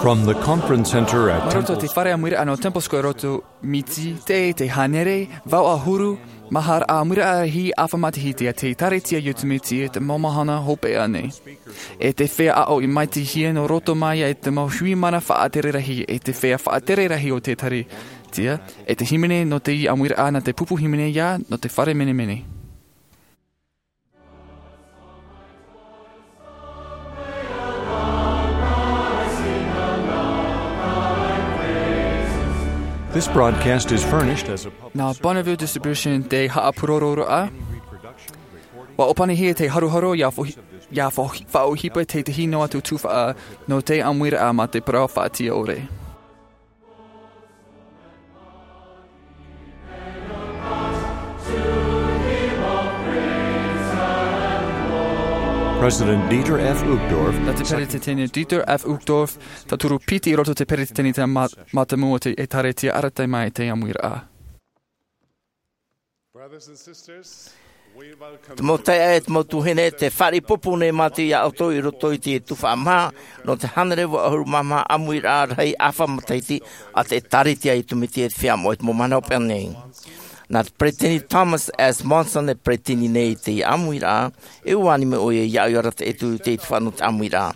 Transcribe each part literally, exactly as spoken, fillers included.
From the conference center at Mai roto i te Temple fare ʻāmuiraʻa nō Temple Square Roto, Miti, teie te hānere vaʻu ʻahuru mā hā ʻāmuiraʻa rahi ʻāfa matahiti a te ʻĒtārētia a Iesu Mesia i te mau mahana hopeʻa nei. E te feiā aʻo i maitihia nō roto mai i te mau hui mana faʻatere rahi, e te feiā faʻatere rahi o te ʻĒtārētia, e te hīmene nō te ʻāmuiraʻa nā te pupu hīmene ia nō te fare menemene. This broadcast is furnished as a public Nā Bonneville Distribution te haʻapūrororaʻa. ʻUa ʻōpanihia te haroharo ia fo-, ia fo-, faʻaʻohipa tētahi noa atu tuhaʻa nō te ʻāmuiraʻa mā te parau faʻatiʻa ʻore. President Dieter F. Uchtdorf. Nā te Peretiteni Dieter F. Uchtdorf, tauturu piti i roto i te peretiteni te ma-, mātāmua o te ʻĒtārētia arataʻi mai i te ʻāmuiraʻa. Brothers and sisters, we welcome Te mau taeaʻe, te mau tuahine, tē fāriʻi pōpō nei mātou ia ʻoutou i roto i te tuhaʻa maha nō te hānere vaʻu ʻahuru mā maha ʻāmuiraʻa rahi ʻāfa matahiti a te ʻĒtārētia a Iesu Mesia i te Feiā Moʻa i te mau mahana hopeʻa nei. Nā te Peretiteni Thomas S. Monson e peretiteni nei i te ʻāmuiraʻa, e ʻua ani mai ʻoia ia ʻoia rā te ʻetu i te tuhaʻa nō te ʻāmuiraʻa.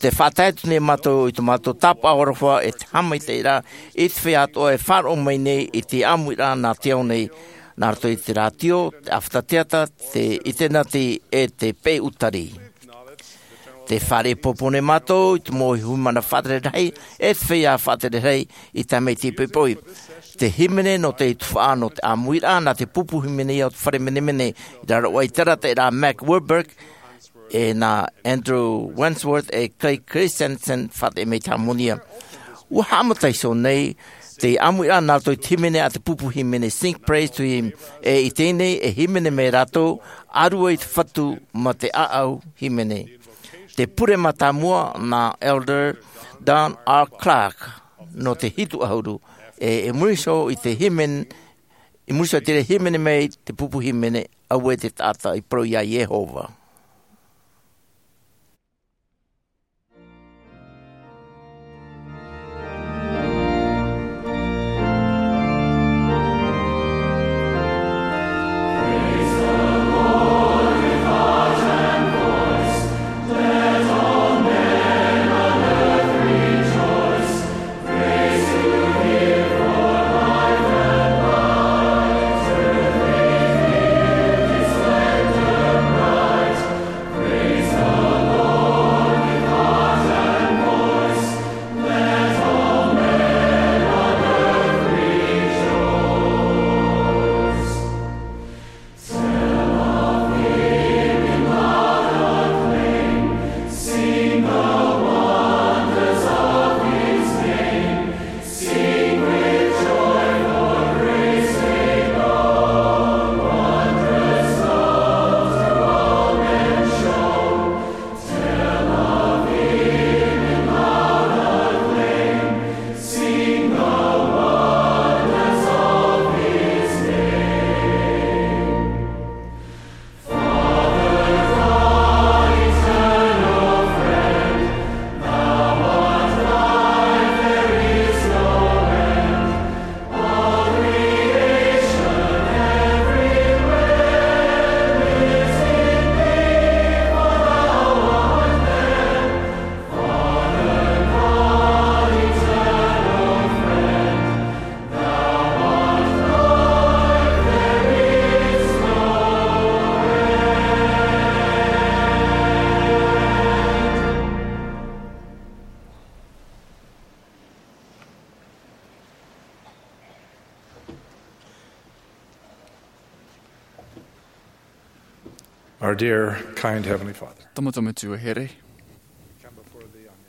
Tē faʻatae atu nei mātou i tō mātou tāpaʻo aroha e te haʻamaitaʻiraʻa i te feiā atoʻa e faʻaroʻo mai nei i te ʻāmuiraʻa nā te ao nei, nā roto i te rātio, te ʻāfata teata, te ʻinitēneti, e te peu ʻūtari. Tē fāriʻi pōpō nei mātou i te mau hui mana faʻatere rahi, e te feiā faʻatere rahi i te mau poʻipoʻi. Te hīmene nō te tuhaʻa nō te ʻāmuiraʻa nā te pupu hīmene ia o te fare menemene, i raro aʻe i te arataʻiraʻa a Mack Wilberg, e nā Andrew Wentworth e Clay Christensen faʻatere mai te hāmani. ʻUa haʻamata iho nei te ʻāmuiraʻa nā roto i te hīmene a te pupu hīmene Sing Praise to Him, e i teie nei e hīmene mai rātou, ʻĀrua i te Fatu mā te ʻāʻau hīmene. Te pure mātāmua nā Elder Don R. Clark nō te hitu ʻahuru, e, i muri iho i te hīmene, i muri iho i te hīmene mai te pupu hīmene, Auē te taʻata i parau ia Iehova. Our dear, kind Heavenly Father. Tō mātou Metua here.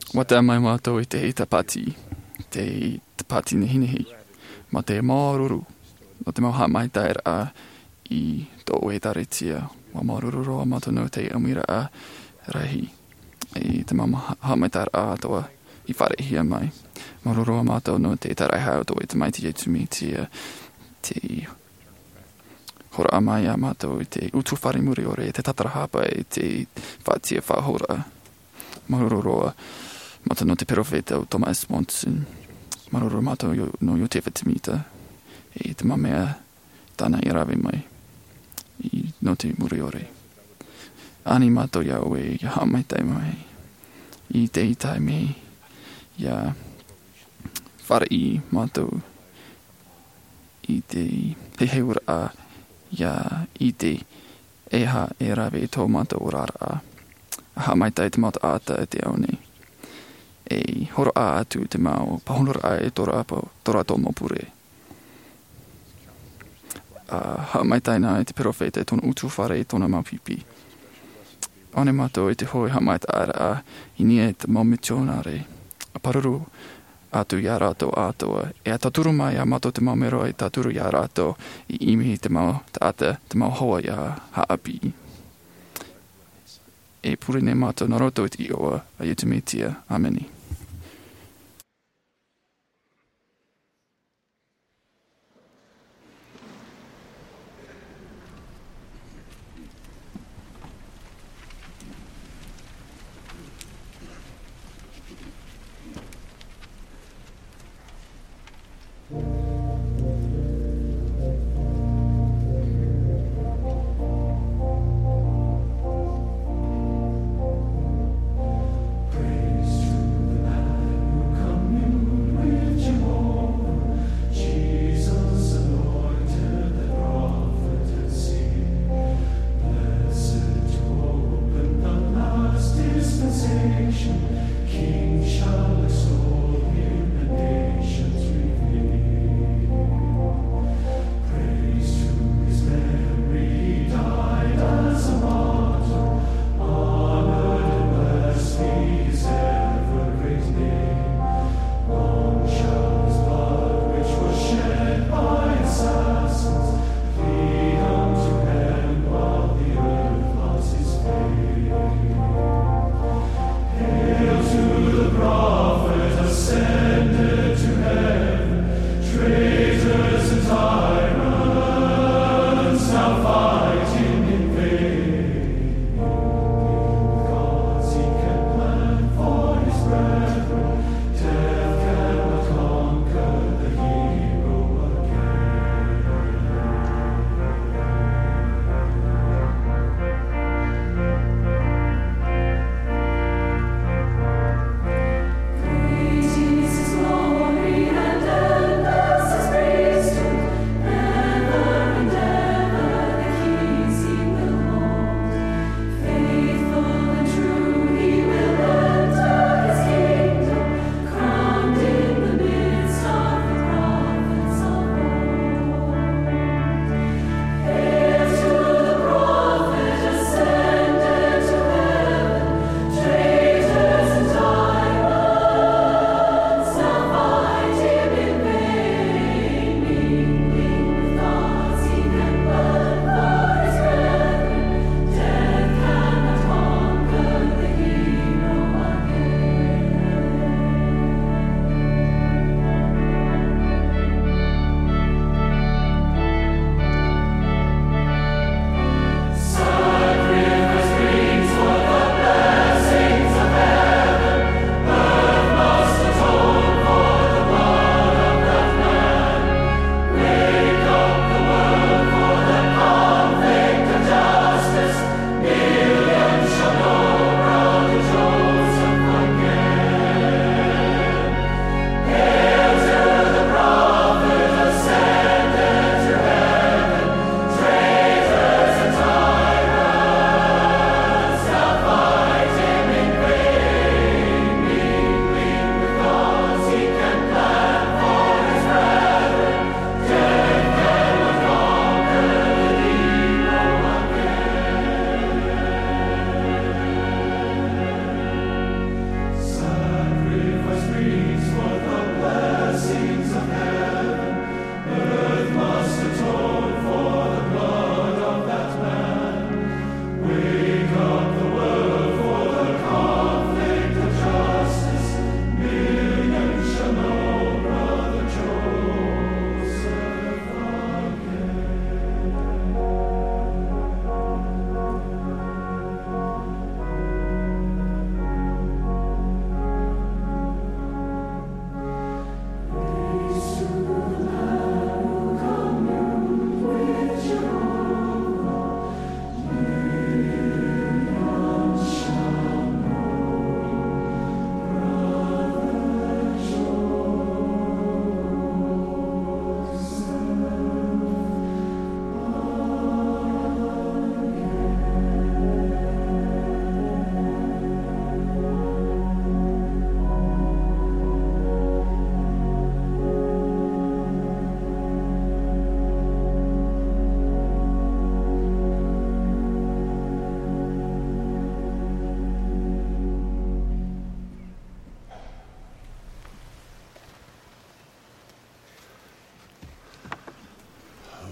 ʻUa tae mai mātou i te tāpati, te tāpati nehenehe, mā te māuruuru, nō te mau haʻamaitaʻiraʻa i tō ʻoe ʻĒtārētia. ʻUa māuruuru roa mātou nō te ʻāmuiraʻa rahi, i te mau ha-, haʻamaitaʻiraʻa atoʻa i fāriʻihia mai. Māuruuru roa mātou nō te tāraʻehia o tō ʻoe Tamaiti Iesu Mesia, te hōroʻa mai ia mātou i te utu fare muri ʻore, te tātarahapa, i te faʻatiʻa faʻahou. Māuruuru roa Mātou nō te peropheta o Thomas S. Monson. Māuruuru mātou nō Iosepha Semita, e te mau mea tāna i rave mai nō te muriʻore. Ani mātou iā ʻoe, ʻia haʻamaitaʻi mai i te taime, ʻia fāriʻi mātou i te heheuraʻa, ʻia ʻite e aha e rave i tō mātou oraraʻa. ʻA haʻamaitaʻi te mau taʻata i te ao nei, e hōroʻa atu te mau pāhonoraʻa e tō rātou, tō rātou mau pure. ʻA haʻamaitaʻi na i te peropheta i tōna ʻutuāfare, i tōna mau pipi. ʻAore mātou i te hōʻē haʻamaitaʻiraʻa i niʻa i te mau mitionare, ʻa pāruru atu iā rātou atoʻa, e ʻa tauturu mai iā mātou te mau mero e tauturu iā rātou i ʻimi i te mau taʻata, te mau hoa ʻia haʻapiʻi. E pure nei mātou nā roto i te iʻoa a Iesu Mesia. ʻĀmene.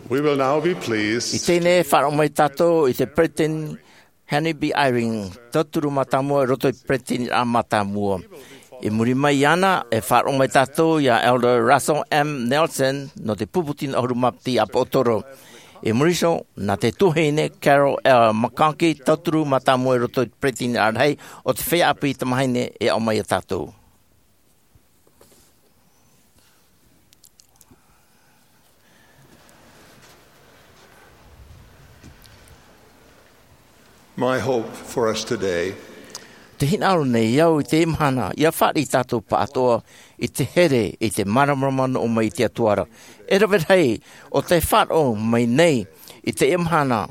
We will now be pleased. I teie nei e faʻaroʻo mai tātou i te Peretiteni Henry B. Eyring, tauturu mātāmua i roto i te Peresideniraʻa mātāmua. I muri mai iāna, e faʻaroʻo mai tātou iā Elder Russell M. Nelson nō te pupu tino ʻahuru mā piti ʻāpoʻotoro. I muri iho, nā te tuahine Carol L. McConkie, tauturu mātāmua i roto i te Peresideniraʻa rahi o te feiā ʻāpī tamāhine e aʻo mai iā tātou. My hope for us today. Te hinaʻaro nei au i teie mahana, ʻia fāriʻi tātou pāʻatoʻa i te here, i te māramarama nō ʻō mai i te Atua ra. E rave rahi, ʻo tē faʻaroʻo mai nei i teie mahana,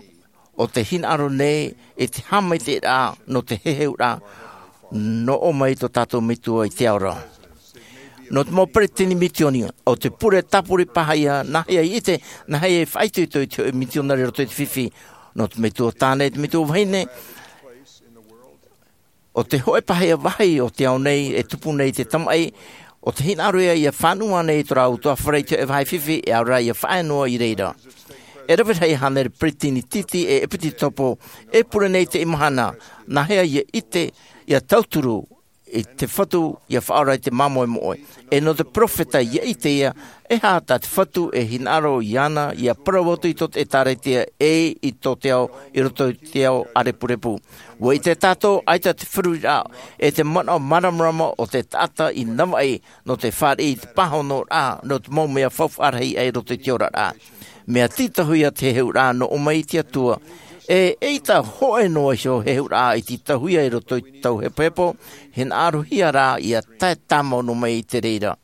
ʻo te hinaʻaro nei i te haʻamaitaʻiraʻa nō te heheuraʻa nō ʻō mai tō tātou Metua i te ao ra. Nō te mau peretiteni misiōni, ʻo te pure tāpura paha ïa, nāhea i ʻite, nāhea i faʻaitoito i te hōʻē misionare i roto i te fifi. Nō te metua tāne, te metua vahine, ʻo te hōʻē paha ïa vāhi o te ao nei e tupu nei te tamaʻi, ʻo te hinaʻaro ïa ʻia fānaʻo nei i tō rāua ʻutuāfare i te hōʻē vāhi fifi, e ʻaore rā ʻia faʻaea noa i reira. E rave rahi hānere peretiteni tītī e ʻepisekopo e pure nei i teie mahana, nāhea ʻia ʻite, ʻia tauturu i te Fatu ʻia faʻaora i te māmoemoe. E nō te peropheta ʻia ʻite ïa, e aha tā te Fatu e hinaʻaro iāna ʻia parau atu i tō te ʻĒtārētia ʻe i tō te ao, i roto i te ao ʻārepurepu. ʻUa ʻite tātou, ʻaita te feruriraʻa, e te manaʻo māramarama o te taʻata i navaʻi, nō te fāriʻi i te pāhonoraʻa, nō te mau mea faufaʻa rahi aʻe i roto i te oraraʻa. Mea tītauhia te heheuraʻa nō ʻō mai i te Atua, e, eʻita hōʻē noa iho heheuraʻa i tītauhia i roto i te tau hepohepo, hinaʻarohia rā ʻia tae tāmau noa mai i te reira.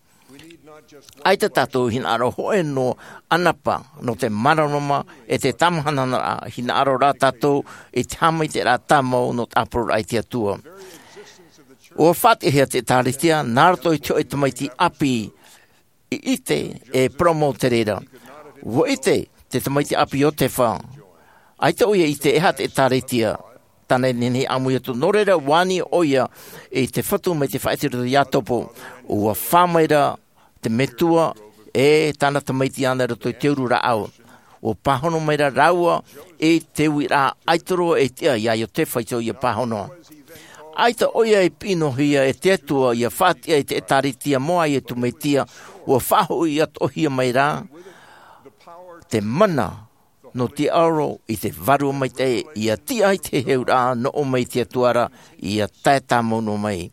ʻAita tātou hinaʻaro hōʻē noa ʻanapa nō te māramarama e te tāmahanahanaʻa, hinaʻaro rā tātou i te haʻamaitaʻiraʻa tāmau nō te ʻāpororaʻa i te Atua. ʻUa faʻatiʻahia te ʻĒtārētia, nā roto i te hōʻē tamaiti ʻāpī, i ʻite e parau mau te reira. ʻUa ʻite te tamaiti ʻāpī Iosepha. ʻAita ʻoia i ʻite e aha te ʻĒtārētia. Tāna e nehenehe e ʻāmui atu. Nō reira, ʻua ani ʻoia i te Fatu mai te faʻaʻite i roto iā Iakobo. ʻUa fā mai ra te Metua e tāna tamaiti iāna i roto i te uru rāʻau. ʻUa pāhono mai ra rāua i te uiraʻa ʻaita roa e tiʻa iā Iosepha iho ʻia pāhono. ʻAita ʻoia e piʻi noa hia e te Atua ʻia faʻatiʻa i te ʻĒtārētia moʻa ʻia tūmāhia, ʻua faʻahoʻi atoʻahia mai rā te mana nō te aoro i te Vārua Maitaʻi, ʻia tiʻa i te heheuraʻa nō ʻō mai i te Atua ra, ʻia tae tāmau noa mai.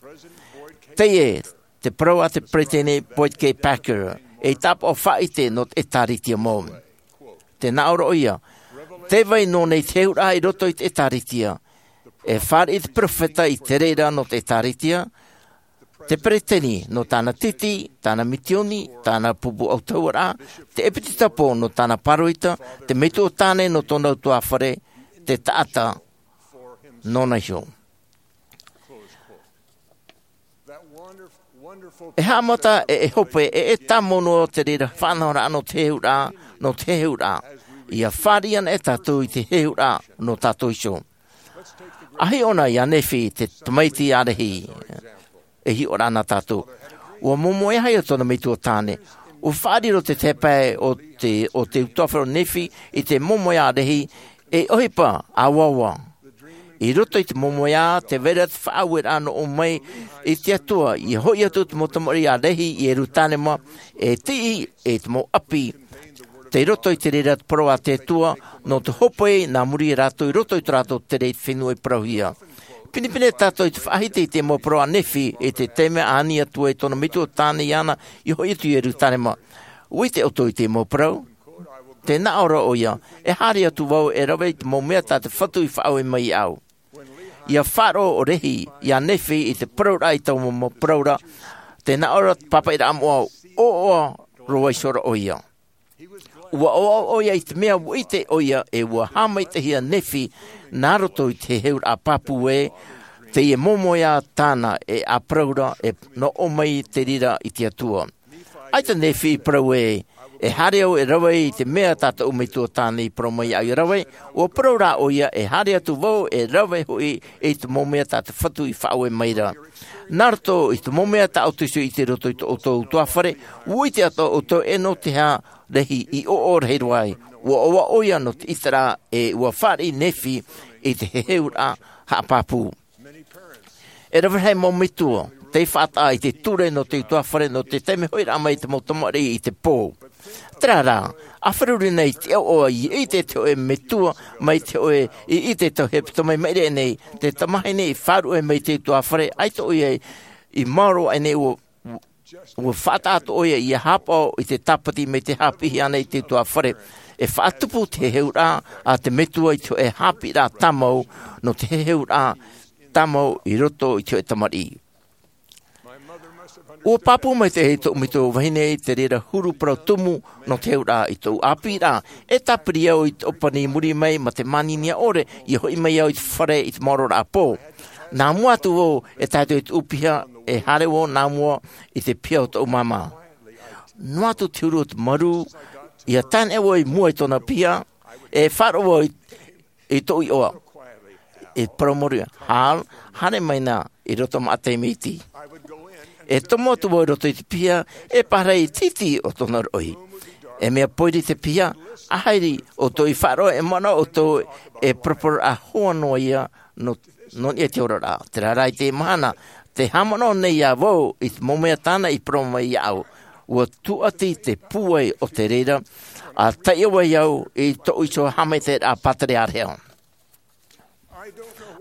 Teie te parau a te Peretiteni Boyd K. Packer, ei tāpaʻo faʻaʻite nō te ʻĒtārētia mau. Tē nā ʻō ra ʻoia, tē vai noa nei te heheuraʻa i roto i te ʻĒtārētia. E fāriʻi te peropheta i te reira nō te ʻĒtārētia, te peretiteni nō tāna tītī, tāna misiōni, tāna pupu ʻautahuʻaraʻa, te ʻepisekopo nō tāna pāroita, te metua tāne nō tōna ʻutuāfare, te taʻata nōna iho. E haʻamata e, e hope, e, e tāmau noa te reira faʻanahoraʻa nō te heheuraʻa, nō te heheuraʻa. ʻIa fāriʻi ana e tātou i te heheuraʻa nō tātou iho. ʻA hiʻo na iā Nephi te tamaiti ʻārehi, e hiʻo ra na tātou. ʻUa momoe aha ïa tōna metua tāne. ʻUa faʻariro te tahi pae o te, o te ʻutuāfare o Nephi i te momoe ʻārehi, e ʻohipa ʻāuaua. I roto i te momoe ā, tē vai ra te faʻaueraʻa nō ʻō mai i te Atua, ʻia hoʻi atu te mau tamariʻi ʻārehi i Ierusalema, e tiʻi i te mau ʻapi. Tei roto i te reira te parau a te Atua, nō te hope nā muri iā rātou i roto i tō rātou tere i te fenua i parauhia. Pinepine tātou i te faʻahiti i te mau parau a Nephi, i te taime a ani atu ai tōna metua tāne iāna, ʻia hoʻi atu i Ierusalema. ʻUa ʻite ʻoutou i te mau parau? Tē nā ʻō ra ʻoia, e haere atu vau e rave i te mau mea tā te Fatu i faʻaue mai iāʻu. ʻIa faʻaroʻo ʻo Lehi, iā Nephi i te parauraʻa i taua mau parau ra, tē nā ʻō ra te pāpaʻiraʻa moʻa, ʻoaʻoa roa iho ra ʻoia. ʻUa ʻoaʻoa ʻoia i te mea ʻua ʻite ʻoia e ʻua haʻamaitaʻihia Nephi nā roto i te heheuraʻa pāpū ē, teie momoe ā tāna e ʻāparau ra e nō ʻō mai te reira i te Atua. ʻAita Nephi i parau ē, E haere au e rave i te mea tā tōʻu metua tāne i parau mai iāʻu ia rave. Ua parau rā ʻoia, e haere atu vau e rave hoʻi i te mau mea tā te Fatu i faʻaue mai ra. Nā roto i te mau mea tā ʻoutou i ʻite i roto i tō ʻoutou utuāfare, ua ʻite atoʻa ʻoutou e nō te aha rahi i ʻoaʻoa rahi roa ai. Ua ʻoaʻoa ʻoia nō te ʻiteraʻa, e ua fāriʻi Nephi i te heheuraʻa haʻapāpū. E rave rahi mau metua tei faʻataʻa i te ture nō te utuāfare, nō te taime hoʻiraʻa mai i te mau tamariʻi i te pō. Terā rā, ʻa feruri nei te ʻoaʻoa i ʻite te hōʻē metua mai te hōʻē i ʻite te hepetoma i maʻiri aʻe nei, te tamahine i faʻaruʻe mai te utuāfare, ʻaita ʻoia i maoro aʻe nei ua, ua faʻataʻa atoʻa ʻoia ia haʻapaʻo i te tāpati mai te haʻapiʻihia nei te utuāfare. E faʻatupu te heheuraʻa a te metua i te hōʻē haʻapiʻiraʻa tāmau, nō te heheuraʻa tāmau i roto i te hōʻē tamariʻi. Ua pāpū maitaʻi tōʻu metua vahine i te reira huru parau tumu nō te heheuraʻa i tōʻu ʻāpīraʻa. E tāpiri au i te ʻōpani i muri mai ma te māninia ʻore, ʻia hoʻi mai au i te fare i te maororaʻa pō. Nā mua atu vau e tae atu i te ʻūpiha, e haere vau nā mua i te piha o tōʻu māmā. Noa atu te huru o te marū, ʻia tāneʻa vau i mua i tōna piha, e faʻaroʻo vau i i tōʻu iʻoa. E parau mai au, Hal, haere mai na i roto maʻa taime iti. E tomo atu vau i roto i te piha, e pārahi i te iti o tōna roʻi. E mea poiri te piha, ʻa haere ʻoutou i faʻaroʻo e manaʻo ʻoutou e paraparauraʻa hoa noa ia nō, nō niʻa i te oraraʻa. Terā rā i te mahana, te haʻamanaʻo nei ā vau i te mau mea tāna i parau mai iāʻu. Ua tūʻati te pūai o te reira, ʻa taiʻo ai au i tōʻu iho haʻamaitaʻiraʻa pātereāreha.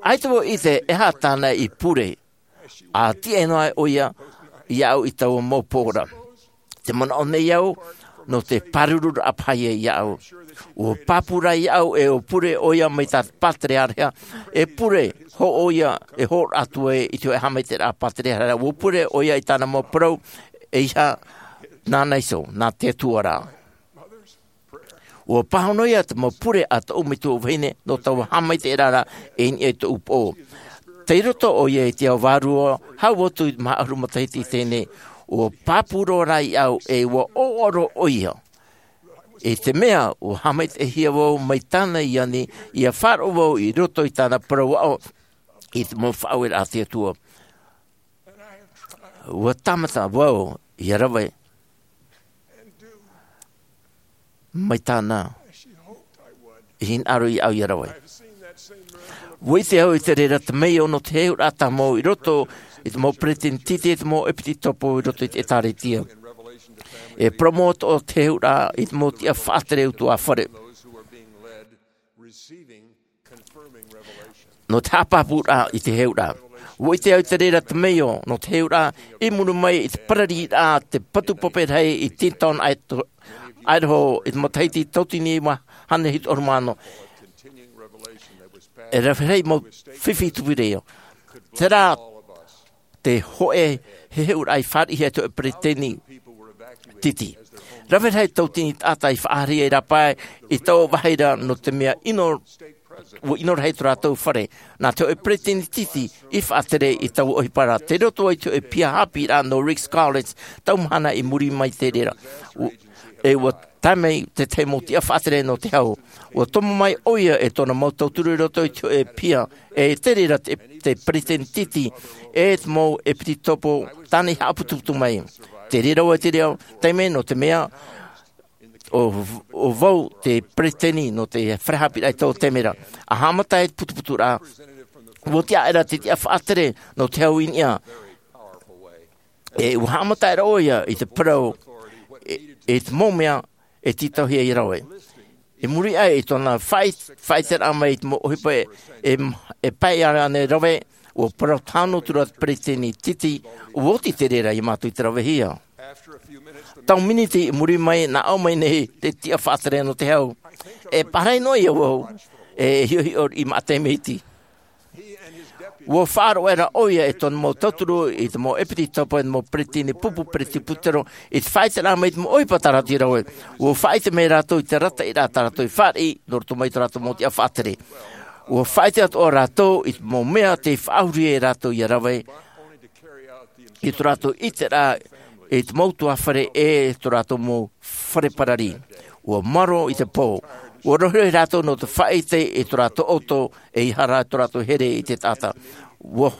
ʻAita vau ʻite e aha tāna i pure, ʻa tiʻa noa ʻoia iāʻu i taua mau pō ra. Te manaʻo nei au, nō te pārururaʻa paha ia iāʻu. Ua pāpū rā iāʻu e ʻua pure ʻoia mai tā te pātereāreha, e pure hōʻē ʻoia e hōroʻa atu ai i te hōʻē haʻamaitaʻiraʻa pātereāreha, ua pure ʻoia i tāna mau parau, ʻeiaha nāna iho, nā te Atua rā. Ua pāhono ia te mau pure a tōʻu metua vahine nō taua haʻamaitaʻiraʻa i niʻa i tōʻu pō. Tei roto ʻoia i te ao vārua, hau atu i te maha ʻahuru matahiti i teie nei, ua pāpū roa rā iāʻu e ua ʻoaʻoa roa ʻoia. I te mea, ua haʻamaitaʻihia vau mai tāna i ani, ʻia faʻaroʻo vau i roto i tāna parau aʻo i te mau faʻaueraʻa a te Atua. Ua tāmata vau ʻia rave mai tāna i hinaʻaro iāʻu ʻia rave. Ua ʻite au i te reira temeio nō te heheuraʻa tāmau i roto i te mau peresideni titi, i te mau ʻepitopo i roto i te ʻĒtārētia. E parau mau atoʻa te heheuraʻa i te mau tiʻa faʻatere utuāfare nō te haʻapāpūraʻa i te heheuraʻa. Ua ʻite au i te reira temeio nō te heheuraʻa i muri mai i te parariraʻa a te patu pape rahi i Teton, Idaho, i te matahiti tauatini e iva hānere hitu ʻahuru mā ono. E rave rahi mau fifi tupu i reira. Terā te hōʻē heheuraʻa i fāriʻihia e te hōʻē peresideni titi. Rave rahi tauatini taʻata i faʻahaere i rāpae i taua vāhi ra nō te mea ʻino, ua ʻino rahi tō rātou fare. Nā te hōʻē peresideni titi i faʻatere i taua ʻohipa ra. Tei roto i te hōʻē piha haʻapiʻiraʻa nō Ricks College, tau mahana i muri mai i te reira. U-, e ua tae mai te tahi mau tiʻa faʻatere nō te hau. Ua tomo mai ʻoia e tōna mau tauturu i roto i te hōʻē piha, e te reira te, te peresideni titi, e te mau ʻepitopo tāna i haʻaputuputu mai. Te reira ua te reo, taime nō te mea, ʻo, ʻo vau te peresideni nō te fare haʻapiʻiraʻa i taua taime ra. ʻA haʻamata ai te putuputuraʻa, ua tiʻa aʻera te tiʻa faʻatere nō te hau i niʻa. E ua haʻamata aʻera ʻoia i te parau, e, e te mau mea e tītauhia ʻia rave. I muri aʻe i tōna faʻi-, faʻaiteraʻa mai i te mau ʻohipa e, e, e pae ānei rave, ua parau tāno atu ra te peresideni titi, ua oti te reira iā mātou i te ravehia. Tau miniti i muri mai, nā ʻō mai nei te tiʻa faʻatere nō te hau. E pārahi noa iā vau, e hiʻohiʻo i maʻa taime iti. Ua faʻaroʻo aʻera ʻoia e tōna mau tauturu i te mau ʻepitopo, i te mau peresideni pupu, peresideni presibutero, i te faʻaiteraʻa mai i te mau ʻohipa tā rātou i rave. Ua faʻaʻite mai rātou i te arataʻiraʻa tā rātou i fāriʻi, nō roto mai tō rātou mau tiʻa faʻatere. Ua faʻaʻite atoʻa rātou i te mau mea tei faʻahuri ai rātou ʻia rave, i tō rātou ʻiteraʻa i te mau tuahine e tō rātou mau fare parari. Ua maro i te pō. Ua rohi rātou nō te faʻaʻite i tō rātou ʻoutou e ʻaita rā tō rātou here i te taʻata. Ua,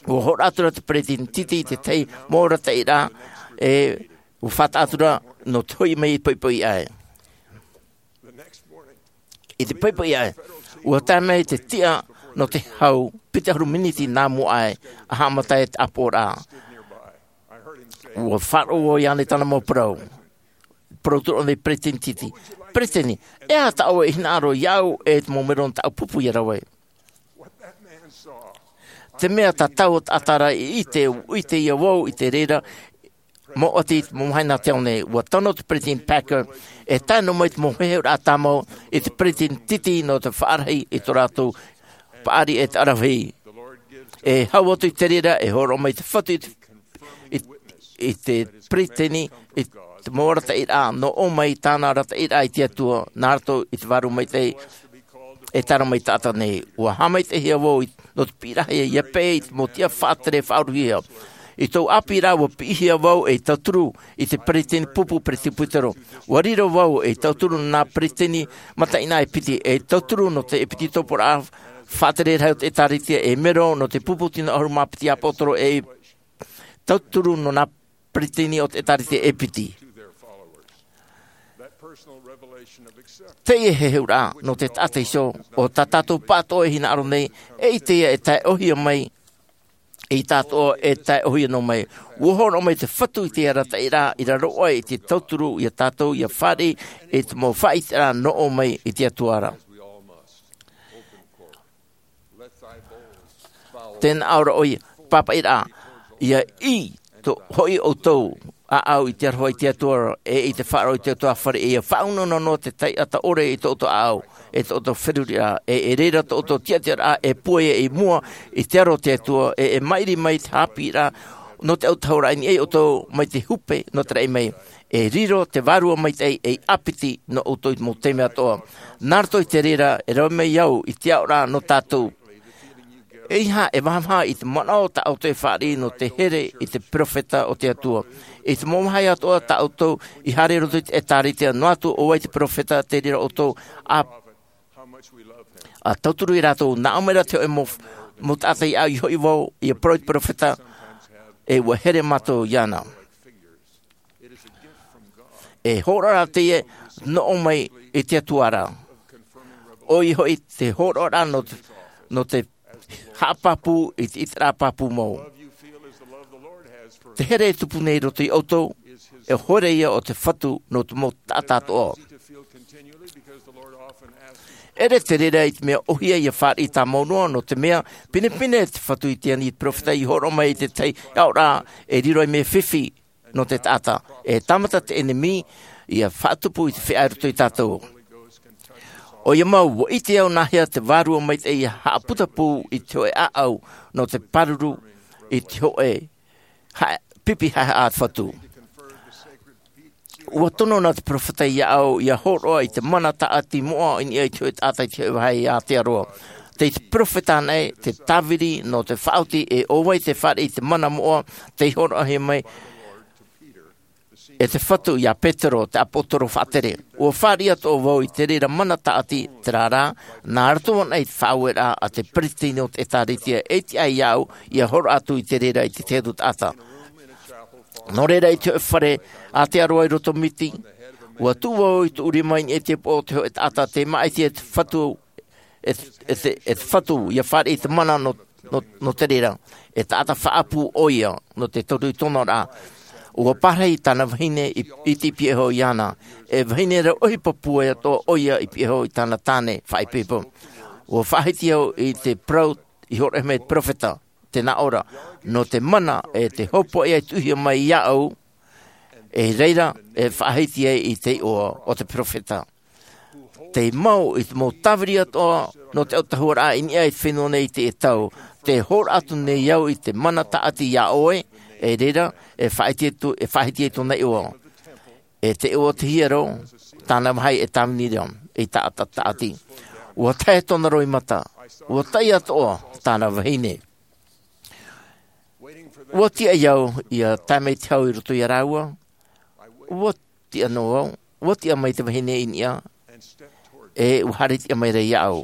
ua hōroʻa atu ra te peresideni titi i te tahi mau arataʻiraʻa e ua faʻataʻa atu ra nō te hoʻi mai i te poʻipoʻi ʻae. I te poʻipoʻi ʻae, ua tae mai te tiʻa nō te hau piti ʻahuru miniti nā mua aʻe, ʻa haʻamata ai te ʻāpoʻoraʻa. Ua faʻaroʻo iāna i tāna mau parau. Parau atu ra ʻōna i te peresideni titi. Peresideni, e aha tā ʻoe e hinaʻaro iāʻu e te mau melo nō tāʻu pupu ia rave? Te mea tā taua taʻata ra i ʻite, ʻite ia vau i te reira, mau ʻati i te mau mahana tei ʻō nei. Ua tae noa te peresideni Packer, e tae noa mai te mau heheuraʻa tāmau i te peresideni titi nō te faʻarahi i tō rātou paʻari e te ʻaravihi. E hau atu i te reira, e hōroʻa mai te Fatu i te, i, i te peresideni, i te mau arataʻiraʻa, nō ʻō mai tāna arataʻiraʻa i te Atua, nā roto i te Vārua Maitaʻi, e tae mai taʻata nei. Ua haʻamaitaʻihia vau i, nō te piʻiraʻa ia peʻe i te mau tiʻa faʻatere faʻauruhia. I tōʻu ʻāpīraʻa ua piʻihia vau ei tauturu i te peresideni pupu peresibutero. Ua riro vau ei tauturu nō nā peresideni mataʻeinaʻa e piti, ei tauturu nō te ʻēpititoporaʻa faʻatere rahi o te ʻĒtārētia, ei melo nō te pupu tino ʻahuru mā piti ʻāpōsetolo, ei tauturu nō nā peresideni o te ʻĒtārētia e piti. Teie heheuraʻa nō te taʻata iho, ʻo tā tātou pāʻatoʻa e hinaʻaro nei, e ʻite ia e tae ʻōhie mai, e tātou e tae ʻōhie noa mai. Ua hōroʻa mai te Fatu i te arataʻiraʻa i raro aʻe i te tauturu ia tātou ia fāriʻi i te mau faʻaʻiteraʻa nō ʻō mai i te Atua ra. Tē nā ʻō ra ʻoia, pāpaʻiraʻa, ia ʻī tō hoʻi ʻoutou ʻāʻau i te aroha i te Atua ra, e i te faʻaroʻo i te ʻutuāfare, e ia faʻaunauna noa te taʻata ʻore i tō ʻoutou ʻāʻau, e tō ʻoutou feruriraʻa, e, e reira tō ʻoutou tiʻatiʻaraʻa e pūai i mua i te aro o te Atua, e, e maʻiri mai te haʻapiʻiraʻa nō te autahuʻaraʻa i niʻa ia ʻoutou mai te hupe nō te raʻi mai. E riro te Vārua Maitaʻi ei ʻāpiti nō ʻoutou i te mau taime atoʻa. Nā roto i te reira, e rave mai au i te aʻoraʻa nō tātou. ʻEiaha e vahavaha i te manaʻo tā ʻoutou e fāriʻi nō te here i te perofeta o te Atua. I te mau vāhi atoʻa tā ʻoutou i haere i roto i te ʻĒtārētia, noa atu ʻo vai te perofeta, te reira ʻoutou ʻa, ʻa tauturu ia rātou, nā ʻō mai ra te hōʻē mau, mau taʻata iāʻu, i hoʻi vau, ia parau i te perofeta, e ua here mātou iāna. E hōroʻa ra teie nō ʻō mai i te Atua ra. ʻOia hoʻi te hōroʻaraʻa nō te, nō te haʻapāpū i te ʻiteraʻa pāpū mau. Te here e tupu nei i roto ia ʻoutou, e hoa ia o te Fatu nō te mau taʻata atoʻa. ʻEʻere te reira i te mea ʻōhie ia fāriʻi tāmau noa, nō te mea, pinepine te Fatu i te ani i te perofeta i hōroʻa mai i te tahi aʻoraʻa e riro ei mea fifi nō te taʻata. E tāmata te ʻenemi ia faʻatupu i te feiā i roto ia tātou. ʻOia mau, ua ʻite au nāhea te Vārua Maitaʻi ia haʻaputapū i te hōʻē ʻāʻau nō te pāruru i te hōʻē ha-, pipi haʻehaʻa a te Fatu. Ua tono na te perofeta iāʻu ia hōroʻa i te mana tāʻati moʻa i niʻa i te hōʻē taʻata i te hōʻē vāhi i Aotearoa. Tei te perofeta anaʻe te tāviri nō te faʻaoti, e ʻo vai te fāriʻi i te mana moʻa tei hōroʻahia mai e te Fatu ia Petero, te ʻāpōsetolo faʻatere. Ua fāriʻi atoʻa vau i te reira mana tāʻati, terā rā, nā roto anaʻe i te faʻaueraʻa a te peresideni o te ʻĒtārētia, e tiʻa iāʻu ia hōroʻa atu i te reira i te tahi atu taʻata. Nō reira, i te hōʻē fare Aotearoa i roto Miti, ua tuʻu vau i tuʻu rima i niʻa i te upoʻo o te hōʻē taʻata tei māʻiti e te Fatu, e, e te, e te Fatu, ia fāriʻi i te mana nō, nō, nō te reira. E taʻata faʻaʻapu ʻoia, nō te toru i tōna ra. Ua pārahi tāna vahine i, i te piʻihia iāna. E vahine rau ʻohipa pūai atoʻa ʻoia i piʻihia i tāna tāne faʻaipoipo. Ua faʻahiti au i te parau i hōroʻahia mai e te perofeta, tē nā ʻō ra, nō te mana e te hopoiʻa i tuʻuhia mai iāʻu, e reira e faʻahiti ai i te iʻoa o te perofeta. Tei mau i te mau tāviri atoʻa nō te autahuʻaraʻa i niʻa i te fenua nei i teie tau, tē hōroʻa atu nei au i te mana tāʻati iā ʻoe, e reira, e faʻahiti atu, e faʻahiti ai tōna iʻoa. E te iʻoa o te hiero, tāna vāhi e tāvini ra, ei taʻata tāʻati. Ua tae tōna roimata, ua taʻi atoʻa tāna vahine. Ua tiʻa iāʻu ia tae mai te hau i roto iā rāua. Ua tiʻa noa au, ua tiʻa mai te vahine i niʻa, e ua haere tiʻa mai rā iāʻu.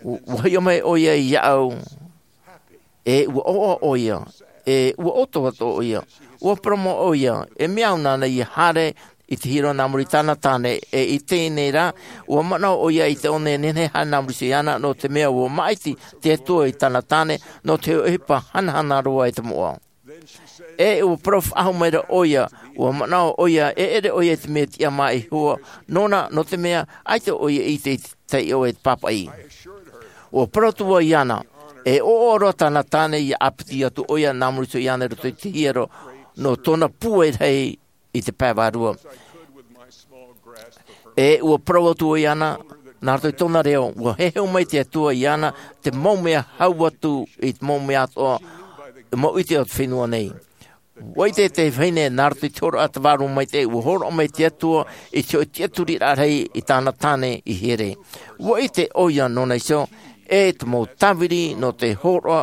Ua hiʻo mai ʻoia iāʻu, e ua ʻoaʻoa ʻoia, e ua ʻoto atu ʻoia. Ua parau ʻoia, e mea au nāna ia haere i te hiero nā muri i tāna tāne, e i teie nei rā, ua manaʻo ʻoia i te ʻō nei nehenehe haere nā muri iāna, nō te mea ua māʻiti te Atua i tāna tāne, nō te ʻohipa hanahana roa e te moʻa. E ua parau faʻahou mai rā ʻoia, ua manaʻo ʻoia, e ʻere ʻoia i te mea tiʻa mā Iehova, nōna, nō te mea, ʻaita ʻoia i ʻite i te taiʻo e te pāpaʻi. Ua parau atu vau iāna, e ʻoaʻoa roa tāna tāne ia ʻāpiti atu ʻoia nā muri iāna i roto i te hiero, nō tōna pūai rahi i te pae vārua. E ua parau atu vau iāna, nā roto i tōna reo, ua heheu mai te Atua iāna, te mau mea hau atu i te mau mea atoʻa, mau ʻite o te fenua nei. Ua ʻite te vahine nā roto i te hōroʻa a te Vārua Maitaʻi, ua hōroʻa mai te Atua i te hōʻē tiʻaturiraʻa rahi i tāna tāne i here. Ua ʻite ʻoia nōna iho, e te mau tāviri nō te hōroʻa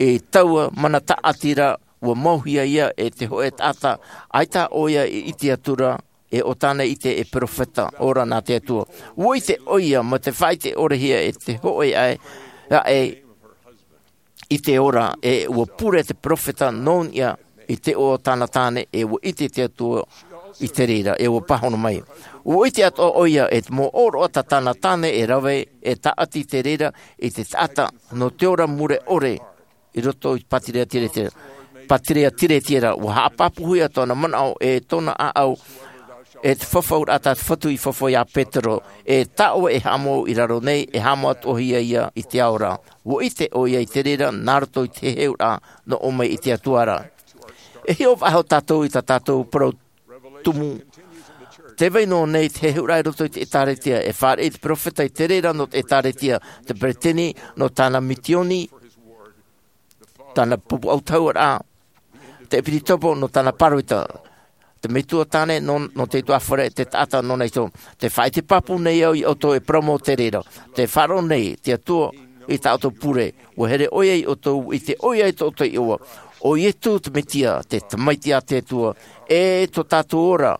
i taua mana tāʻatiraʻa, ua mauhia ia e te hōʻē taʻata, ʻaita ʻoia i ʻite atu ra, e ʻo tāna ʻite e perofeta ora nā te Atua. Ua ʻite ʻoia, mai te faʻaʻite ʻore hia e te hōʻē aʻe, aʻe i te ora, e ua pure te perofeta nō niʻa i te iʻoa o tāna tāne, e ua ʻite te Atua i te reira, e ua pāhono mai. Ua ʻite atoʻa ʻoia, e te mau ʻōroʻa tā tāna tāne e rave, e tāʻati te reira i te taʻata, nō te ora mure ʻore, i roto i te pātireia Tiatira. Pātireia Tiatira, ua haʻapāpūhia tōna manaʻo e tōna ʻāʻau, e te fafauraʻa tā te Fatu i fafau iā Petero, e tā ʻoe e haʻamau i raro nei, e haʻamau atoʻa hia ia i te ao ra. Ua ʻite ʻoia i te reira, nā roto i te heheuraʻa, nō ʻō mai i te Atua ra. E hiʻo faʻahou tātou i tā tātou parau tumu. Tē vai noa nei te heheuraʻa i roto i te ʻĒtārētia, e fāriʻi te perofeta i te reira nō te ʻĒtārētia, te peretiteni nō tāna mitioni, tāna pupu autahuʻaraʻa, te ʻepisekopo nō tāna pāroita, te metua tāne nō, nō te ʻutuāfare, te taʻata nōna iho. Tē faʻaʻite pāpū nei au ia ʻoutou e parau mau te reira. Tē faʻaroʻo nei te Atua i tā ʻoutou pure. Ua here ʻoia ia ʻoutou, ʻite ʻoia i tō ʻoutou iʻoa. ʻO Iesu te Mesia, te Tamaiti a te Atua, e tō tātou ora.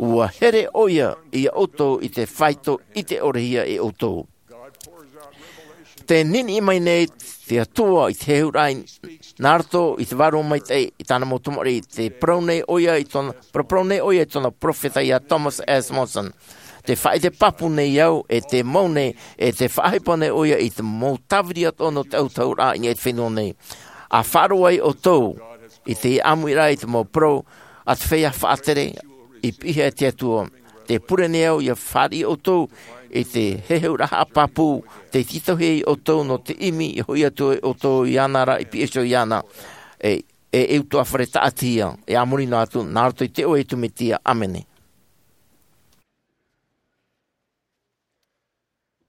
Ua here ʻoia ia ʻoutou i te faito ʻite ʻore hia e ʻoutou. Tē niniʻi mai nei te Atua i te heheuraʻa nā roto i te Vārua Maitaʻi i tāna mau tamariʻi, tē parau nei ʻoia i tōna, paraparau nei ʻoia i tōna perofeta iā Thomas S. Monson. Tē faʻaʻite pāpū nei au, e tē mau nei, e tē faʻaʻohipa nei ʻoia i te mau tāviri atoʻa nō te autahuʻaraʻa i niʻa i te fenua nei. ʻA faʻaroʻo ai ʻoutou i te ʻāmuiraʻa i te mau parau a te feiā faʻatere, i piʻihia e te Atua. Tē pure nei au ia fāriʻi ʻoutou i te heheuraʻa haʻapāpū, tē tītauhia ia ʻoutou nō te ʻimi i hoʻi atu ai ʻoutou iāna ra, i piʻi iho iāna. E, e, e ʻutuāfare tāʻatihia, e a muri noa atu, nā roto i te iʻoa o Iesu Mesia. ʻĀmene.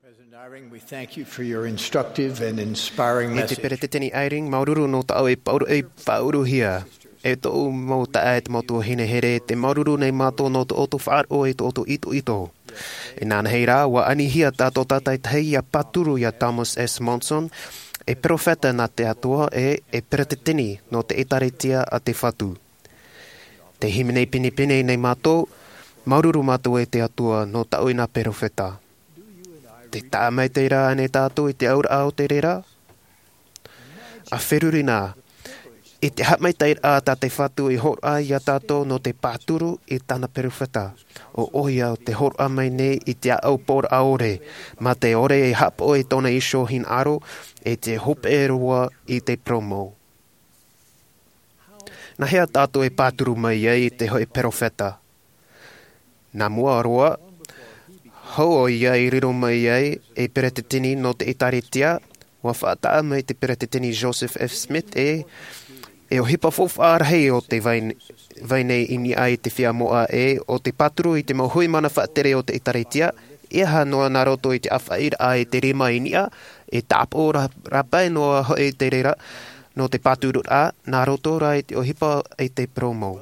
President Eyring, we thank you for your instructive and inspiring message. E te Peretiteni Eyring, māuruuru nō tā ʻoe e pāʻuru, e pāʻuruhia. E tōʻu mau taeaʻe, e te mau tuahine here, tē māuruuru nei mātou nō tō ʻoutou faʻaroʻo, e tō ʻoutou itoito. Inanahi rā, ʻua anihia tā tō tātou taʻata ia pāturu iā Thomas S. Monson, e perofeta nā te Atua, e, e peretiteni nō te ʻĒtārētia a te Fatu. Tē hīmene pinepine nei mātou, māuruuru mātou e te Atua nō tā ʻoe nā perofeta. Tē taʻa maitaʻi ra ānei tātou i te auraʻa o te reira? ʻA feruri na, i te haʻamaitaʻiraʻa tā te Fatu i hōroʻa iā tātou nō te pāturu i tāna perofeta. ʻO ʻoia tē hōroʻa mai nei i te ʻāʻau pōraʻa ʻore, mā te ʻore e haʻapaʻo i tōna iho hinaʻaro, e tē hopeʻa roa i te parau mau. Nā hea tātou e pāturu mai ai i te hōʻē perofeta? Nā mua roa, hou ʻoia i riro mai ai ei peretiteni nō te ʻĒtārētia, ʻua faʻataʻa mai te Peretiteni Joseph F. Smith e, e ʻohipa faufaʻa rahi o te vai, vai nei i niʻa i te feiā moʻa e, ʻo te pāturu i te mau hui mana faʻatere o te ʻĒtārētia, ʻeiaha noa nā roto i te ʻāfaʻiraʻa e te rima i niʻa, e tāpaʻo rā, rāpae noa hoʻi te reira, nō te pāturuʻraʻa, nā roto rā i te ʻohipa e te parau mau.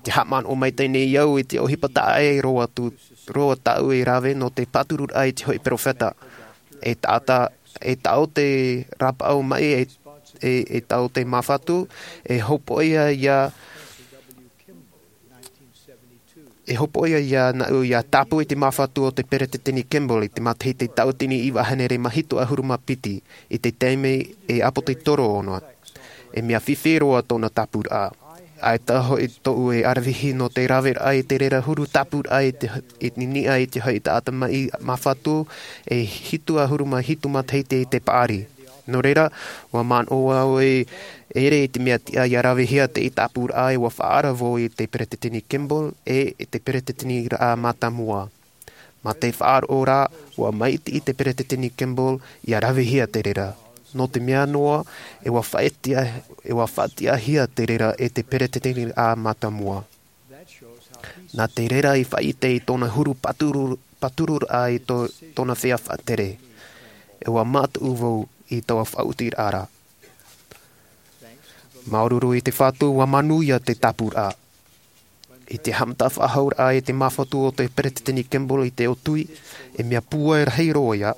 Tē haʻamanaʻo maitaʻi nei au i te ʻohipa taʻa ʻē roa atu, roa tāʻu i rave nō te pāturuʻraʻa i te hōʻē perofeta. E taʻata, e taʻo te rāpaʻau maʻi e, e, e tau te māfatu, e hopoʻia ia, e hopoʻia ia naʻu ia tāpū i te māfatu o te Peretiteni Kimball i te matahiti tauatini iva hānere mā hitu ʻahuru mā piti, i te taime e ʻāpōsetolo ʻōna. E mea fifi roa tōna tāpūraʻa. ʻAita hoʻi tōʻu e ʻaravihi nō te raveraʻa i te reira huru tāpūraʻa i te, i niʻa i te hoʻi taʻata maʻi māfatu e hitu ʻahuru mā hitu matahiti i te paʻari. Nō reira, ʻua manaʻo au e ʻere i te mea tiʻa ia ravehia te tāpūraʻa e ʻua faʻaara vau i te Peretiteni Kimball e i te Peretiteniraʻa mātāmua. Mā te faʻaroʻo rā, ʻua maʻiti i te Peretiteni Kimball ia ravehia te reira. Nō te mea noa, e ʻua faʻatiʻa, e ʻua faʻatiʻahia te reira e te Peretiteniraʻa mātāmua. Nā te reira i faʻaʻite i tōna huru pāturu, pātururaʻa i tō, tōna feiā faʻatere. E ʻua mātau vau i taua faʻaotiraʻa ra. Māuruuru i te Fatu, ʻua manuia te tāpūraʻa. I te haʻamata faʻahou raʻa i te māfatu o te Peretiteni Kimball i te ʻōtui, e mea pūai rahi roa ia.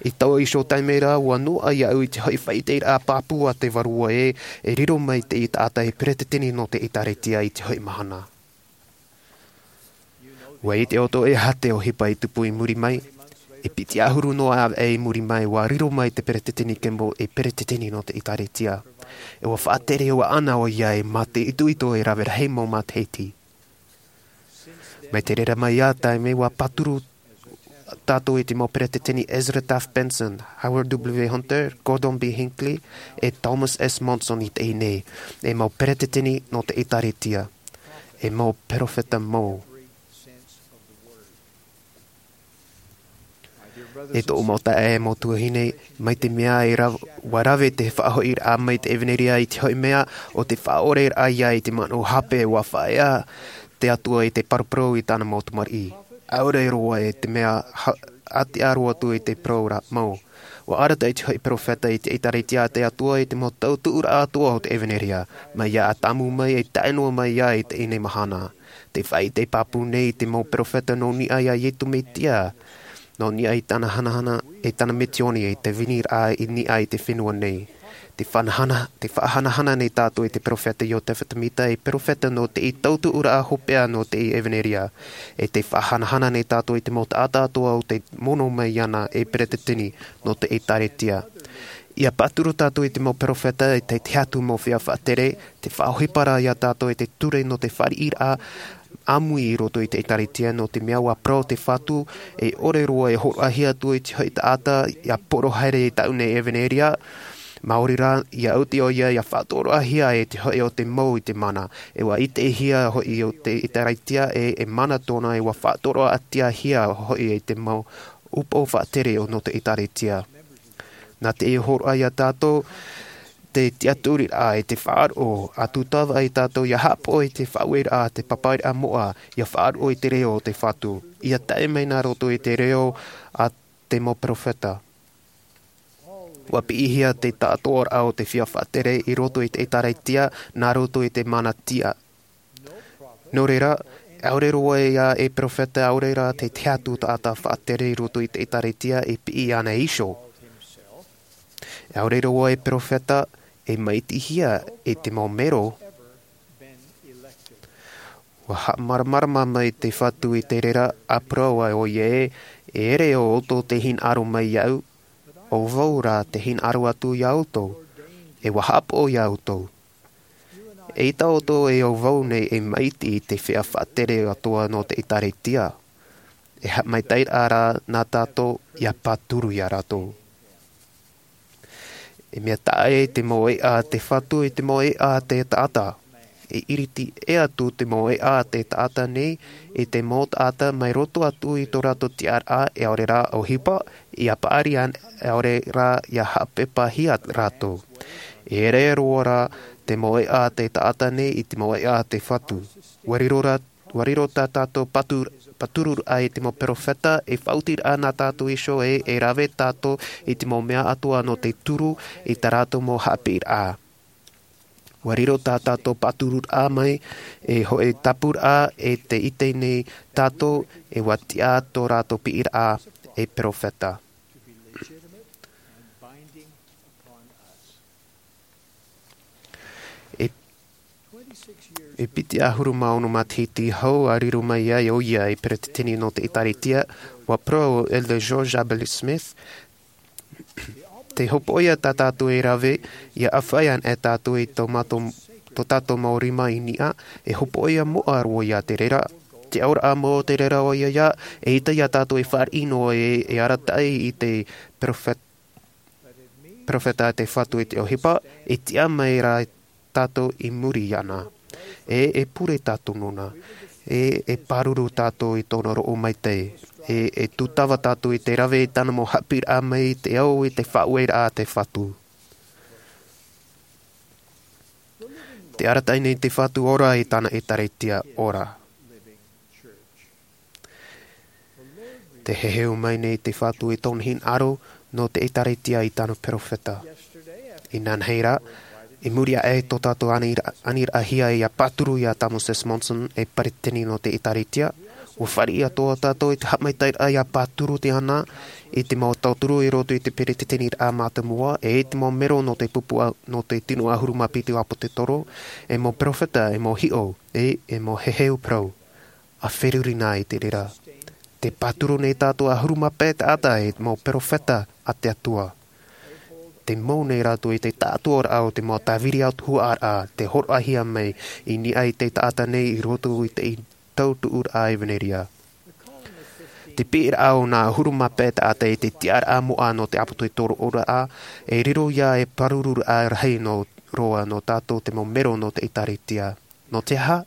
I taua iho taime ra, ʻua noaʻa iaʻu i te hoʻi faʻaʻiteraʻa pāpū a te Vārua ē, e riro mai te taʻata e Peretiteni nō te ʻĒkālesia i te hoʻi mahana. ʻUa ʻite ʻoutou e aha te ʻohipa i tupu i muri mai, e piti ʻahuru noa ʻāvaʻe i muri mai, ʻua riro mai te Peretiteni Kimball e Peretiteni nō te ʻĒkālesia. E ʻua faʻatere ʻoia ʻana ʻoia e mā te itoito e rave rahi mau matahiti. Mai te reira mai ia taime ʻua pāturu tātou i te mau Peretiteni Ezra Taft Benson, Howard W. Hunter, Gordon B. Hinckley, e Thomas S. Monson i teie nei, e mau Peretiteni nō te ʻĒkālesia, e mau perofeta mau. E tōʻu mau taeaʻe, e mau tuahine, mai te mea e ra-, ʻua rave te faʻahoʻiraʻa mai te ʻevanelia i te hoʻi mea, ʻo te faʻaʻoreraʻa ia i te manaʻo hape ʻua faʻaea te Atua i te paraparau i tāna mau tamariʻi. ʻAore roa e te mea ha-, ʻātea roa atu i te parau ra mau. ʻUa arataʻi te hoʻi perofeta i te ʻĒkālesia a te Atua i te mau tautuʻuraʻa atoʻa o te ʻevanelia, mai ia Atamu mai e tae noa mai ia i teie mahana. Tē faʻaʻite pāpū nei te mau perofeta nō niʻa ia Iesu Mesia, nō niʻa i tāna hanahana, e tāna misioni, e te veniraʻa i niʻa i te fenua nei. Tē faʻahana-, tē faʻahanahana nei tātou i te perofeta Iosefa Samita, e perofeta nō te tautuʻuraʻa hopeʻa nō te ʻevanelia. E tē faʻahanahana nei tātou i te mau taʻata atoʻa ʻo tē mono mai iāna e Peretiteni nō te ʻĒkālesia. ʻIa pāturu tātou i te mau perofeta, e te, te tahi atu mau feiā faʻatere, tē faʻaʻohipa ra ia tātou i te ture nō te fāriʻiraʻa ʻāmui i roto i te ʻĒkālesia, nō te mea ʻua parau te Fatu, e ʻore roa e hōroʻahia atu i te hoʻi taʻata, ʻia poro haere i tāʻu nei ʻevanelia, maori rā, ʻia oti ʻoia, ʻia faʻatoroʻahia e te hoʻi o te mau i te mana. E ʻua ʻitehia hoʻi ʻo te ʻĒkālesia, e, e mana tōna, e ʻua faʻatoroʻahia hoʻi e te mau ʻupoʻo faʻatere o nō te ʻĒkālesia. Nā te hōroʻa ia tātou, te tiʻaturiraʻa e te faʻaroʻo, ʻa tūtava ai tātou ʻia haʻapaʻo i te faʻaueraʻa a te pāpaʻiraʻa moʻa, ʻia faʻaroʻo i te reo o te Fatu, ʻia tae mai nā roto i te reo a te mau perofeta. ʻUa piʻihia te taʻatoʻaraʻa o te feiā faʻatere i roto i te ʻĒkālesia, nā roto i te mana tiʻa. Nō reira, ʻaore roa ia e perofeta, ʻaore rā te tahi atu taʻata faʻatere i roto i te ʻĒkālesia e piʻi iāna iho. ʻAore roa e perofeta e maʻitihia e te mau mero. ʻUa haʻamāramarama mai te Fatu i te reira, ʻa parau ai ʻoia ē, e ʻere ʻo ʻoutou tē hinaʻaro mai iāʻu, ʻo vau rā tē hinaʻaro atu iā ʻoutou, e ʻua haʻapaʻo iā ʻoutou. Eʻita ʻoutou e ʻo vau nei e maʻiti i te feiā faʻatere atoʻa nō te ʻĒkālesia. E haʻamaitaʻiraʻa rā nā tātou ʻia pāturu iā rātou. E mea taʻa ʻē te mau ʻēʻa a te Fatu i te mau ʻēʻa a te taʻata. E ʻiriti ʻē atu te mau ʻēʻa a te taʻata nei i te mau taʻata mai roto atu i tō rātou tiʻaraʻa, e ʻaore rā ʻohipa, ʻia paʻari ana, e ʻaore rā ʻia haʻapeʻapāhia rātou. E ʻere roa rā te mau ʻēʻa a te taʻata nei i te mau ʻēʻa a te Fatu. ʻUa riro rā, ʻua riro tā tātou patu-, pātururaʻa i te mau perofeta, e faʻaotiraʻa nā tātou iho ē, e rave tātou i te mau mea atoʻa nō te turu i tā rātou mau haʻapiʻiraʻa. ʻUa riro tā tātou pātururaʻa mai, e hoʻi tāpūraʻa, e tē ʻite nei tātou, e ʻua tiʻa tō rātou piʻiraʻa, e perofeta. E piti ʻahuru mā ono matahiti hou a riro mai ai ʻoia ei peretiteni nō te ʻĒtārētia, ua parau ʻo Elder George Abel Smith, te hopoiʻa tā tātou e rave, ʻia ʻāfaʻi anaʻe tātou i tō mātou, tō tātou mau rima i niʻa, e hopoiʻa moʻa roa ia te reira. Te auraʻa mau o te reira ʻoia ia, e ʻita ia tātou e fāriʻi noa e, e arataʻi i te perofet-, perofeta a te Fatu i te ʻohipa, e tiʻa mai rā tātou i muri iāna. E, e pure tātou nōna. E, e pāruru tātou i tōna roʻo maitaʻi. E, e tūtava tātou i te rave i tāna mau haʻapiʻiraʻa mai i te ao i te faʻaueraʻa a te Fatu. Te arataʻi nei te Fatu ora i tāna ʻĒtārētia ora. Te heheu mai nei te Fatu i tōna hinaʻaro nō te ʻĒtārētia i tāna perofeta. Inanahi rā, i muri aʻe i tō tātou aniraʻa, aniraʻahia ʻia pāturu ia Thomas S. Monson ei peretiteni nō te ʻĒtārētia, ua fāriʻi atoʻa tātou i te haʻamaitaʻiraʻa ʻia pāturu te ana i te mau tauturu i roto i te peretiteniraʻa mātāmua, e i te mau mero nō te pupu a-, nō te tino ʻahuru mā piti ʻāpōsetolo, e mau perofeta, e mau hiʻo, e, e mau heheu parau. ʻA feruri na i te reira. Te pāturu nei tātou ʻahuru mā pae taʻata e mau perofeta a te Atua. Te mau nei rātou i te tāʻātoʻaraʻa o te mau tāviri atu huaʻaraʻa, te hōroʻahia mai i niʻa i te taʻata nei i roto i te tautuʻuraʻa ʻEvaneria. Te piʻiraʻa o nā ʻahuru mā pae taʻata i te tiʻaraʻa moʻa nō te ʻāpōsetolo ora, e riro ia e pārururaʻa rahi nō roa nō tātou te mau mero nō te ʻĒtārētia. Nō te aha?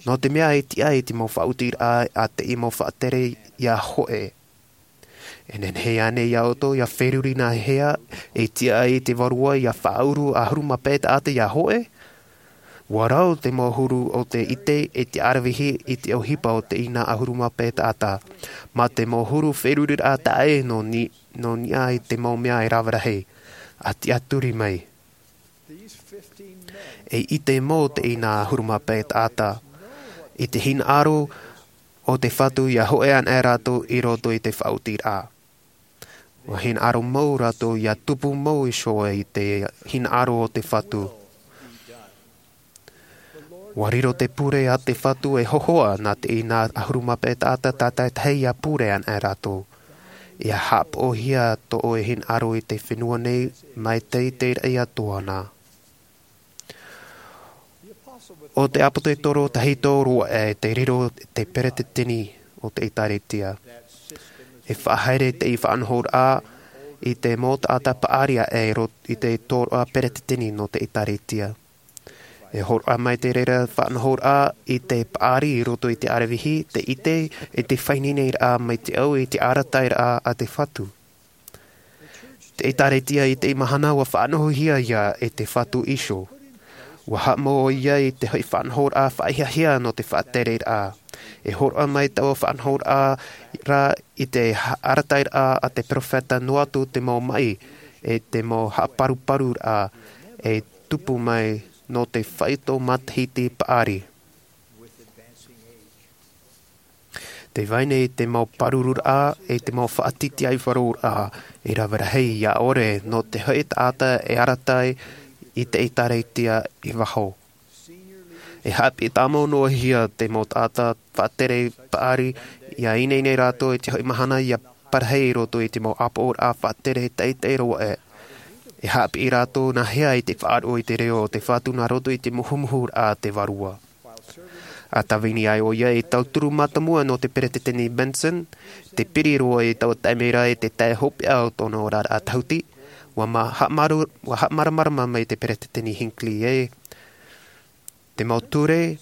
Nō te mea e tiʻa i te mau faʻaotiraʻa a te mau faʻatere ʻia hōʻē. E nehenehe ānei ia ʻoutou ʻia feruri nā hea e tiʻa ai te Vārua ʻia faʻauru ʻahuru mā pae taʻata ʻia hōʻē? ʻUa rau te mau huru o te ʻite e te aravihi i te ʻohipa o teie nā ʻahuru mā pae taʻata. Mā te mau huru feruriraʻa taʻa ʻē nō ni-, nō niʻa i te mau mea e rave rahi. ʻA tiʻaturi mai. E ʻite mau teie nā ʻahuru mā pae taʻata i te hinaʻaro o te Fatu ʻia hōʻē anaʻe rātou i roto i te faʻaotiraʻa. ʻUa hinaʻaro mau rātou ʻia tupu mau iho i te hinaʻaro o te Fatu. ʻUa riro te pure a te Fatu e hōhoʻa nā teie nā ʻahuru mā pae taʻata tātaʻitahi ʻia pure anaʻe rātou. ʻIa haʻapaʻohia tō ʻoe hinaʻaro i te fenua nei mai te, te raʻi atoʻa na. ʻO te ʻāpōsetolo tahito roa ē te riro te peretiteni o te ʻĒtārētia. E faʻahaere teie faʻanahoraʻa i te mau taʻata paʻari ē ro-, i te tōroʻa peretiteni nō te ʻĒtārētia. E hōroʻa mai te reira faʻanahoraʻa i te paʻari i roto i te aravihi, te ʻite, i te faʻaineineraʻa mai te au i te arataʻiraʻa a te Fatu. Te ʻĒtārētia i teie mahana ʻua faʻanahohia ia e te Fatu iho. ʻUa haʻamau ʻoia i te hoʻi faʻanahoraʻa faʻahiahia nō te faʻatereraʻa. E hōroʻa mai taua faʻanahoraʻa ra i te ha-, arataʻiraʻa a te perofeta noa atu te mau maʻi, e te mau haʻaparuparuraʻa, e tupu mai nō te faito matahiti paʻari. Te vai nei te mau pārururaʻa, e te mau faʻatītīaʻifaroraʻa, e rave rahi ʻia ʻore nō te hoʻi taʻata e arataʻi i te ʻĒtārētia i waho. E haʻapiʻi tāmau noa hia te mau taʻata faʻatere paʻari, ʻia ineine rātou i te hoʻi mahana ʻia parahi i roto i te mau ʻāpoʻoraʻa faʻatere teitei roa ē. E haʻapiʻi rātou nā hea i te faʻaroʻo i te reo o te Fatu nā roto i te muhumuhuraʻa a te Vārua. ʻA tāvini ai ʻoia ei tauturu mātāmua nō te Peretiteni Benson, te piri roa i taua taime ra i te tae hopeʻa o tōna oraraʻa tahuti, ʻua ma-, haʻamaru-, ʻua haʻamāramarama mai te Peretiteni Hinckley ē, te mau ture,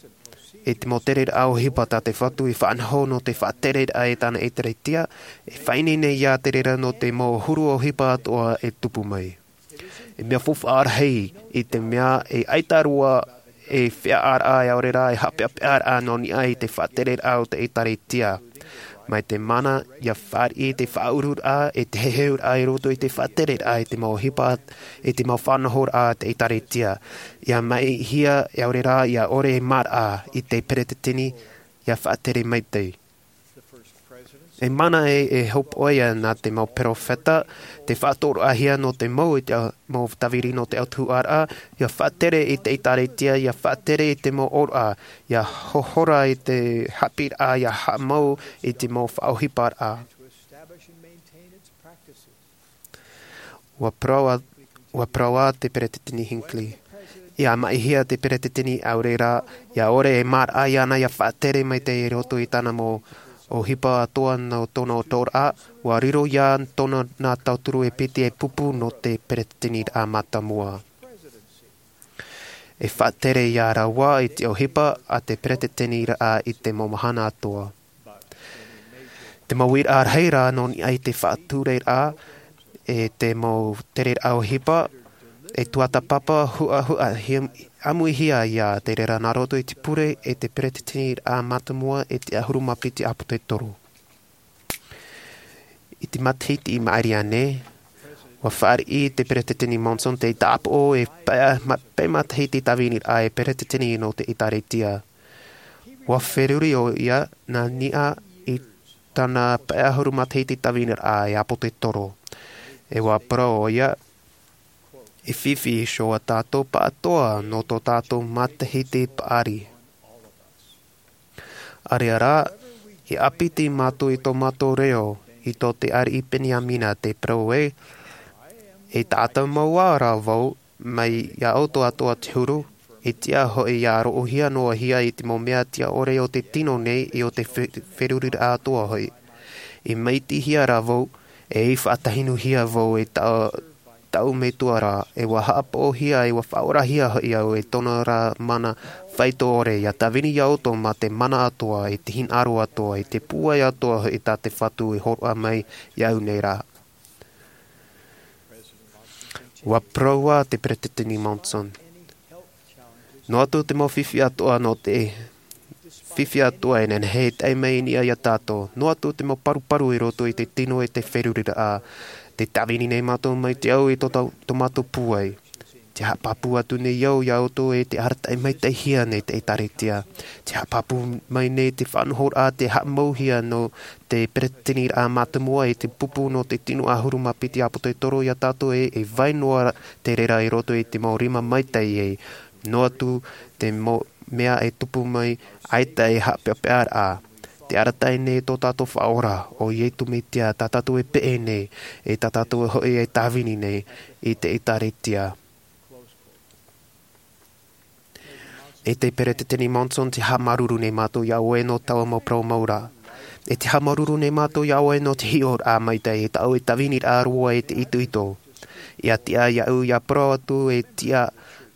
e te mau tereraʻa ʻohipa tā te Fatu i faʻanaho nō te faʻatereraʻa i tāna ʻĒtārētia, e faʻaineine ia te reira nō te mau huru ʻohipa atoʻa e tupu mai. E mea faufaʻa rahi, i te mea e ʻaita roa e feiā ʻāraʻa e ʻaore rā e haʻapeʻapeʻaraʻa nō niʻa i te faʻatereraʻa o te ʻĒtārētia. Mai te mana, ʻia fāriʻi te faʻaururaʻa, e te heheuraʻa i roto i te faʻatereraʻa i te mau ʻohipa, i te mau faʻanahoraʻa a te ʻĒtārētia. ʻIa maihia, e ʻaore rā, ʻia ʻore e maraʻa i te Peretiteni, ʻia faʻatere maitaʻi. E mana e e hopoia nā te mau peropheta te faʻatoroʻahia nō te mau i te mau tāviri nō te autahuʻaraʻa, ia faʻatere i te ʻēkālesia, ia faʻatere i te mau ʻōroʻa, ia hohora i te haʻapiʻiraʻa, ia haʻamau i te mau faʻaʻohiparaʻa. Ua parau ā te peretiteni Hinckley, ia maʻihia te peretiteni ʻaore rā ia ʻore e māraʻa iāna ia faʻatere mai te i roto i tāna mau ʻohipa atoa nō tōna ʻōroʻa. Ua riro iā tōna nā tauturu e piti e pupu nō te peretiteniraʻa mātāmua. E faʻatere iā rāua i te ʻohipa a te peretiteniraʻa i te mau mahana atoa. Te mau uiraʻa rahi rā nō niʻa i te faʻatureraʻa e te mau tereraʻa ʻohipa e tuatāpapa huʻahuʻa ʻāmuihia iā te reira nā roto i te pure e te peretiteniraʻa mātāmua e te ʻahuru mā piti ʻāpōsetolo. I te matahiti i maʻiri aʻe nei, ua fāriʻi te peretiteni Monson te tāpaʻo e pae matahiti tāviniraʻa e peretiteni nō te ʻēkālesia. Ua feruri ʻoia nā niʻa i tāna pae ʻahuru matahiti tāviniraʻa e ʻāpōsetolo. E ua parau ʻoia, e fifi iho ā tātou pāʻatoa nō tō tātou matahiti paʻari. ʻAreʻa rā, e ʻāpiti mātou i tō mātou reo i tō te ariʻi Peniamina te parau ē, e taʻata mau ā rā vau mai iā ʻoutou atoʻa te huru, e tiʻa hoʻi ia roʻohia noa hia i te mau mea tiʻa ʻore o te tino nei i ō te feruriraʻa atoʻa hoʻi. I maitihia rā vau e i faʻatahinuhia vau e taʻu taʻu metua rā, e ua haʻapaʻohia e ua faʻaorahia hoʻi au e tōna rā mana faito ʻore ia tāvini iā ʻoutou mā te mana atoʻa i te hinaʻaro atoʻa i te pūai atoʻa hoʻi tā te fatu i horoʻa mai iā ʻu nei rā. Ua parau ā te peretiteni Monson, noa atu te mau fifi atoʻa nō te fifi atoʻa e nehenehe e tae mai i niʻa iā tātou, noa atu te mau paruparu i roto i te tino e te feruriraʻa. Te tāvini nei mātou mai te au i tō mātou pūai. Te haʻapāpū atu nei au iā ʻoutou e te arataʻi maitaʻihia nei te ʻēkālesia. Te haʻapāpū mai nei te faʻanahoraʻa te haʻamauhia nō te peretiteniraʻa mātāmua i te pupu nō te tino ʻahuru mā piti ʻāpōsetolo iā tātou e e vai noa te reira i roto i te mau rima maitaʻi e noa atu te mau mea e tupu mai ʻaita e haʻapeʻapeʻa raʻa. Te arataʻi nei tō tātou faʻaora o iesu mesia tā tātou e peʻe nei e tā tātou hoʻi e tāvini nei i te ʻēkālesia. E te peretiteni Monson te haʻamāuruuru nei mātou iā ʻoe nō taua mau parau mau rā. E te haʻamāuruuru nei mātou iā ʻoe nō te hiʻoraʻa maitaʻi e taʻu e tāviniraʻa roa e te itoito. Ia tiʻa iā ʻu ia parau atu e tiʻa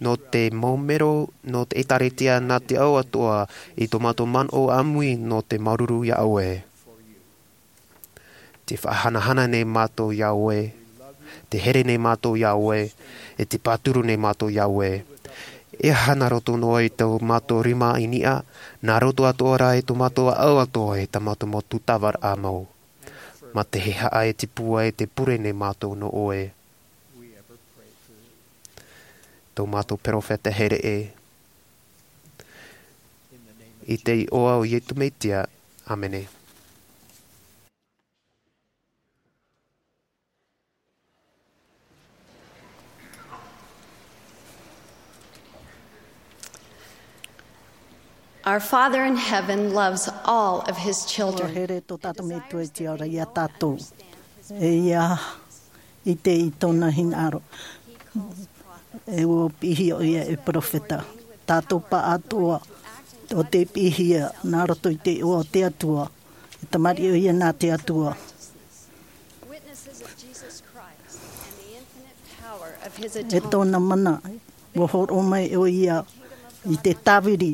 nō te mau mero nō te ʻēkālesia nā te ao atoʻa i tō mātou manaʻo ʻāmui nō te māuruuru iā ʻoe. Te faʻahanahana nei mātou iā ʻoe. Te here nei mātou iā ʻoe. E te pāturu nei mātou iā ʻoe. E aha nā roto noa i tō mātou rima i niʻa nā roto atoʻa rā i tō mātou ʻāʻau atoʻa i tā mātou mau tūtavaraʻa mau. Mā te hehaʻa e te pūai e te pure nei mātou nō ʻoe. Tō mātou peropheta here ē. I te iʻoa o iesu mesia. ʻĀmene. Our Father in heaven loves all of his children. Ua here tō tātou Metua i te ao ra iā tātou. E ia ʻite i tōna hinaʻaro. E ua piʻihia ʻo ia e peropheta. Tātou pāʻatoʻa o te piʻihia nā roto i te iʻoa o te Atua. E tamariʻi ʻo ia nā te Atua. E tōna mana ua hōroʻa mai ʻo ia i te tāviri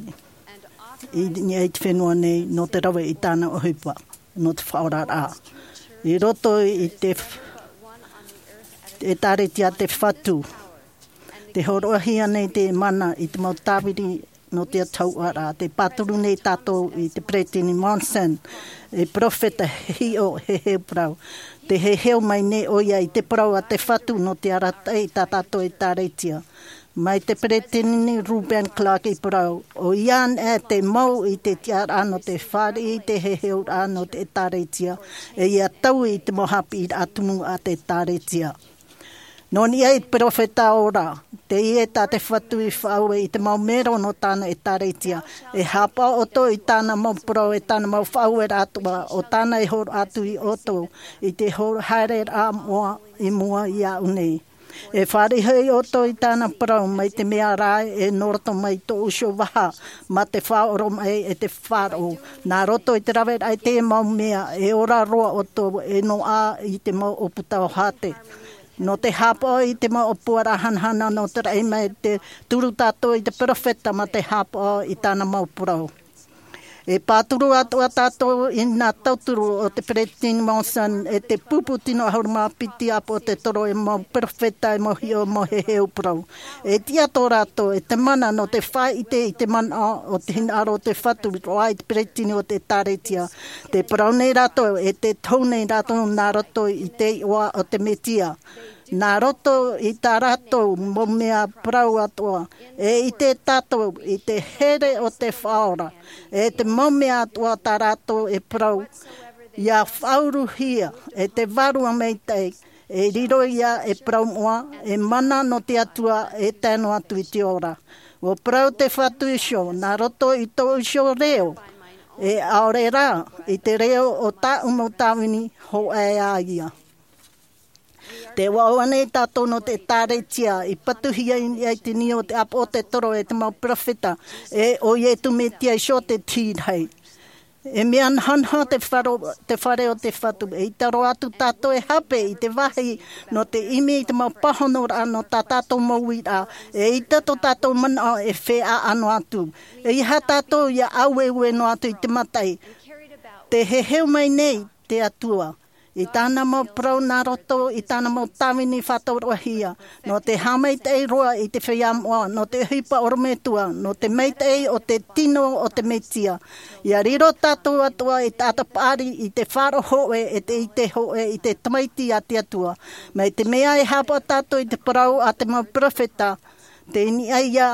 i niʻa i te fenua nei nō te rave i tāna ʻohipa nō te faʻaoraraʻa i roto i te ʻēkālesia te fatu. Te hōroʻahia nei te mana i te mau tāviri nō te autahuʻaraʻa. Te pāturu nei tātou i te peretiteni Monson, e peropheta hiʻo heheu parau. Te heheu mai nei ʻo ia i te parau a te fatu nō te arataʻi i tā tātou ʻēkālesia. Mai te peresideni Reuben Clark i parau, ʻo ia anaʻe te mau i te tiʻaraʻa nō te fāriʻi i te heheuraʻa nō te ʻĒtārētia, e ia taui i te mau haʻapiʻiraʻa tumu a te ʻĒtārētia. Nō niʻa i te perofeta ora, teie tā te Fatu i faʻaue i te mau mero nō tāna ʻĒtārētia, e haʻapaʻo ʻoutou i tāna mau parau, e tāna mau faʻaueraʻa atoʻa, ʻo tāna e hōroʻa atu ia ʻoutou i te hō-, haereraʻa moʻa i mua iāʻu nei. E fāriʻi hoʻi ʻoutou i tāna parau, mai te mea rā ē, nō roto mai tōʻu iho vaha, mā te faʻaoromaʻi e te faʻaroʻo. Nā roto i te raveraʻa i te mau mea, e ora roa ʻoutou, e noaʻa i te mau ʻōputa o Hate. Nō te haʻapaʻo i te mau ʻōpuaraʻa hanahana nō te raʻi mai, tē turu tātou i te perofeta mā te haʻapaʻo i tāna mau parau. E pāturu atoʻa tātou i nā tauturu o te peresideni Monson, e te pupu tino ʻahuru mā piti ʻāpōsetolo, e mau perofeta, e mau hiʻo, mau heheu parau. E tiʻa tō rātou, e te mana nō te faʻaʻite i te manaʻo o te hinaʻaro o te Fatu roa i te peresideni o te ʻĒtārētia. Tē parau nei rātou, e tē tohu nei rātou nā roto i te iʻoa o te Mesia. Nā roto i tā rātou mau mea parau atoʻa, e ʻite tātou i te here o te Faʻaora, e te mau mea atoʻa tā rātou e parau, ʻia faʻauruhia, e te Vārua Maitaʻi, e riro ia e parau moʻa, e mana nō te Atua, e tae noa atu i te ora. ʻUa parau te Fatu iho, nā roto i tōʻu iho reo, e ʻaore rā, i te reo o tāʻu mau tāvini, hōʻē ā ia. Tē ʻoaʻoa nei tātou nō te ʻĒtārētia, i patuhia i niʻa i te niu o te ʻāpōsetolo e te mau perofeta, e ʻo Iesu Mesia iho te Tīreni. E mea nahanaha te faro-, te fare o te Fatu, e ʻita roa atu tātou e hape i te vāhi nō te ʻimi i te mau pāhonoraʻa nō tā tātou mau uiraʻa, e ʻita tō tātou manaʻo e fēʻaʻa noa atu. ʻEiaha tātou ʻia ʻaueue noa atu i te mataʻi. Tē heheu mai nei te Atua i tāna mau parau nā roto i tāna mau tāvini faʻatauroʻahia, nō te haʻamaitaʻi roa i te feiā moʻa, nō te ʻohipa ʻorometua, nō te maitaʻi o te tino o te Mesia. ʻIa riro tātou atoʻa i te taʻata paʻari, i te faʻaroʻo hōʻē, e te, i te hōʻē, i te Tamaiti a te Atua. Mai te mea e haʻapaʻo tātou i te parau a te mau perofeta, tei niʻa ia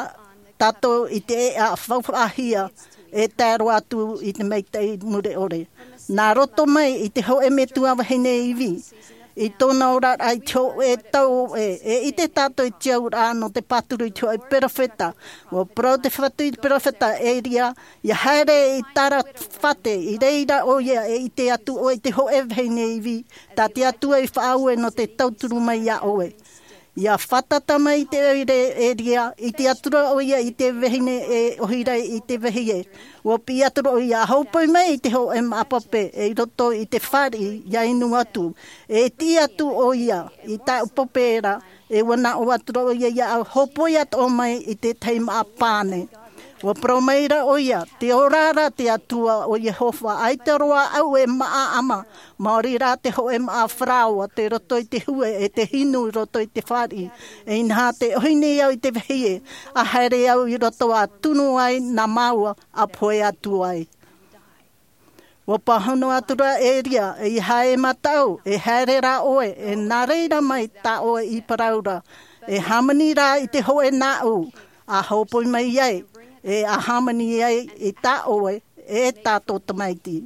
tātou i te ʻēʻa faufaʻahia, e tae roa atu i te maitaʻi mure ʻore. Nā roto mai i te hōʻē metua vahine ivi, i tōna oraraʻa i te hōʻē tau ʻē, e ʻite tātou i te auraʻa nō te pāturu i te hōʻē perofeta. ʻUa parau te Fatu i te perofeta Eria, ʻia haere i Sarefata, i reira ʻoia e ʻite atu ʻoe i te hōʻē vahine ivi, tā te Atua i faʻaue nō te tauturu mai iā ʻoe. ʻIa fātata mai te ʻoire Eria, ʻite atu ra ʻoia i te vahine e ʻohipa i te vāhi ē. ʻUa piʻi atu ra ʻoia, hōpoi mai i te hōʻē māʻa pape, e i roto i te fāriʻi, ʻia inu atu. E tiʻi atu ʻoia i taʻu pape ra, e ʻua nā ʻō atu ra ʻoia iāʻu, hōpoi atoʻa mai i te tahi māʻa pane. ʻUa parau mai ra ʻoia, tē ora ra te Atua ʻo Iehova, ʻaita roa ʻaʻau e māʻa ʻama, maori rā te hōʻē māʻa faraoa, tei roto i te hue, e te hinu i roto i te fāriʻi. E inaha, tē ʻohi nei au i te vāhi ē, ʻa haere au i roto ʻa tunu ai nā māua, ʻa pohe atu ai. ʻUa pāhono atu ra Eria, ʻeiaha e mataʻu, e haere rā ʻoe, e nā reira mai tā ʻoe i parau ra, e hāmani rā i te hōʻē nāʻu, ʻa hōpoi mai ai, e ʻa hāmani ai i tā ʻoe, e tā tō tamaiti.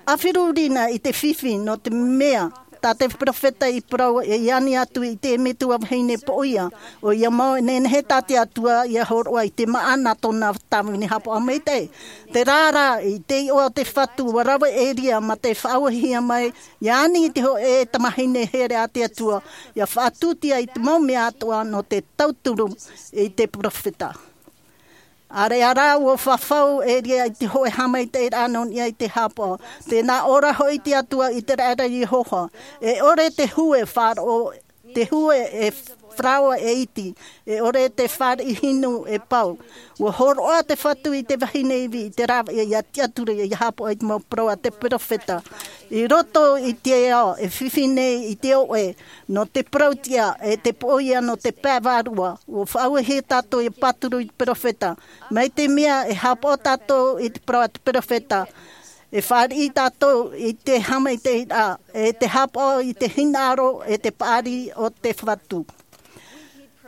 ʻA feruri na i te fifi nō te mea, tā te perofeta i parau e ani atu i te metua vahine poʻia, ʻoia mau e nehenehe tā te Atua ʻia hōroʻa i te māʻa nā tōna tāvini haʻapaʻo maitaʻi. Terā rā, i te iʻoa o te Fatu, ʻua rave Eria mā te faʻaauhia mai, ʻia ani i te hōʻē tamahine here a te Atua, ʻia faʻatūtia i te mau mea atoʻa nō te tauturu i te perofeta. ʻĀreʻa rā ʻua fafau Eria i te hōʻē haʻamaitaʻiraʻa nō niʻa i te haʻapaʻo. Tē nā ʻō ra hoʻi te Atua i te raʻi ra Iehova. E ʻore te hue faraoa, te hue e faraoa e iti. E ʻore te fāriʻi hinu e pau. ʻUa hōroʻa te Fatu i te vahine ivi i te rāveʻa ʻia tiʻaturi ʻia haʻapaʻo i te mau parau a te perofeta. I roto i te ao, e fifi nei i te ʻoʻe, nō te parau tiʻa, e te poʻia nō te pae vārua. ʻUa faʻaauhia tātou ʻia pāturu i te perofeta. Mai te mea e haʻapaʻo tātou i te parau a te perofeta, E fāriʻi tātou i te haʻamaitaʻiraʻa, e te haʻapaʻo i te hinaʻaro, e te paʻari o te Fatu.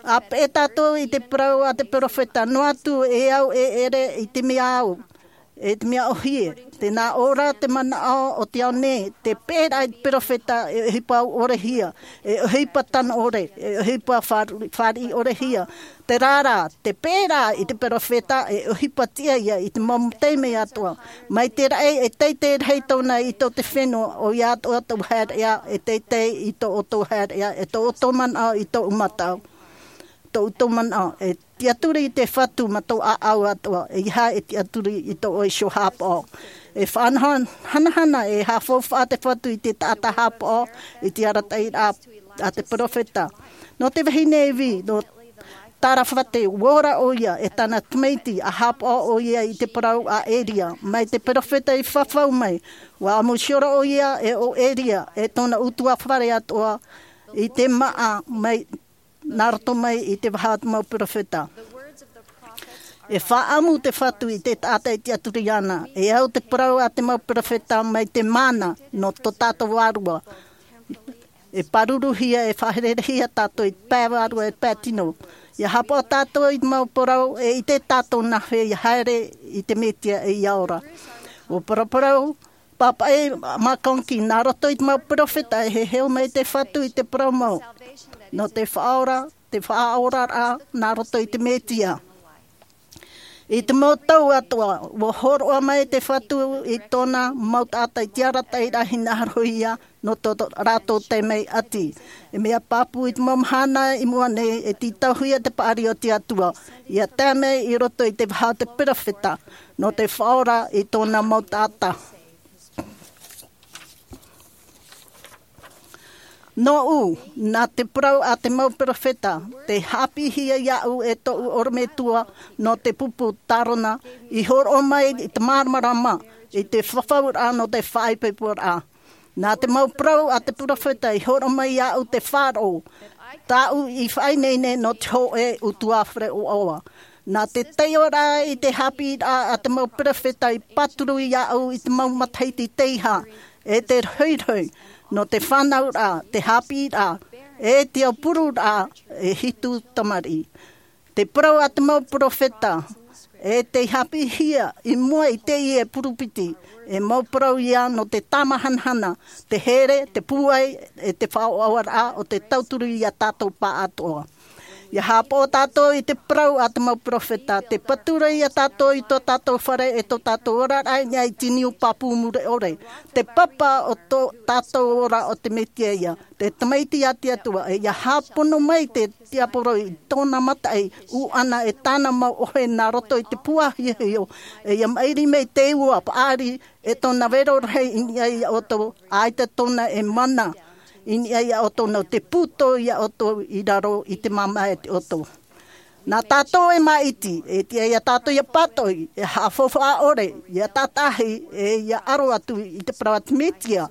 A peʻe tātou i te parau a te perofeta, noa atu e au e ʻere i te mea au, e te mea ʻōhie, tē nā ʻō ra te manaʻo o te ao nei, te peʻeraʻa i te perofeta e ʻohipa ʻorehia, e ʻohipa tano ʻore, e ʻohipa fāri-, fāriʻi ʻorehia. Terā rā, te peʻeraʻa i te perofeta e ʻohipa tiʻa ia i te mau taime atoʻa. Mai te raʻi e teitei rahi tōna i tō te fenua, ʻoia atoʻa tō haereʻa, e teitei i tō ʻoutou haereʻa, e tō ʻoutou manaʻo i tō ʻoutou mataʻu. Tō ʻoutou manaʻo, e tiʻaturi i te Fatu ma tō ʻāʻau atoʻa, ʻeiaha e tiʻaturi i tō ʻoe iho haʻapaʻo. E faʻanahonaho, hanahana, e haʻafaufaʻa te Fatu i te taʻata haʻapaʻo, i te arataʻiraʻa a te perofeta. Nō te vahine Evi, nō Sarefata, ʻua ora ʻoia e tāna tamaiti, ʻa haʻapaʻo ʻoia i te parau a Eria, mai te perofeta i fafau mai, ʻua ʻamu hiora ʻoia e ʻo Eria, e tōna ʻutuāfare atoʻa, i te māʻa mai, nā roto mai i te vaha o te mau perofeta. E faʻaʻamu te Fatu i te taʻata e tiʻaturi ana, e au te parau a te mau perofeta mai te mana nō tō tātou vārua. E pāruruhia, e faʻaherehia tātou i te pae vārua, e te pae tino. ʻIa haʻapaʻo tātou i te mau parau, e ʻite tātou nāhea ʻia haere i te Mesia e ʻia ora. ʻUa paraparau, pāpaʻi McConkie, nā roto i te mau perofeta e heheu mai te Fatu i te parau mau. Nō te faʻaora, te faʻaoraraʻa, nā roto i te Mesia. I te mau tau atoʻa, ʻua hōroʻa mai te Fatu i tōna mau taʻata i te arataʻiraʻa hinaʻarohia nō tō rātou taime ʻati. E mea pāpū i te mau mahana i mua nei e tītauhia te paʻari o te Atua, ʻia tae mai i roto i te vaha o te perofeta, nō te faʻaora i tōna mau taʻata. Nōʻu, nā te parau a te mau perofeta, tē haʻapiʻihia iāʻu e tōʻu ʻorometua nō te pupu Tarona, i hōroʻa mai i te māramarama, i te fafauraʻa nō te faʻaipoiporaʻa. Nā te mau parau a te perofeta i hōroʻa mai iāʻu te faʻaroʻo, tāʻu i faʻaineine nō te hōʻē ʻutuāfare ʻoaʻoa. Nā te taiʻoraʻa i te haʻapiʻiraʻa a te mau perofeta i pāturu iāʻu i te mau matahiti teiaha, e te rohirohi, nō te fānauraʻa, te haʻapiʻiraʻa, e te aupururaʻa, e hitu tamariʻi. Te parau a te mau perofeta, e tei haʻapiʻihia i mua i teie e purupiti, e mau parau ia nō te tāmāhanahana, te here, te pūai, e te faʻaʻoaʻoaraʻa o te tauturu iā tātou pāʻatoʻa. ʻIa haʻapaʻo tātou i te parau a te mau perofeta, tē patu ra iā tātou i tō tātou fare e tō tātou oraraʻa i niʻa i te niu pāpū mure ʻore, te papa o tō tātou ora o te Mesia ia, te Tamaiti a te Atua, e ʻia hāpono mai te tiaporo i tōna mataʻi ʻuʻana e tāna mau ʻohe nā roto i te pū ʻāhiahio, e ʻia maʻiri mai te ua paʻari e tōna vero rahi i niʻa iā ʻoutou, ʻaita tōna e mana i niʻa iā ʻoutou, nō te pūtō iā ʻoutou i raro i te māmā e te ʻoto. Nā tātou e māʻiti, e tiʻa iā tātou ʻia pātoʻi, e haʻafaufaʻa ʻore, ʻia tātaʻahi, e ʻia aro atu i te parau a te Mesia.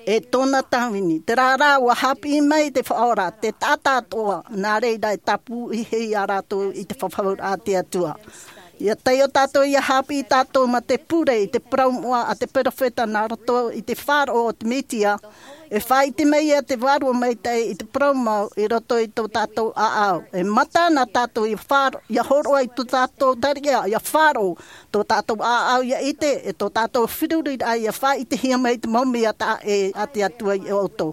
E tōna tāvini, terā rā, ʻua haʻapiʻi mai te Faʻaora, te taʻata atoʻa, nā reira e tāpūhia rātou i te fafauraʻa a te Atua. ʻIa taiʻo tātou, ʻia haʻapiʻi tātou mā te pure i te parau moʻa a te perofeta nā roto i te faʻaroʻo o te Mesia, e faʻaʻite mai ia te Vārua Maitaʻi i te parau mau i roto i tō tātou ʻāʻau. E mata na tātou ʻia faʻaro-, ʻia hōroʻa i tō tātou tariʻa, ʻia faʻaroʻo tō tātou ʻāʻau ʻia ʻite, e tō tātou feruriraʻa ʻia faʻaʻitehia mai te mau mea taʻa ʻē a te Atua iā ʻoutou.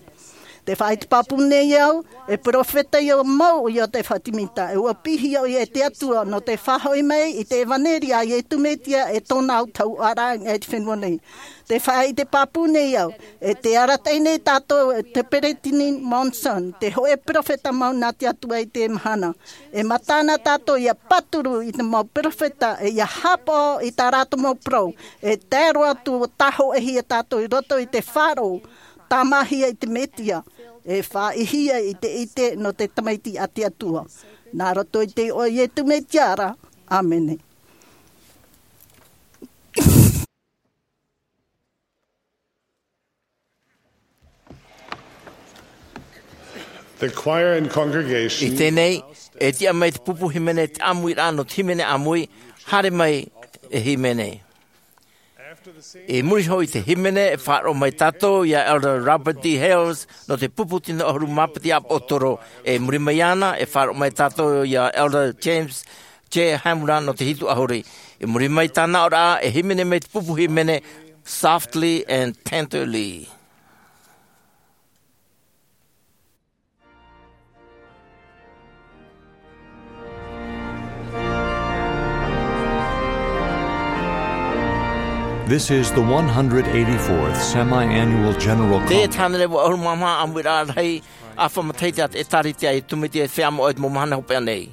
Tē faʻaʻite pāpū nei au, e perofeta ʻia mau ʻo Iotefa Timita, e ʻua piʻihia ʻoia e te Atua nō te faʻahoʻi mai i te ʻevaneria a Iesu Mesia e tōna autahuʻaraʻa i te fenua nei. Tē faʻaʻite pāpū nei au, e tē arataʻi nei tātou e te Peresideni Monson, te hōʻē perofeta mau nā te Atua i teie mahana. E mata na tātou ʻia pāturu i te mau perofeta, e ʻia haʻapaʻo i tā rātou mau parau, e tae roa atu ʻua tāhōʻēhia tātou i roto i te faʻaroʻo, tāmāhia i te Mesia, e faʻaʻitehia i te ʻite nō te Tamaiti a te Atua. Nā roto i te iʻoa o Iesu Mesia ra. ʻĀmene. The choir and congregation. I teie nei, e tiʻa mai te pupu hīmene te ʻāmuiraʻa nō te hīmene ʻāmui, haere mai e hīmene. I muri iho i te hīmene, e faʻaroʻo mai tātou iā Elder Robert D. Hales nō te pupu tino ʻahuru mā piti ʻāpōsetolo. I muri mai iāna, e faʻaroʻo mai tātou iā Elder James J. Hamura nō te hitu ʻahuru. I muri mai tāna aʻoraʻa, e hīmene mai te pupu hīmene, Softly and Tenderly. This is the one hundred eighty-fourth Semi-Annual General Conference. Te hānere ʻahuru mā maha ʻāmuiraʻa rahi ʻāfa matahiti a te ʻĒtārētia Iesu Mesia i te feiā moʻa i te mau mahana hopeʻa nei.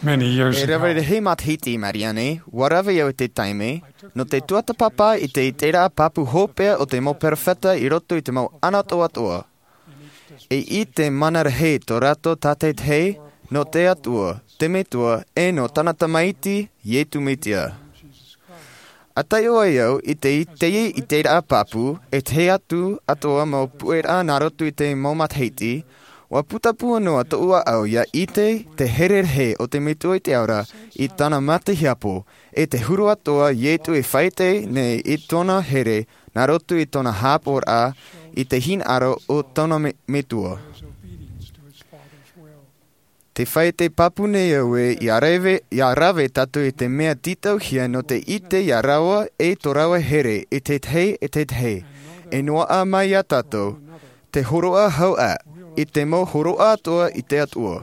Many years E ago, rave rahi matahiti i maʻiri aʻe nei, ʻua rave au i te taime, nō te tuatāpapa i te iteraʻa pāpū hopeʻa o te mau perofeta i roto i te mau ʻānaʻe atoʻa. E ʻite mana rahi tō rātou tātaʻitahi nō te Atua, te Metua, e nō tāna Tamaiti, Iesu Mesia. ʻA taiʻo ai au i te, i te, i te iteraʻa pāpū, ʻe te hōʻē atu atoʻa mau puʻeraʻa nā roto i te mau matahiti, ʻua putapū noa tōʻu ʻāʻau ʻia ʻite te here rahi o te Metua i te ao ra i tāna mata hiapo, ʻe te huru atoʻa Iesu e faʻaʻite nei i tōna here nā roto i tōna haʻapaʻoraʻa i te hinaʻaro o tōna me-, Metua. Tē faʻaʻite pāpū nei au ē, ʻia rave, ʻia rave tātou i te mea tītauhia nō te ʻite ia rāua ʻe tō rāua here i te tahi, i te tahi. E noaʻa mai ia tātou te hōroʻa hau ā, i te mau hōroʻa atoʻa i te Atua.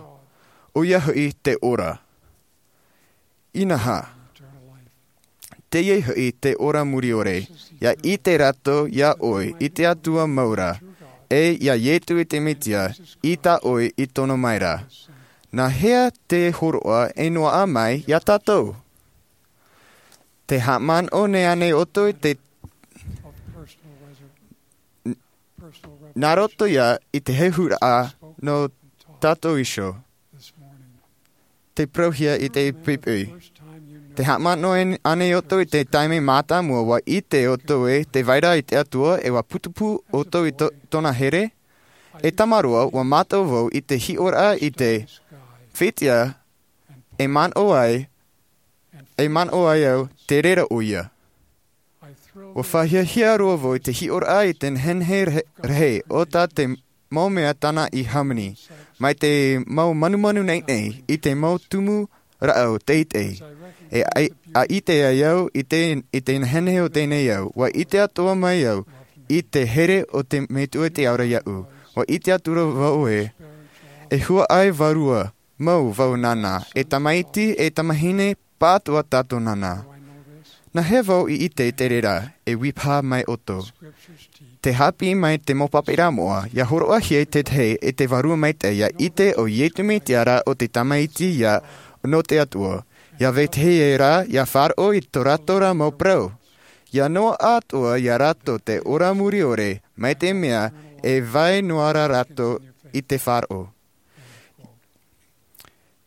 ʻOia hoʻi te ora. Inaha. Teie hoʻi te ora mure ʻore, ʻia ʻite rātou iā ʻoe i te Atua mau ra, ʻe iā Iesu i te Mesia i tā ʻoe i tono mai ra. Nā hea te hōroʻa e noaʻa mai iā tātou? Te haʻamanaʻo nei ānei ʻoutou i te, nā roto ia i te hehuraʻa nō tātou iho? Tē parauhia i te poʻipoʻi. Te haʻamanaʻo ānei ʻoutou i te taime mātāmua ua ʻite ʻoutou ē te vai ra i te Atua ʻe ua putupū ʻoutou i tōna here? E tamaroa, ua mātau vau i te hiʻoraʻa i te fētiʻa e manaʻo ai, e manaʻo ai au te reira ʻoia. Ua fāhiahia roa vau i te hiʻoraʻa i te nehenehe rahi o tā te mau mea tāna i hāmani mai te mau manumanu naʻinaʻi i te mau tumu rāʻau teitei. E ʻite ai au i te nehenehe o tēnei au, ua ʻite atoʻa mai au i te here o te metua i te ao ra iaʻu. Ua ʻite atu ra vau ē e huaʻai vārua mau vau nāna, e tamaiti e tamahine pātoa tātou nāna. Nā hea vau i ʻite i te reira? E ui paha mai ʻoutou. Te hāpiʻi mai te mau pāpaʻiraʻa moʻa ia hōroʻahia i te tahi e te vārua maitaʻi ia ʻite o iesu mesia rā o te tamaiti ia nō te atua. Ia vetahi ē rā ia faʻaroʻo i tō rātou rā mau parau. Ia noa atoʻa ia rātou te ora muri ʻore mai te mea e vai noa rā rātou i te faʻaroʻo.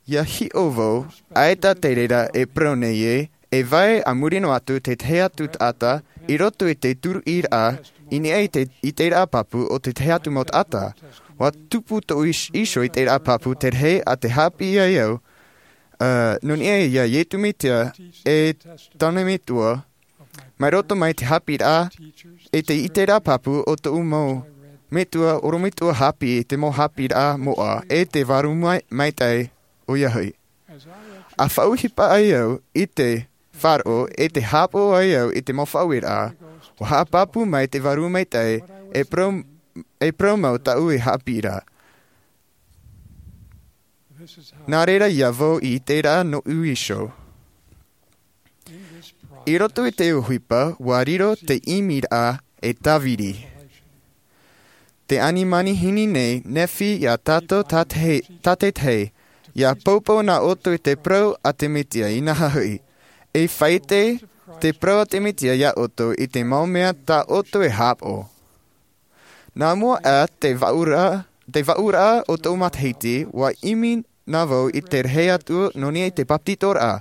Ia hiʻo vau ʻaita te reira e parau nei ē e vai a muri noa atu te tahi atu taʻata i roto i te turuʻiraʻa i niʻa i te ʻiteraʻa pāpū o te tahi atu mau taʻata. Ua tupu tōʻu iho i te ʻiteraʻa pāpū te rahi a te hāpiʻi ai au nō niʻa ia iesu mesia e tāna metua mai roto mai te hāpiʻiraʻa e te ʻiteraʻa pāpū o tōʻu mau metua orometua hāpiʻi i te mau hāpiʻiraʻa moʻa e te vārua maitaʻi. ʻOia hoʻi, a faʻaʻohipa ai au i te faʻaroʻo e te hāpaʻo ai au i te mau faʻaueraʻa, ua haʻapāpū mai te vārua maitaʻi e parau mau tāʻu e hāpiʻi ra. Nā reira ia vau i ʻite ra nōʻu iho. I roto i te ʻohipa ua riro te ʻimiraʻa e tāviri. Te ani manihini nei nephi ia tātou tātaitahi ia poupou nā ʻoutou i te parau a te mesia inaha hoʻi e faʻaʻite te parau a te mesia ia ʻoutou i te mau mea tā ʻoutou e hāpaʻo. Nā mua aʻe te vaʻuraʻa o tōʻu matahiti ua ʻimi nā vau i te rahi atu nō niʻa i te bāpetizoraʻa.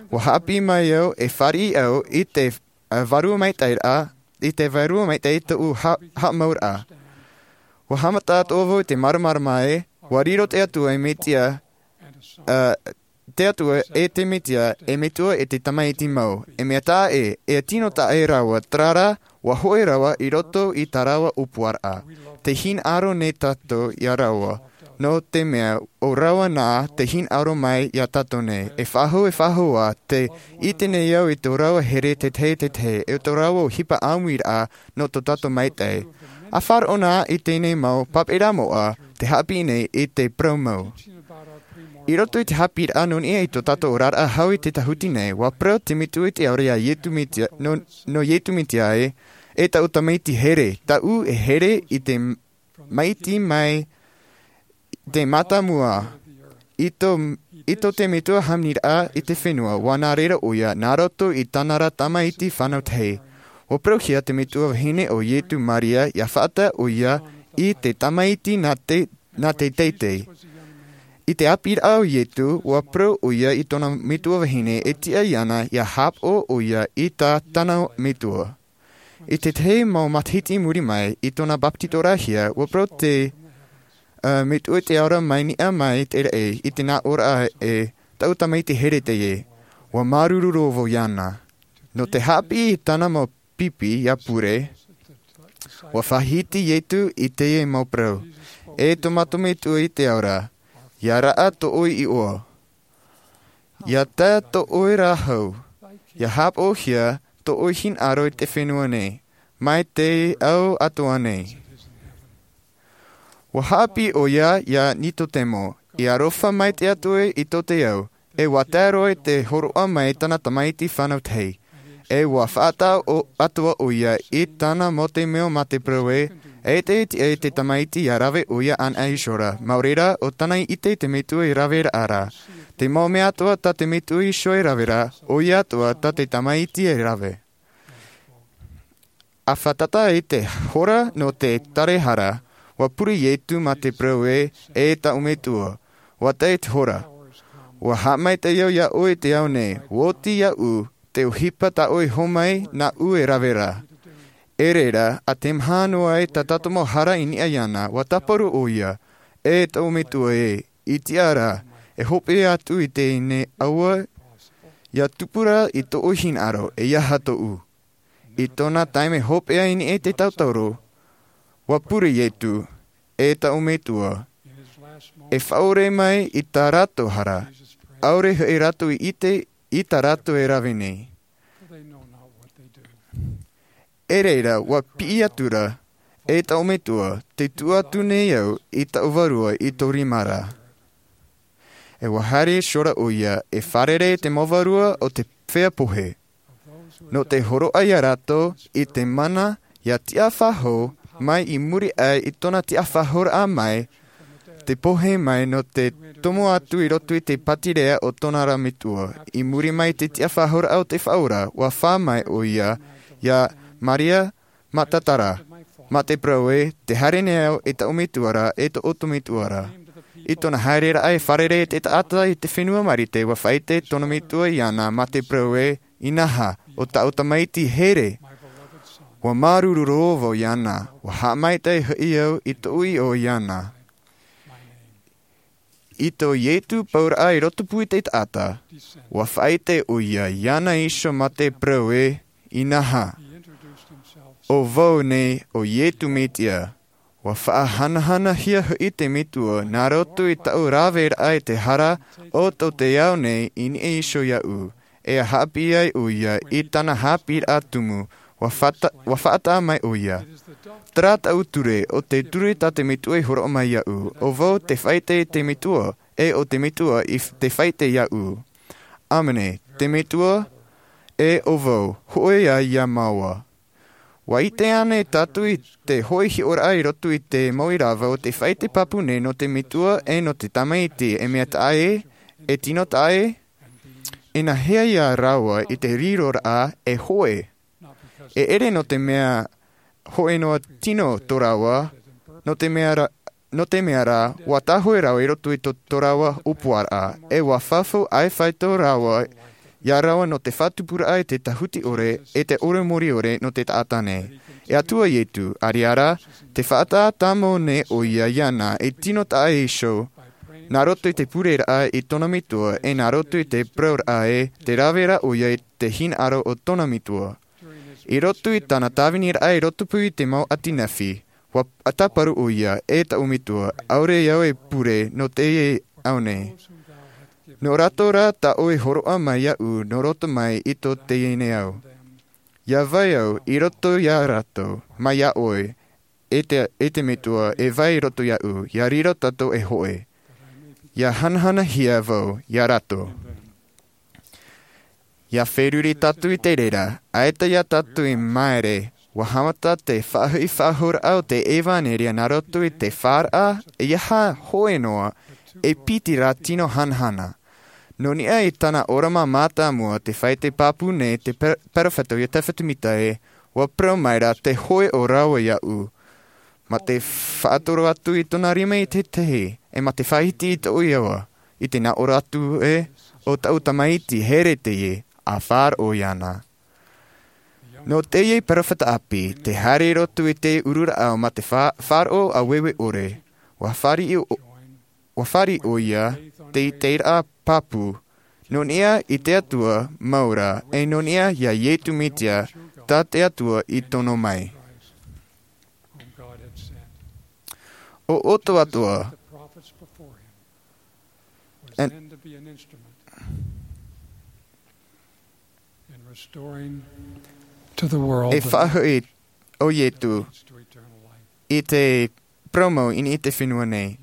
Ua hāpiʻi mai au e fāriʻi au i te vārua maitaʻiraʻa i te vārua maitaʻi tōʻu haʻamauraʻa. Ua haʻamata atoʻa vau i te māramarama ē ua riro te atua e mesia te atua e te mesia e metua e te tamaiti mau e mea taʻa ʻē e tino taʻa ʻē rāua tarara. Ua hoʻi rāua i roto i tā rāua ʻōpuaraʻa. Te hinaʻaro nei tātou ia rāua nō te mea ʻo rāua nā te hinaʻaro mai ia tātou nei e faʻahou e faʻahou ā te ʻite nei au i tō rāua here tētahi tētahi e tō rāua ʻohipa ʻāmuiraʻa nō tō tātou maitaʻi. A faʻaroʻo na i tēnei mau pāpaʻiraʻa moʻa te hāpiʻi nei i te parau mau. I roto i te hāpiʻiraʻa nō niʻa i tō tātou oraraʻa hau i te tahuti nei ua parau te metua i te ao ra ia iesu mesia nō iesu mesia ē e tāʻu tamaiti here tāʻu e here i te maiti mai te mātāmua i tō te metua hāmaniraʻa i te fenua ua nā reira ʻoia nā roto i tāna ra tamaiti fānau tahi. Ua parauhia te metua vahine o iesu maria ia faʻatae ʻoia i te tamaiti nā te teitei. I te ʻāpīraʻa o iesu ua parau ʻoia i tōna metua vahine e tiʻa iāna ia hāpaʻo ʻoia i tā tāna metua. I tētahi mau matahiti i muri mai i tōna bāpetizoraʻahia ua parau te metua i te ao ra mai niʻa mai te raʻi i te nā ʻōraʻa e tāʻu tamaiti here teie. Ua māuruuru roa vau iāna nō te hāpiʻi i tāna mau pipi ia pure. Ua faʻahiti iesu i teie mau parau e tō mātou metua i te ao ra ia raʻa tō ʻoe iʻoa. Ia tae tō ʻoe rā hau ia hāpaʻohia tō ʻoe hinaʻaro i te fenua nei mai te ao atoʻa nei. Ua hāpiʻi ʻoia ia nikodemo i aroha mai te atua i tō te ao e ua tae roa i te hōroʻa mai tāna tamaiti fānau tahi. E ua faʻataʻa atoʻa ʻoia i tāna mau te mea mā te parau ē e te tiʻa i te tamaiti ia rave ʻoia anaʻe iho ra mau reira ʻo tāna i ʻite i te metua i rave raʻa ra. Te mau mea atoʻa tā te metua iho e rave ra ʻoia atoʻa tā te tamaiti e rave. A fātata i te hora nō te tarehara ua pure iesu mā te parau ē e tāʻu metua ua tae te hora. Ua haʻamaitaʻi au iā ʻoe i te ao nei, ua oti iāʻu te ʻohipa tā ʻoe i hōmai nāʻu e rave ra. E reira, ʻa te maha noa ai tā tātou mau hara i niʻa iāna, ua tāparu ʻoia, e taʻu metua ē, i tiʻa ra, e hope atu i teie nei aua, ʻia tupu ra i tōʻu hinaʻaro, ʻeiaha tōʻu. I tōna taime hopeʻa i niʻa i te tauturu, ua pure Ietu, e taʻu metua, e faʻaʻore mai i tā rātou hara, ʻaore hoʻi rātou i ʻite i tā rātou e rave nei. E reira, ua piʻi atu ra, e taʻu metua, tē tuʻu atu nei au i taʻu vārua i tō rima ra. E ua haere iho ra ʻoia, e fārerei i te mau vārua o te feiā pohe. Nō te hōroʻa iā rātou i te mana ʻia tiʻafaʻahou mai i muri aʻe i tōna tiʻafaʻahouraʻa mai, te pohe mai nō te tomo atu i roto i te pātireia o tōna ra metua. I muri mai i te tiʻafaʻahouraʻa o te Faʻaora, ua fā mai ʻoia, iā Maria Magdalena, mā te parau ē, tē haere nei au i taʻu metua ra, e tō ʻoutou metua ra. I tōna haereraʻa e fārerei i te taʻata i te fenua Marite, ua faʻaʻite tōna metua iāna, mā te parau ē, inaha, ʻo tāʻu tamaiti here. Ua māuruuru roa vau iāna, ua haʻamaitaʻi hoʻi au i tōʻu iʻoa iāna. I tō Ietu pauraʻa i rotopū i te taʻata, ua faʻaʻite ʻoia iāna iho mā te parau ē, inaha. ʻO vau nei ʻo Ietu Metia. Ua faʻahanahanahia hoʻi te metua, nā roto i tāʻu raveraʻa i te hara o tō te ao nei i niʻa iho iāʻu, e ʻia haʻapiʻi ai ʻoia i tāna haʻapiʻiraʻa tumu, ua faʻata-, ua faʻataʻa mai ʻoia. Terā tāʻu ture, ʻo te ture tā te metua i hōroʻa mai iāʻu, ʻo vau tē faʻaʻite i te metua, e ʻo te metua i f-, tē faʻaʻite iāʻu. ʻĀmene, te metua, e ʻo vau, hōʻē ā iā māua. Ua ʻite ānei tātou i te hōʻē hiʻoraʻa i roto i te mau ʻīrava o te faʻaʻite pāpū nei nō te metua e nō te tamaiti, e mea taʻa ʻē, e tino taʻa ʻē? Inahea ia rāua i te riroraʻa e hōʻē? E ʻere nō te mea hōʻē noa tino tō rāua, nō te mea ra-, nō te mea rā, ua tāhōʻē rāua i roto i tō, tō rāua ʻōpuaraʻa, e ua fafau ʻaifai tō rāua, iā rāua nō te faʻatupuraʻa i te tāhuti ʻore, e te ʻore mōrī ʻore nō te taʻata nei. E Atua Ietu, ʻareʻa rā, tē faʻataʻa tāmau nei ʻoia iāna, e tino taʻa ʻē iho, nā roto i te pureraʻa i tōna metua, e nā roto i te parauraʻa ē, tē rave ra ʻoia i te hinaʻaro o tōna metua. I roto i tāna tāviniraʻa i rotopū i te mau ʻati nehenehe, ua tāparu ʻoia, e taʻu metua, ʻaore au e pure nō teie ao nei. Nō rātou rā tā ʻoe i hōroʻa mai iāʻu, nō roto mai i tō teie nei ao. ʻIa vai au i roto iā rātou, mai iā ʻoe, e te, e te metua, e vai i roto iāʻu, ʻia riro tātou e hōʻē. ʻIa hanahanahia vau iā rātou. ʻIa feruri tātou i te reira, ʻaita iā tātou i māere, ua haʻamata te faʻahoʻi faʻahou raʻa o te ʻevaneria nā roto i te faʻaʻite, ʻeiaha hōʻē noa, e piti rā tino hanahana. Nō niʻa i tāna ʻōrama mātāmua te faʻaʻite pāpū nei te per-, perofeta o Iotefa Semita ē, ua parau mai ra te hōʻē o rāua iāʻu. Mā te faʻatoro atu i tōna rima i te tahi, e mā te faʻahiti i tōʻu iʻoa, i te nā ʻō ra atu ē, ʻo tāʻu tamaiti here teie, ʻa faʻaroʻo iāna. Nō teie perofeta ʻāpī, tē haere i roto i te uru rāʻau mā te fa-, faʻaroʻo ʻāueue ʻore, ua fāriʻi ʻo-, ua fāriʻi ʻoia, te ʻiteraʻa pāpū, nō niʻa i te Atua mau ra, e nō niʻa iā Ietu Metia, tā te Atua i tono mai. ʻO ʻoutou atoʻa, e faʻahoʻi ʻo Ietu i te parau mau i niʻa i te fenua nei.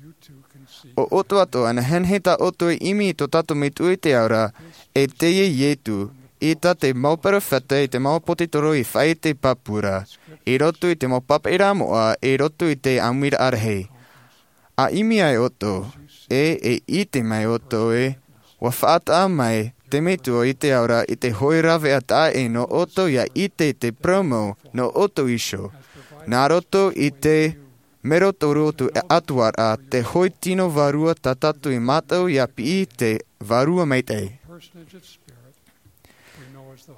ʻO ʻoutou atoʻa, nehenehe tā ʻoutou e ʻimi i tō tātou Metua i te ao ra, e teie Ietu, ʻaita te mau perofeta, ʻaita te mau ʻāpōsetolo i faʻaʻite pāpū ra, i roto i te mau pāpaʻiraʻa moʻa, i roto i te ʻāmuiraʻa rahi. ʻA ʻimi ai ʻoutou, e, e ʻite mai ʻoutou ē, ua faʻataʻa mai te Metua i te ao ra i te hōʻē rāveʻa taʻa ʻē nō ʻoutou ʻia ʻite i te parau mau nō ʻoutou iho. Nā roto i te Mero tō roto e atuara te hoi tino vārua tā tātou i mātau ia piʻi te vārua maitaʻi.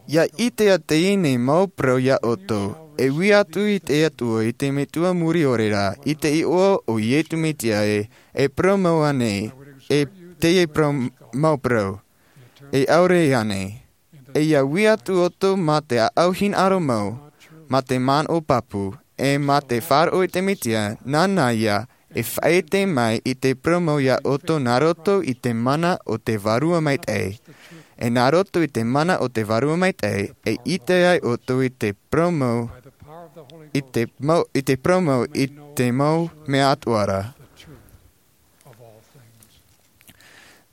Ia ʻite ia teie nei mau parau ia ʻoutou, e ui atu i te Atua, i te Metua muri ʻore ra, i te iʻoa o Iesu Mesia ē, e parau mau anei, e teie parau, mau parau, e ʻaore anei. E ia ui atu ʻoutou mā te ʻāʻau hinaʻaro mau, mā te manaʻo pāpū, e mā te faʻaroʻo i te Mesia, nāna ia e faʻaʻite mai i te parau mau ia ʻoutou nā roto i te mana o te vārua maitaʻi. E nā roto i te mana o te vārua maitaʻi, e ʻite ai ʻoutou i te parau mau, i te mau, i te parau mau, i te mau mea atoʻa ra.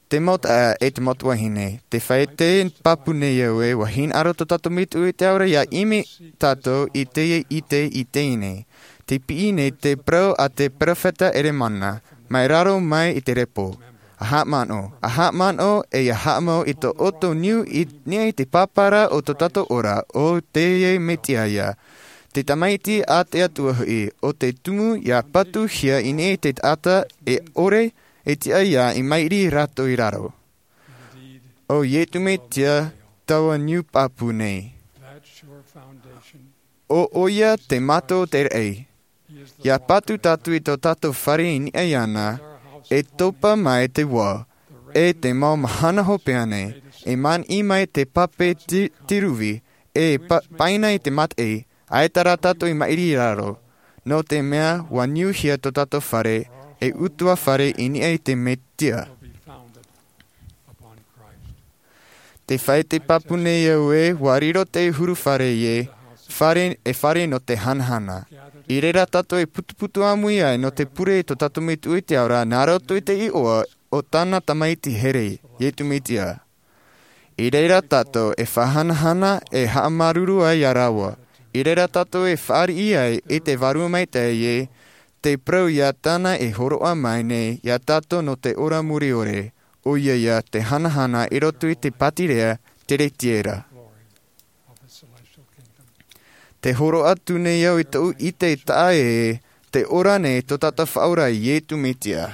Te mau taeaʻe e te mau tuahine, te faʻaʻite pāpū nei au ē, ʻua hinaʻaro tō tātou Metua i te ao ra ia ʻimi tātou i teie ʻite i teie nei. Te piʻi nei te parau a te perofeta Ieremia, mai raro mai i te repo. ʻA haʻamanaʻo, ʻa haʻamanaʻo, e ʻia haʻamau i tō ʻoutou niu i niʻa i te pāpara o tō tātou ora, ʻo teie Mesia ïa. Te Tamaiti a te Atua hoʻi, ʻo te tumu ʻia patuhia i niʻa i te taʻata e ʻore e tiʻa ïa i mairi rātou i raro. ʻO Iesu Mesia taua niu pāpū nei. ʻO ʻoia te mata o te raʻi. ʻIa patu tātou i tō tātou fare i niʻa iāna, e topa mai te vā, e te mau mahana hopeʻa nei, e maniʻi mai te pape ti-, tiruvi, e pa-, paina i te mataʻi, ʻaita rā tātou i mairi i raro. Nō te mea, ʻua niuhia tō tātou fare, e ʻutuāfare i niʻa i te Mesia. Te faʻaʻite pāpū nei au ē, ʻua riro te huru fare ē, fare, e fare nō te hanahana. I reira tātou e putuputu ʻāmui ai nō te pure i tō tātou Metua i te ao ra, nā roto i te iʻoa o tāna Tamaiti here, Iesu Mesia. I reira tātou e faʻahanahana, e haʻamāuruuru ai ia rāua. I reira tātou e fāriʻi ai i te Vārua Maitaʻi ē, te parau ia tāna e hōroʻa mai nei ia tātou nō te ora mure ʻore, ʻoia ïa te hanahana i roto i te pātireia teretiera. Te hōroʻa atu nei au i tōʻu ʻite taʻa ʻē, te ora nei tō tātou Faʻaora Iesu Mesia.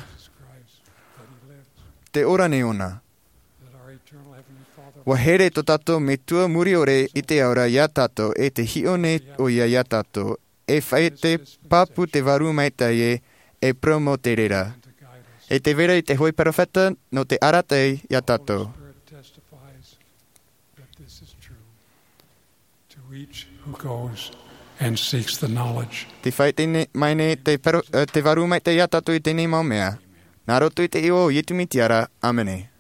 Te ora nei ʻōna. ʻUa here tō tātou Metua muri ʻore i te ao ra ia tātou, e te hiʻo nei ʻoia ia tātou, e faʻaʻite pāpū te Vārua Maitaʻi ē, e parau mau te reira. E te vera i te hōʻē perofeta nō te arataʻi ia tātou. To each who goes and seeks the knowledge. Te faʻaʻite nei, mai nei te pero-, eh, te Vārua Maitaʻi ia tātou i teie nei mau mea. Nā roto i te iʻoa o Iesu Mesia ra, ʻāmene.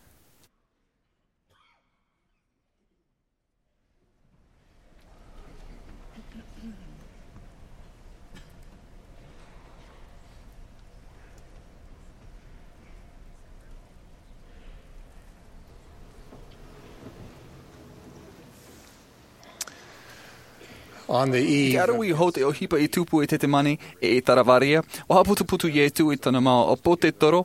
On the eve. Te aro i hou te ʻohipa i tupu i Tetemane e i Taravarīa, ʻua haʻaputuputu Iesu i tōna mau ʻāpōsetolo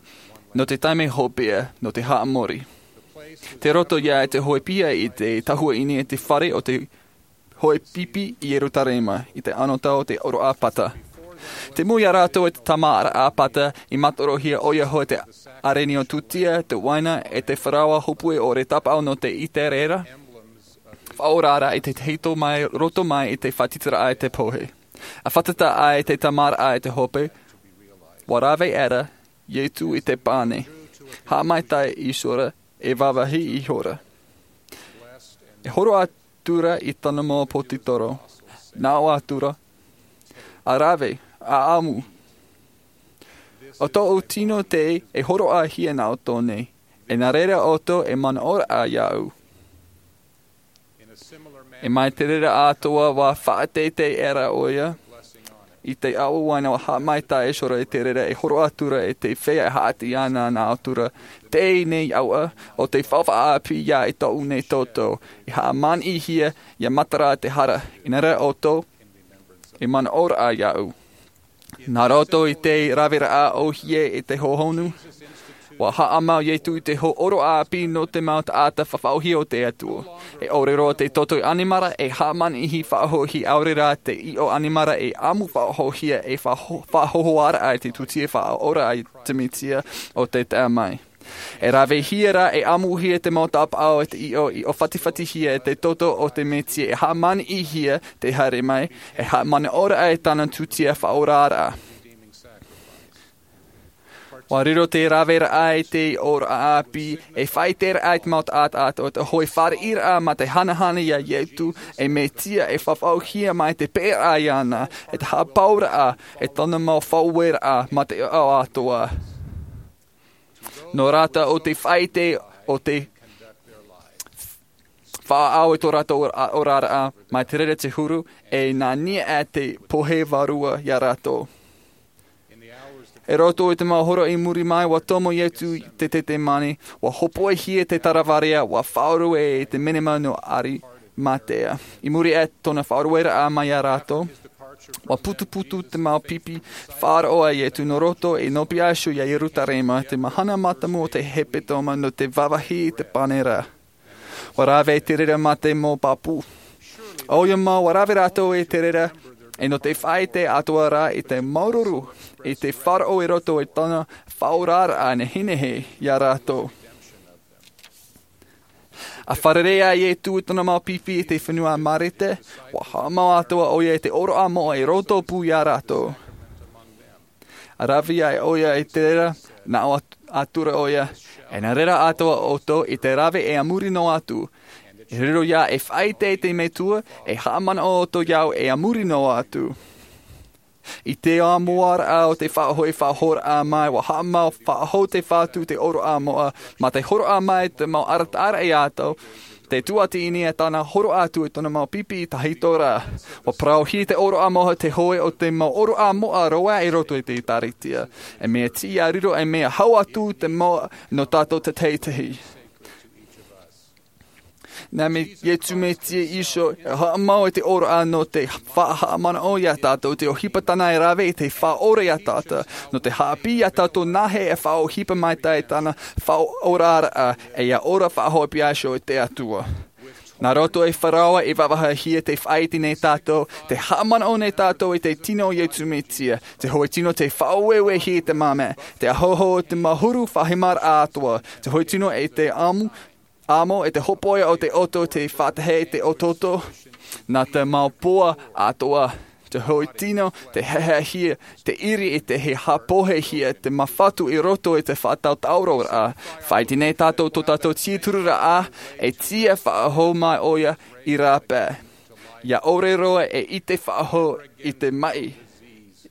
nō te taime hopeʻa, nō te haʻamori. Tei roto ïa i te hōʻē piha i te tahua i niʻa i te fare o te hōʻē pipi i Ierutarema, i te anotau o te ʻoroʻa Pata. Te mau ia rātou e te tamaraʻa Pata, i mātorohia ʻoia hoʻi te ʻārenio tūtia, te uaina, e te faraoa hopoʻi ʻore tāpaʻo nō te ʻĪteraʻera. Faʻaora ra i te tahito mai, roto mai i te faʻatitiraʻa i te pohe. ʻA fātata ai te tamaraʻa i te hope, ʻua rave ra Iesu i te pane. Haʻamaitaʻi ihora, e vāvāhi ihora. E hōroʻa atu ra i tōna mau ʻāpōsetolo. Nā ʻō atu ra, ʻa rave, ʻa ʻamu. ʻO tōʻu tino tei hōroʻahia nā ʻoutou nei, e nā reira ʻoutou e manaʻoraʻa iāʻu. E mai te reira atoʻa ʻua faʻateitei ra ʻoia, i te ʻāuaina ʻua haʻamaitaʻi ihora i te reira e hōroʻa atu ra i te feiā e haʻati ana nā ʻoutou ra, teie nei ʻoia, ʻo te faufaʻa ʻāpī ïa i tōʻu nei toto, i haʻamaniʻihia, ʻia matara te hara, i nā reira ʻoutou, e manaʻoraʻa iāʻu. Nā roto i te raveraʻa ʻōhie i te hohonu, Ua haʻamau iesu i te hōroʻa ʻāpī nō te mau taʻata faʻaʻohie o te atua. E ʻore roa te toto ʻanimara e haʻamaniʻihia faʻahoʻihia ʻaore rā te ʻiʻo ʻanimara e ʻamu faʻahoʻihia e faʻahoʻihia i te tūtia faʻaora a te mesia o te taʻa mai. E ravehia rā e ʻamuhia te mau tāpaʻo e te ʻiʻo i ʻōfatifatihia e te toto o te mesia e haʻamaniʻihia te haere mai e haʻamanaʻo rā i tāna tūtia faʻaoraraʻa. Ua riro te raveraʻa i te ʻōroʻa ʻāpī e faʻaiteraʻa i te mau taʻata atoa te hoʻi fāriʻiraʻa mā te hanahana iā iesu e mesia e faʻahoʻihia mai te pēraʻa iāna e te haʻapauraʻa e tōna mau faʻaueraʻa mā te ʻoaʻoa atoa. Nō rātou o te faʻaite o te faʻaʻau i tō rātou oraraʻa mai te reira te huru e nā niʻa te pohe vārua iā rātou. I roto i te mau hora i muri mai ua tomo iesu i te tetemane. Ua hōpoihia te taravarea ua faʻaruʻe i te menema nō arimatea. I muri i tōna faʻarueraʻa mai iā rātou ua putuputu te mau pipi faʻaroʻo a iesu nō roto i nō piaʻiso iā ierutarema te mahana mātāmua o te hepetoma nō te vāvāhi i te pane ra. Ua rave te reira mā te mau pāpū. ʻOia mau ua rave rātou i te reira e nō te faʻaite atoa rā i te māuruuru i te faʻaroʻo i roto i tōna faʻaoraraʻa nehenehe iā rātou. A fārerei a iesu i tōna mau pipi i te fenua marite ua haʻamau atoa ʻoia i te ʻōroʻa moʻa i roto pū iā rātou. A rave ai ʻoia i te reira nā ʻō atu ra ʻoia e nā reira atoa ʻoutou i te rave e a muri noa atu. I riro iā e faʻaite i te metua e haʻamanaʻo ʻoutou iāʻu e a muri noa atu. I te ʻāmuaraʻa o te faʻahoʻi faʻahoʻiraʻa mai ua haʻamau faʻahou te fatu te ʻōroʻa moʻa mā te hōroʻa mai te mau arataʻaraʻa iā iesu. Te tuati i nia tāna hōroʻa atu i tōna mau pipi i tahito rā. Ua parauhia te ʻōroʻa moʻa te hoʻi o te mau ʻōroʻa moʻa roa i roto i te ʻēkālesia. E mea tiʻa riro e mea hau atu te moʻa nō tātou te teitei. Nā me iesu mesia iho e haʻamau i te ʻōroʻa nō te faʻahaʻamanaʻo iā tātou te ʻohipa tāna e rave i te faʻaora iā tātou nō te haʻapiʻi iā tātou nā hea e faʻaʻohipa maitaʻi tāna faʻaoraraʻa e ia ora faʻahoʻi piaʻiso i te atua. Nā roto i te faraoa i vāvāhia te faʻaite nei tātou te haʻamanaʻo nei tātou i te tino o iesu mesia te hoʻi tino te faʻaueuehia i te māmā te ahoho o te mau huru faʻahemaraʻa atoa te hoʻi tino i te ʻamu ʻamo e te hōpoiʻa o te ʻoto te faʻatahe i te ʻotoʻoto. Nā te mau poa atoa te hoʻi tino te hehehia te ʻiri i te hāpohehia te mafatu i roto i te faʻatautauroraʻa. Faʻaite nei tātou tō tātou tiatururaʻa e tiʻa faʻahou mai ʻoia i rāpae. Ia ʻore roa e ʻite faʻahou i te maʻi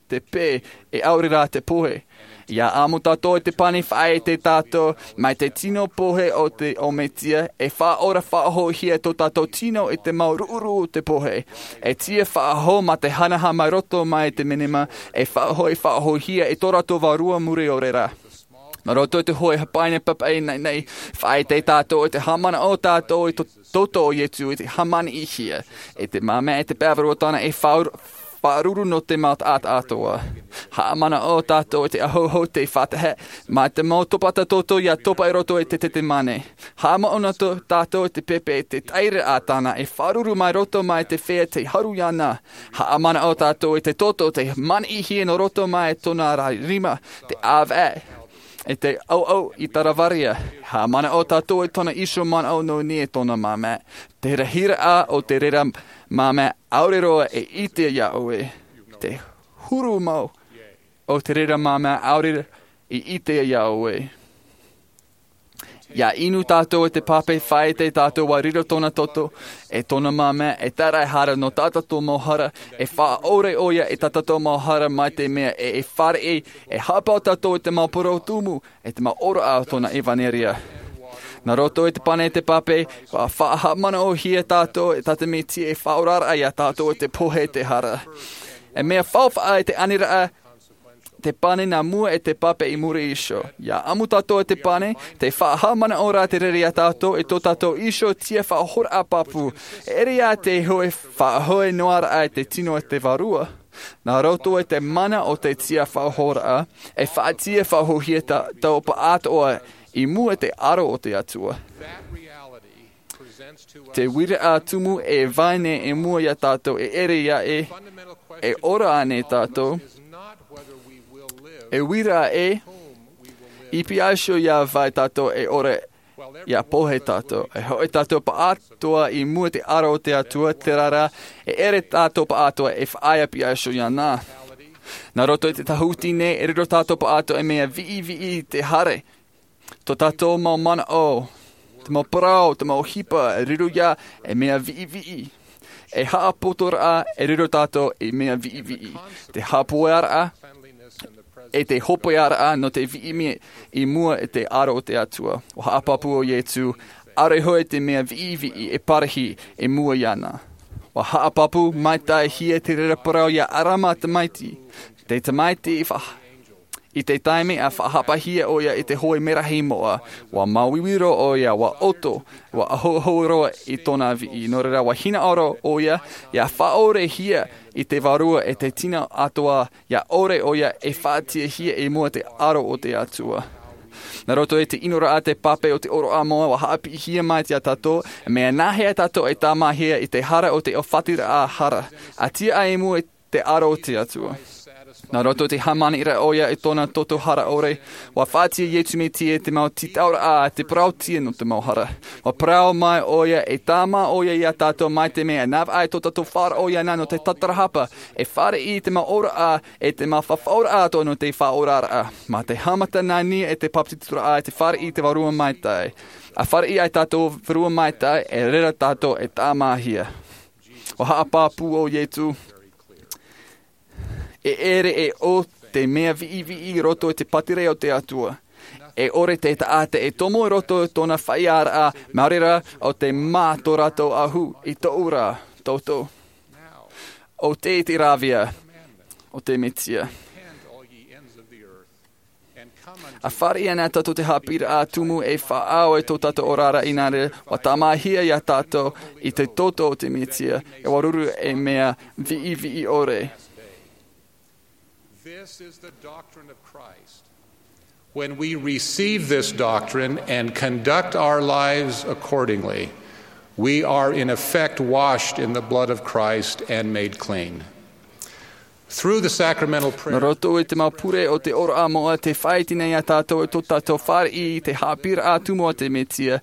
te pē e ʻaore rā te pohe. Ia ʻamo tātou i te pane faʻaite tātou mai te tino pohe o te ʻo mesia e faʻaora faʻahoʻihia tō tātou tino i te mau ruʻuruʻu o te pohe. E tiʻa faʻahou mā te hanaha mai roto mai te menema e faʻahoʻi faʻahoʻihia i tō rātou vārua mure ʻore rā. Nā roto i te hoʻi hapaine papaʻi nei nei faʻaite tātou i te haʻamanaʻo tātou i tō toto o iesu i te haʻamaniʻihia i te māmā i te pāvarua tāna e faʻaruru nō te mau taʻata atoa. Haʻamanaʻo tātou i te ahoho te faʻatahe mā te mau topata toto ia topa i roto i te tetemane. Haʻamanaʻo tātou i te pepe i te tairaʻa tāna e faʻaruru mai roto mai te fea te haru iāna. Haʻamanaʻo tātou i te toto te maniʻihia nō roto mai tōna rima te ʻāvaʻe i te ʻauʻau i taravarea. Haʻamanaʻo tātou i tōna iho manaʻo nō nia i tōna māmā. Te rahiraʻa o te reira māmā ʻaore roa e ʻite iā ʻoe. Te huru mau o te reira māmā ʻaore i ʻite iā ʻoe. Ia inu tātou i te pape faʻaite tātou ua riro tōna toto e tōna māmā e tāraʻehara nō tā tātou mau hara e faʻaʻore ʻoia i tā tātou mau hara mai te mea e e fāriʻi e haʻapau tātou i te mau poro tumu e te mau ʻōroʻa o tōna ʻevanelia. Nā roto i te pane i te pape ua faʻahaʻamanaʻohia tātou e tā te mesia e faʻaoraraʻa iā tātou i te pohe i te hara. E mea faufaʻa i te aniraʻa te pane nā mua e te pape i muri iho. Ia ʻamu tātou i te pane te faʻahaʻamanaʻo rā te reira iā tātou i tō tātou iho tiʻa faʻahoraʻa pāpū. E ʻere ia te hoʻi faʻahoʻi noa raʻa i te tino e te vārua. Nā roto i te mana o te tiaʻi faʻahoʻoraʻa, e faʻaʻite faʻahou hia tātou pāʻātoʻa i mua i te aro o te Atua. Te uiraʻa tumu e vai nei i mua iā tātou, e ʻere ia e, e ora ānei tātou? E uiraʻa ē, i pihaʻi iho ia vai tātou e ora, ia pohe tātou. E hoʻi tātou pāʻātoʻa i mua i te aro o te Atua, terā rā, e ʻere tātou pāʻātoʻa e faʻaea pihaʻi iho iāna. Nā roto i te tāhuti nei, e riro tātou pāʻātoʻa e mea viʻiviʻi i te hara. Tō tātou mau manaʻo, te mau parau, te mau ʻohipa, e riro ia e mea viʻiviʻi. E haʻapotoraʻa, e riro tātou i mea viʻiviʻi. Te haʻapoʻeraʻa, e te hopeʻaraʻa nō te viʻiviʻi i mua i te aro o te Atua. ʻUa haʻapāpū ʻo Iesu, ʻaore hoʻi te mea viʻiviʻi e parahi i mua iāna. ʻUa haʻapāpū maitaʻi hia te reira parau iā ʻArama tamaiti. Te tamaiti i fa-, i te taime a faʻahapa hia ʻoia i te hoe merahi moʻa, ʻua māuiui roa ʻoia, ʻua ʻoto, ʻua ahoaho roa i tōna viʻi. Nō reira, ʻua hinaʻaro ʻoia, ia faʻaʻore hia i te Vārua e te tino atoʻa, ia ʻore ʻoia e faʻatiʻahia i mua i te aro o te Atua. Nā roto i te ʻinoraʻa te pape o te ʻōroʻa moʻa, ʻua haʻapiʻihia mai iā tātou, e mea nāhea tātou e tāmāhia i te hara o te ʻōfatiraʻa hara, ʻa tiʻa i mua i te aro o te Atua. Nā roto i te hāmaniraʻa ʻoia i tōna toto hara ʻore, ʻua faʻatiʻa Iesu Mesia te mau tītauraʻa, te parauʻtiʻa nō te mau hara. ʻUa parau mai ʻoia, e tāmā ʻoia iā tātou mai te mea e navaʻi tō tātou faʻaroʻo iāna nō te tatarahapa, e fāriʻi i te mau ʻōroʻa, e te mau fafauraʻa atoʻa nō te faʻaoraraʻa. Mā te haʻamata nānia e te papetizoraʻa, e te fāriʻi i te Vārua Maitaʻi. ʻA fāriʻi ai tātou Vārua Maitaʻi, e reira tātou e tāmāhia. ʻUa haʻapāpū ʻo Iesu, e ʻere e ʻō te mea viʻiviʻi i roto i te pātireia o te Atua. E ʻore te taʻata e tomo i roto i tōna faʻaearaʻa, maori rā ʻo te mā tō rātou ʻahu i tōʻu rā, toto. ʻO te, te ravea o te Mesia. ʻA fāriʻi ana tātou te haʻapiʻiraʻa tumu e faʻaau i tō tātou oraraʻa, inā reira, ʻua tāmāhia iā tātou i te toto o te Mesia, e ʻua ruru ei mea viʻiviʻi ʻore. This is the doctrine of Christ. When we receive this doctrine and conduct our lives accordingly, we are in effect washed in the blood of Christ and made clean. Through the sacramental prayer. Nā roto i te mau pure o te ʻōroʻa moʻa, tē faʻaʻite nei iā tātou i tō tātou fāriʻi i te haʻapiʻiraʻa tumu a te Mesia.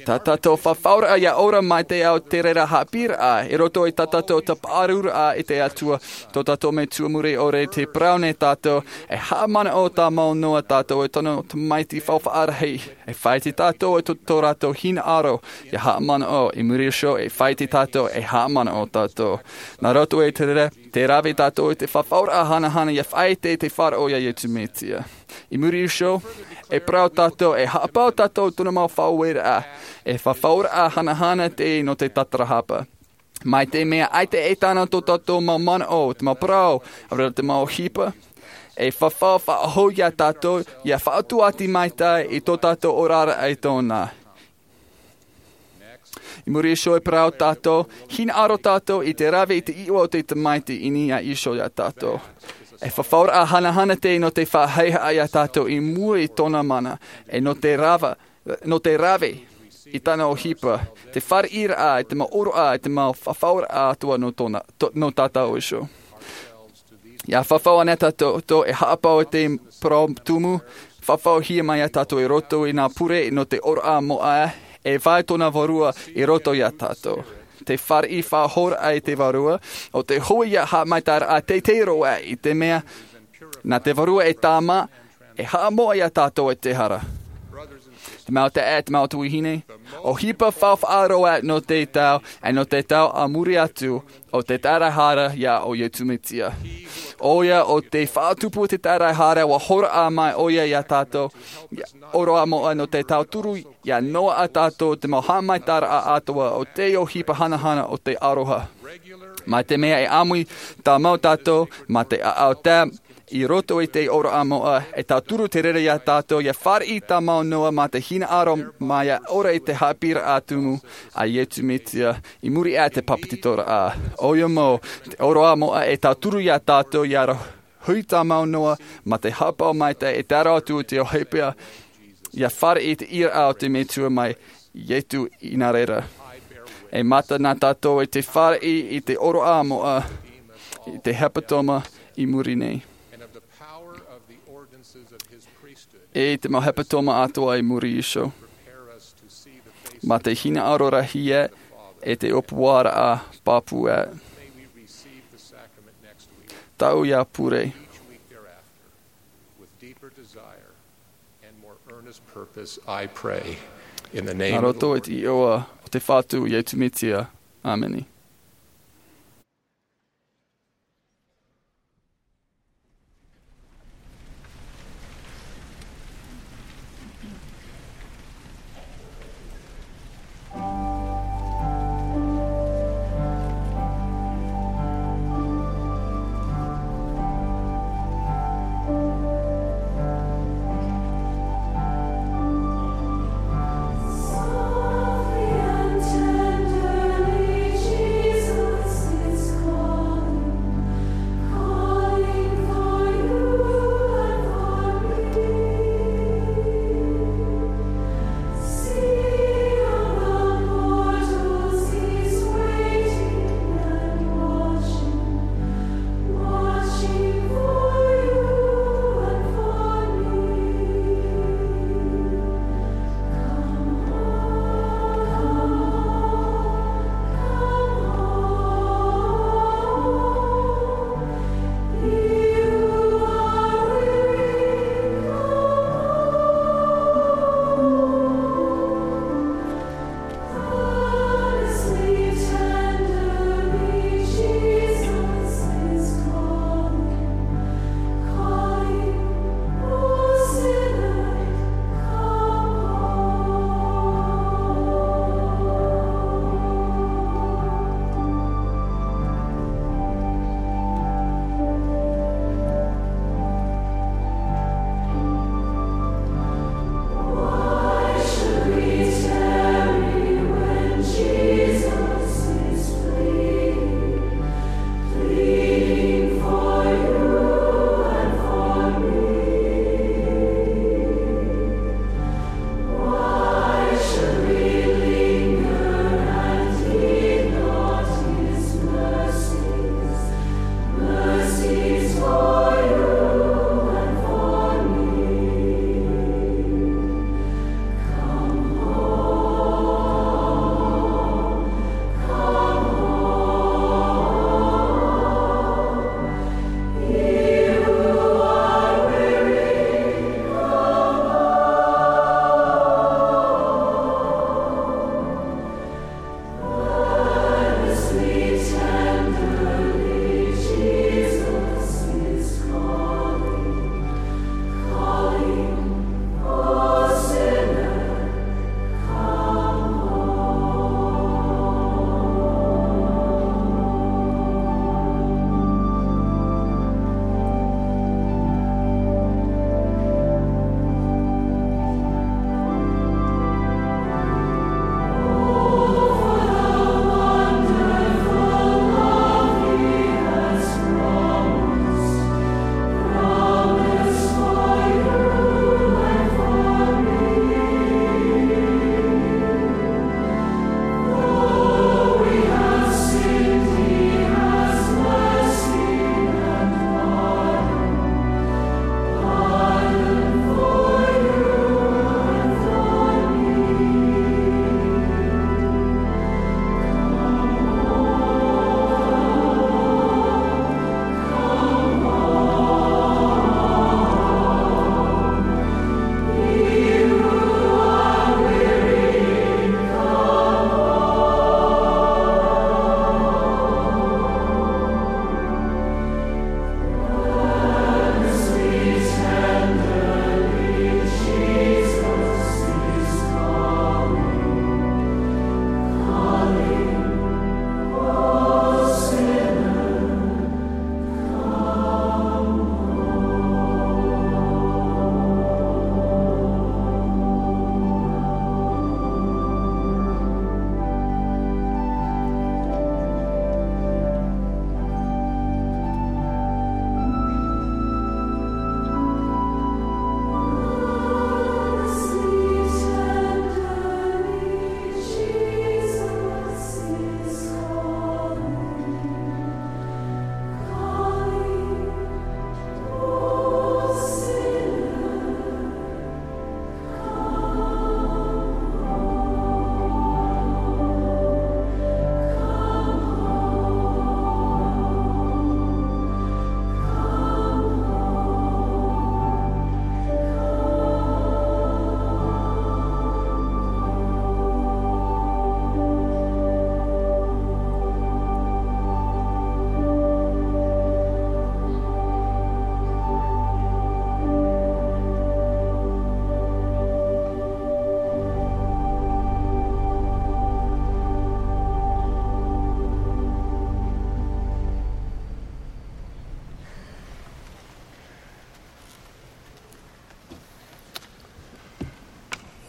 Tā tātou fafauraʻa ia ora mai te ao te reira haʻapiʻiraʻa, i roto i tā tātou tāpaʻaruraʻa i te Atua, tō tātou Metua muri ʻore, tē parau nei tātou, e haʻamanaʻo tāmau noa tātou i tōna tamaiti faufaʻa rahi. E faʻaʻite tātou i tō, tō rātou hinaʻaro, ia haʻamanaʻo, i muri iho, e faʻaʻite tātou, e haʻamanaʻo tātou. Nā roto i te reira, tē rave tātou i te fafauraʻa hanahana ia faʻaʻite i te faʻaroʻo iā Iesu Mesia. I muri iho, e parau tātou, e haʻapaʻo tātou i tōna mau faʻaueraʻa, e fafauraʻa hanahana teie nō te tatarahapa. Mai te mea ʻaita e taʻa tō tātou mau manaʻo, te mau parau, ʻaore rā te mau ʻohipa, e fafau faʻahou iā tātou, ia faʻatuati maitaʻi i tō tātou oraraʻa i tōna. I muri iho e parau tātou, hinaʻaro tātou i te rave i te iʻoa o te Tamaiti i niʻa iho iā tātou. E fafauraʻa hanahana teie nō te faʻahaʻehaʻa iā tātou i mua i tōna mana, e nō te rava, nō te rave i tāna ʻohipa, te fāriʻiraʻa, i te mau ʻōroʻa, i te mau fafauraʻa atoʻa nō tōna, tō, nō tātou iho. Ia fafau ana tātou, tō e haʻapaʻo i te parau tumu, fafauhia mai iā tātou i roto i nā pure nō te ʻōroʻa moʻa, e vai tōna Vārua i roto iā tātou. Te fāriʻi faʻahouraʻa i te Vārua, ʻo te hoʻi ia haʻamaitaʻiraʻa teitei roa i te mea, nā te Vārua e tāmā, e haʻamoʻa iā tātou i te hara. Te mau taeaʻe, te mau tuahine, ʻohipa faufaʻa roa nō te tau, e nō te tau a muri atu, ʻo te taʻata hara iā ʻo Iesu Mesia. ʻOia ʻo te faʻatupu te taʻata hara, ʻua hōroʻa mai ʻoia iā tātou, ia ʻōroʻa moʻa nō te tauturu, ia noaʻa tātou te mau haʻamaitaʻiraʻa atoʻa o te ʻohipa hanahana o te aroha. Mai te mea e ʻāmui tāmau tātou mā te ʻāʻau tae i roto i te ʻōroʻa moʻa, e tauturu te reira iā tātou ʻia fāriʻi tāmau noa mā te hinaʻaro mā ʻia ora i te haʻapiʻiraʻa tumu a Iesu Mesia i muri aʻe i te pāpetitoraʻa. ʻOia mau, te ʻōroʻa moʻa e tauturu iā tātou ʻia hui tāmau noa mā te haʻapaʻo maitaʻi e tae roa atu i te ʻohipa ʻia fāriʻi i te ʻīraʻa o te Metua mai Iesu i nā reira. E mata na tātou i te fāriʻi i te ʻōroʻa moʻa, i te hepetoma i muri nei, e i te mau hepetoma atoʻa i muri iho, mā te hinaʻaro rahi e te ʻōpuaraʻa pāpū. Tāʻu ia pure. With deeper desire and more earnest purpose, I pray in the name of the Lord. Nā roto i te iʻoa o te Fatu Iesu Mesia. ʻĀmene.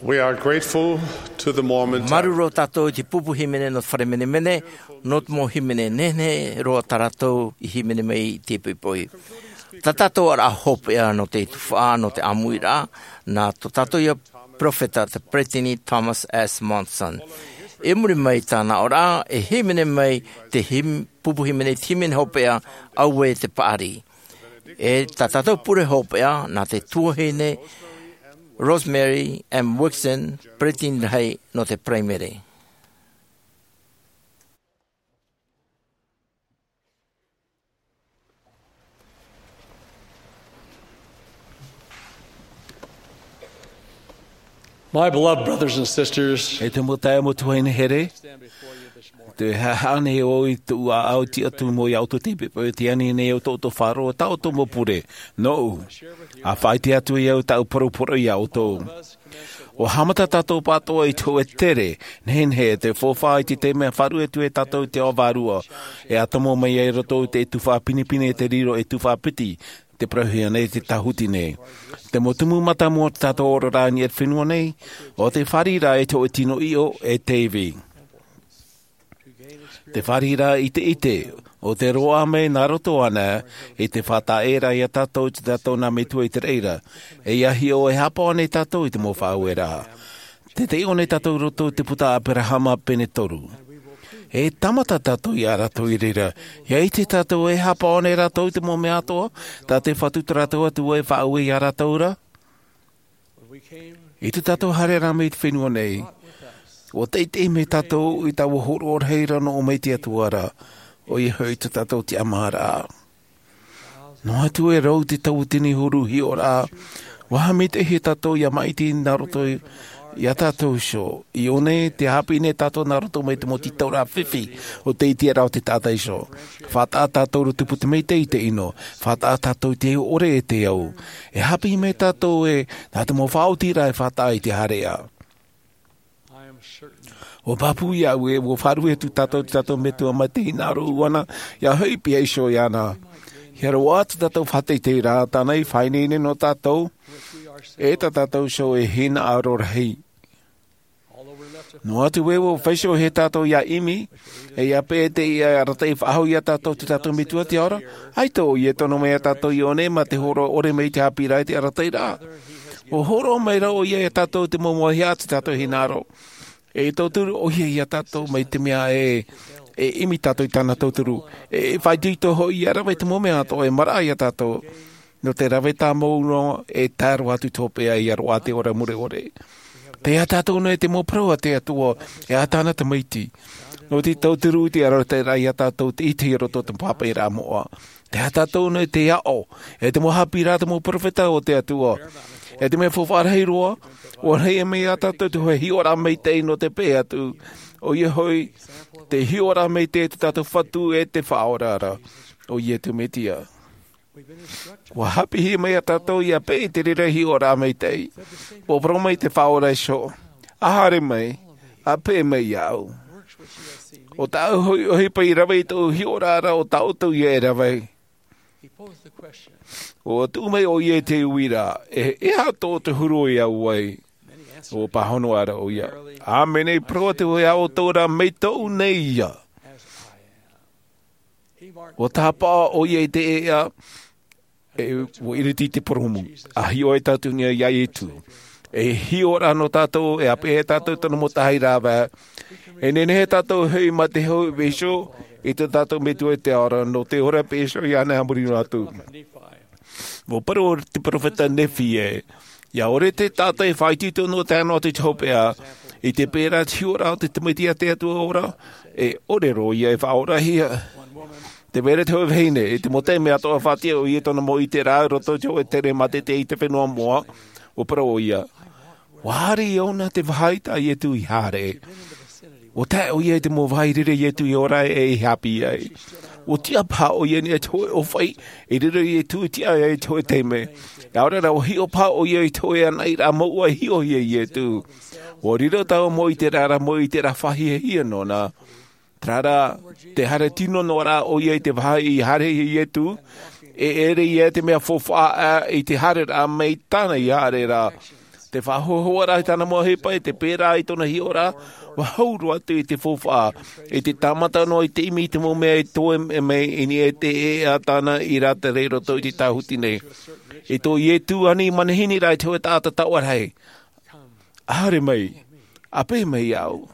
We are grateful to the Mormon Māuruuru tātou i te pupu hīmene nō te fare menemene, nō te mau hīmene nehenehe roa tā rātou i hīmene mai i te poipoi. Tā tātou ʻaraʻa hopeʻa nō te tufaʻa, nō te ʻāmuiraʻa, nā tō tātou ia peropheta, te Peresideni Thomas S. Monson. I muri mai i tāna ʻoraʻa, e hīmene mai te hīm-, pupu hīmene, te hīmene hopeʻa, Auē te Paʻari. E tā tātou pure hopeʻa, nā te tuahine Rosemary M. Wixson, Peresideni rahi nō te Paraimere. My beloved brothers and sisters, E te mau taeaʻe, mau tuahine here, te haʻahaʻa nei au i tōʻu ʻāʻau, tiʻa atu mai iā ʻoutou i te poipoi, e ani nei au tō ʻoutou faʻaroʻo, tā ʻoutou mau pure. Nōʻu, ʻa faʻaʻite atu au tāʻu poroporo iā ʻoutou. ʻUa haʻamata tātou pāʻatoʻa i te hōʻē tere nehenehe, te faufaʻa i te taime e faʻaruʻe atu ai tātou i te ao vārua, e ʻa tomo mai ai i roto i te tufaʻa pinepine, te riro e tufaʻa piti, te parauhia nei te tāhuti nei. Te mau tumu mātāmua o tā tātou oraraʻa i niʻa i te fenua nei, ʻo te fāriʻiraʻa i te hōʻē tino ʻiʻo e te ivi. Te fāriʻiraʻa i te ʻite, ʻo te roaʻa mai nā roto ānei, i te faʻataʻa ra iā tātou, i tā tātou nā metua i te reira. E ʻia hiʻo e haʻapaʻo nei tātou i te mau faʻaueraʻa. Te taiʻo nei tātou i roto i te puta a Aberahama pene toru. E tāmata tātou iā rātou i reira. ʻIa ʻite tātou e haʻapaʻo nei rātou i te mau mea atoʻa, tā te Fatu tā rātou Atua e faʻaue iā rātou ra. I tō tātou haereraʻa mai i te fenua nei, ʻua teitei mai tātou i taua hōroʻa rahi ra nō ʻō mai i te Atua ra, ʻoia hoʻi tō tātou tiʻamāraʻa. Noa atu e rau te tauatini huru hiʻoraʻa, ʻua haʻamaitaʻihia tātou ʻia māʻiti nā roto iā tātou iho. I ʻō nei, tē haʻapiʻi nei tātou nā roto mai te mau tītauraʻa fifi o te ʻiteraʻa o te taʻata iho. Faʻataʻa tātou ra tupu te maitaʻi i te ʻino. Faʻataʻa tātou i te ʻore e te au. E haʻapiʻi mai tātou ē, nā te mau faʻaotiraʻa e faʻataʻa i te haereʻa. ʻUa pāpū iāʻu ē, ʻua faʻaruʻe atu tātou i tō tātou Metua mai te hinaʻaro ʻuʻana, ʻia hoʻi pihaʻi iho iāna. ʻIa roaʻa tō tātou faʻateiteiraʻa, tāna i faʻaineine nō tātou, e tā tātou iho e hinaʻaro rahi. Noa atu ē, ʻua feisoʻohia tātou ʻia ʻimi, e ʻia peʻe i te ʻite e arataʻi faʻahou iā tātou tō tātou Metua te Ao ra, ʻaita ʻoia e tono mai iā tātou i ʻō nei mā te hōroʻa ʻore mai i te haʻapiʻiraʻa i te arataʻiraʻa. ʻUa hōroʻa mai ra ʻoia iā tātou i te mau mauhaʻa o tō tātou hinaʻaro. E tauturu ʻoia iā tātou mai te mea e, e ʻimi tātou i tāna tauturu. E faʻaitoito hoʻi ʻia rave i te mau mea atoʻa e maraʻa iā tātou. Nō te rave tāmau noa e tae roa atu i te hopeʻa ʻia roaʻa te ora mure ʻore. Tē aha tātou nei te mau parau a te Atua, e a tāna tamaiti. Nō te tauturu i te arataʻiraʻa iā tātou te ʻite i roto i te mau haʻapiʻiraʻa moʻa. Tē aha tātou nei te aʻo, e te mau haʻapiʻiraʻa a te mau peropheta o te Atua. E te mea faufaʻa rahi roa, ʻua rahi mai iā tātou te hōʻē hiʻoraʻa maitaʻi nō te peʻe atu. ʻOia hoʻi, te hiʻoraʻa maitaʻi o tō tātou Fatu e te Faʻaora ra, ʻo Iesu Mesia. ʻUa haʻapiʻihia mai iā tātou ʻia peʻe i te reira hiʻoraʻa maitaʻi. ʻUa parau mai te Faʻaora iho, ʻa haere mai, ʻa peʻe mai iāʻu. ʻO tāʻu hoʻi ʻohipa i rave i tōʻu hiʻoraʻa ra, ʻo tā ʻoutou ïa e rave. ʻUa tuʻu mai ʻoia i te uiraʻa, e, e aha tō te huru e au ai? ʻUa pāhono ra ʻoia, ʻāmene, parau atu hoʻi ā ʻoutou ra, mai tōʻu nei ïa. ʻUa tāpaʻo ʻoia i te ʻēʻa, e ʻua ʻiriti i te purūmu, ʻa hiʻo ai tātou i niʻa iā Iesu. E hiʻo ra nō tātou, e ʻāpeʻe tātou tōna mau tahi rāveʻa. E nehenehe tātou e hoʻi mā te hōʻē vīsio i tō tātou Metua i te Ao ra, nō te ora peʻe iho iāna a muri noa atu. ʻUa parau te peropheta Nephi ē, ʻia ʻore te taʻata e faʻaitoito noa tae noa atu i te hopeʻa, i te peʻe ra te hiʻoraʻa o te Tamaiti a te Atua ora, e ʻore roa ïa e faʻaorahia. Tē vai ra te hōʻē vahine, i te mau taime atoʻa faʻatiʻa ʻoia i tōna mau ʻiteraʻa i roto i te hōʻē tere mātete i te fenua moʻa, ʻua parau ʻoia, ʻua haere ʻia ʻōna te vāhi tā Iesu i haere. ʻUa tae ʻoia i te mau vāhi i reira Iesu i ora ai e i haʻapiʻi ai. ʻUa tiʻa paha ʻoia i niʻa i te hōʻē ʻōfaʻi i reira Iesu i tiʻa ai i te hōʻē taime. ʻAore rā, ʻua hiʻo paha ʻoia i te hōʻē anaʻiraʻa mouʻa i hiʻohia e Iesu. ʻUa riro taua mau ʻiteraʻa ra mau ʻiteraʻa faʻahiahia nōna. Terā rā, tē haere tino noa ra ʻoia i te vāhi i haerehia e Iesu, e ʻere ïa te mea faufaʻa i te haereraʻa mai tāna i haere ra. Te faʻahoahoa rā i tāna mau ʻohipa, e te pērā i tōna hiʻoraʻa, ua hau roa atu i te faufaʻa, i te tāmata noa i te ʻimi i te mau mea e toe mai i niʻa i te ʻēʻa tāna i rātere i roto i te tāhuti nei. I tō Ietu ani manihini rā i te hōʻē taʻata taoʻa rahi. Haere mai, ʻāpeʻe mai iāʻu.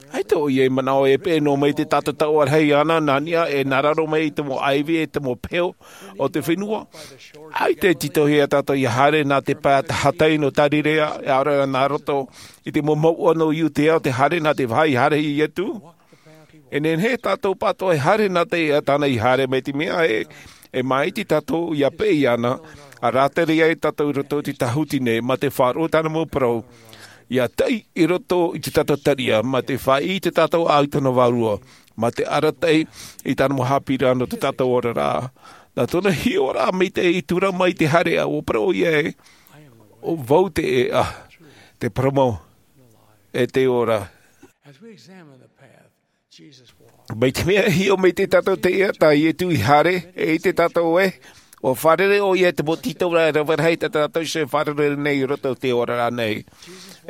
ʻAita ʻoia i manaʻo e peʻe noa mai te taʻata taoʻa rahi ʻana, nā niʻa e nā raro mai i te mau ʻaivi e te mau peho o te fenua. ʻAita e tītauhia tātou ʻia haere nā te pae tahatai nō Tarirea, e ʻaore rā nā roto i te mau mouʻa nō Iutea, te haere nā te vāhi haere iā Ietu. E nehenehe tātou pātoʻa e haere nā te ʻēʻa tāna i haere mai te mea e, e māʻiti tātou ʻia peʻe iāna, ʻa rātere ai tātou i roto i te tāhuti nei, mā te faʻaroʻo tāna mau parau, ʻia taʻi i roto i te taʻata taria, mā te faʻaʻite tātou ʻau i tōna vārua, mā te arataʻi i tāna mau haʻapiʻiraʻa nō tō tātou oraraʻa. Nā tōna hiʻoraʻa maitaʻi i tura mai te haereʻa, ʻua parau ʻoia ē, ʻo vau te ʻēʻa, te parau mau, e te ora. As we examine the path Jesus walked, mai te mea e hiʻo mai te tātou te ʻēʻa tā Ietu i haere, e ʻite tātou ē, ʻua fārerei ʻoia i te mau tītauraʻa e rave rahi tā tātou e fārerei nei i roto i te oraraʻa nei.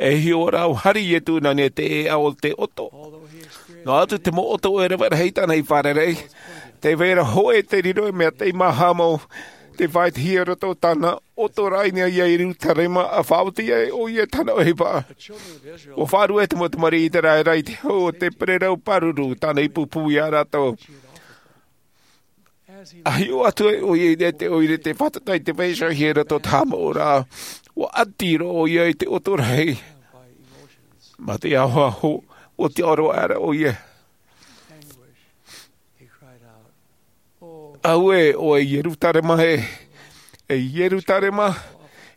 E hiʻo rā, ʻua haere Ietu nā niʻa i te ʻēʻa o te ʻoto. Noa atu te mau ʻoto e rave rahi tāna i fārerei, tē vai ra hōʻē te riro e mea tei māhā mau, tē faʻaʻitehia i roto tāna ʻoto rā i niʻa iā Ierutarema, ʻa faʻaoti ai ʻoia i tāna ʻohipa. ʻUa faʻarue te mau tamariʻi ʻĪteraʻera i te hau o te pererau pāruru, tāna i pūpū iā rātou. ʻA hiʻo atu ai ʻoia i te ʻoire tei fātata i te vaiiho i roto i te haʻamāuʻa, ʻua ʻati roa ʻoia i te ʻoto rahi. Mā te ahoaho, ʻua tiʻa roa aʻera ʻoia. Auē, ʻoe Ierutarema ē, e Ierutarema,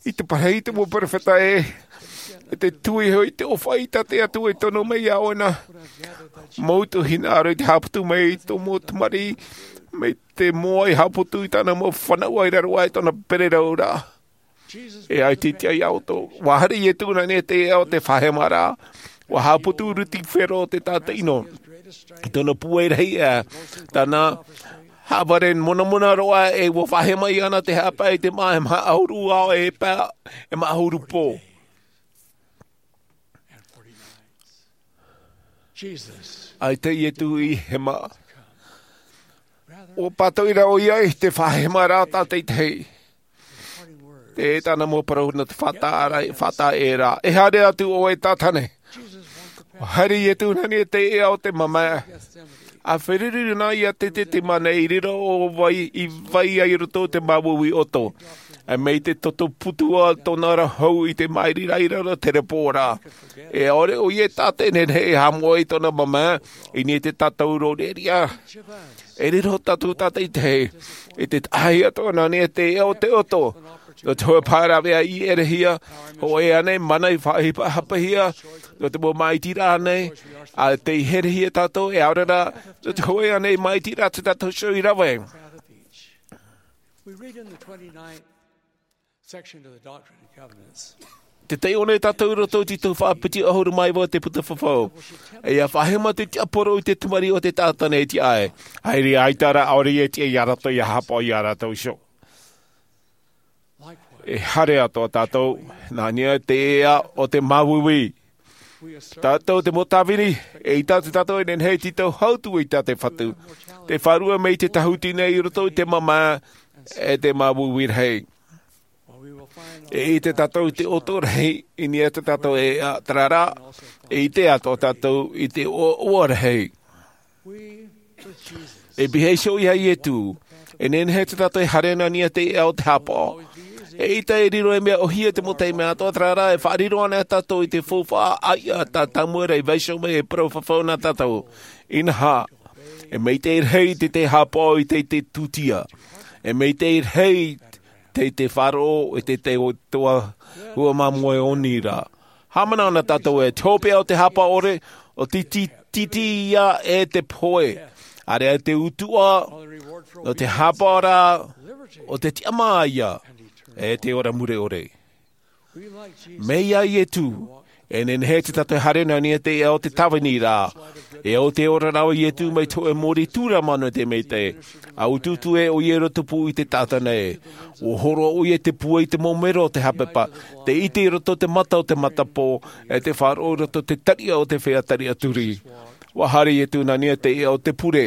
i te parahi i te mau perofeta ē, e te tui iho i te ʻōfaʻi tā te Atua i tono mai iā ʻoe na. Mau tuahine ʻāraʻi i te haʻaputu mai i tō mau tamariʻi, mai te moa i haʻaputu i tāna mau fānaʻoraʻa i raro aʻe i tōna pererauraʻa. E ʻaita i tiʻa iā ʻoutou. ʻUa haere Ietu nā niʻa i te ʻēʻa o te fāhemaraʻa. ʻUa haʻaputu Rutifero te taʻata ʻino. I tōna pūai rahi aʻe, tāna haʻavare monamona roa, e ʻua fāhema iāna te haʻapae i te māʻa e maha ʻahuru ao e pae, e maha ʻahuru pō. Jesus. ʻAita Ietu i hema. ʻUa pātoʻi ra ʻoia i te fāhemaraʻa tātaʻitahi. Tē tāna mau parau nō te faʻataʻa-, faʻataʻa ʻē ra. E haere atu ʻoe Tātane. ʻUa haere Ietu nā niʻa i te ʻēʻa o te mamae. ʻA feruri na iā Tetetemane i riro ʻo vai, i vai ai i roto i te māuiui ʻoto. ʻE mai te toto putua tōna ra hau i te māʻiri ra i raro te repo ra. E ʻaore ʻoia e tātaʻi e nehenehe e haʻamoʻe i tōna mamae, i niʻa i te tātauro reʻareʻa. E riro tātou tātaʻitahi, i te tahi atoʻa nā niʻa i te ʻēʻa o te ʻoto. Nō te hōʻē pae rāveʻa i ʻerehia, hōʻē ānei mana i faʻaʻohipahia, nō te mau māʻitiraʻa nei, ʻa tei herehia tātou, e ʻaore rā, nō te hōʻē ānei māʻitiraʻa tā tātou iho i rave. We read in the twenty-ninth section of the Doctrine and Covenants. Tē taiʻo nei tātou i roto i te tuhaʻa piti ʻahuru mā iva o te Buka Fafau. E ʻia fāhema te tiaporo i te tamariʻi o te Tātane e tiʻa ai. ʻAita rā, ʻaore ia e tiʻa iā rātou ʻia haʻapaʻo iā rātou iho. E haere atoʻa tātou, nā niʻa i te ʻēʻa o te māuiui. Tātou te mau tāvini, eʻita atu tātou e nehenehe e tītau hau atu i tā te Fatu. Tē fārua mai te tāhuti nei i roto i te mamae, e te māuiui rahi. E ʻite tātou i te ʻoto rahi, i niʻa i tā tātou ʻēʻa, terā rā, e ʻite atoʻa tātou i te ʻoaʻoa rahi. E pihaʻi iho iā Ietu, e nehenehe tātou e haere nā niʻa i te ʻēʻa o te haʻapaʻo. Eʻita e riro e mea ʻōhie te mau taime atoʻa, terā rā, e faʻariro ana tātou i te faufaʻa ʻāiʻa tā Tamuera i vaiiho mai e parau fafau nā tātou. Inaha, e maitaʻi rahi te, te haʻapaʻo i te, te tūtia. E maitaʻi rahi te, te faʻaroʻo i te, te, te ʻutuāfare māmoe o Nīra. Haʻamanaʻo na tātou ē, te hopeʻa o te haʻapaʻo ʻore, ʻo te ti-, titi ia e te pohe. ʻAreʻa te utuʻa, nō te haʻapaʻo ra, ʻo te tiʻamā ia, e te ora mure ʻore. Mai iā Ietu, E nehenehe te tātou e haere nā niʻa i te ʻēʻa o te tāvini ra. E au te ora rava Iesu mai te hōʻē mōrī tūrama nō te maitaʻi. ʻA utuutu ē ʻoia i roto pū i te taʻata nei. ʻUa hōroʻa ʻoia i te pūai i te mau mero o te haʻapeʻapeʻa. Te ʻite i roto i te mata o te matapō. E te faʻaroʻo i roto i te tariʻa o te feiā tariʻa turi. ʻUa haere Iesu nā niʻa i te ʻēʻa o te pure.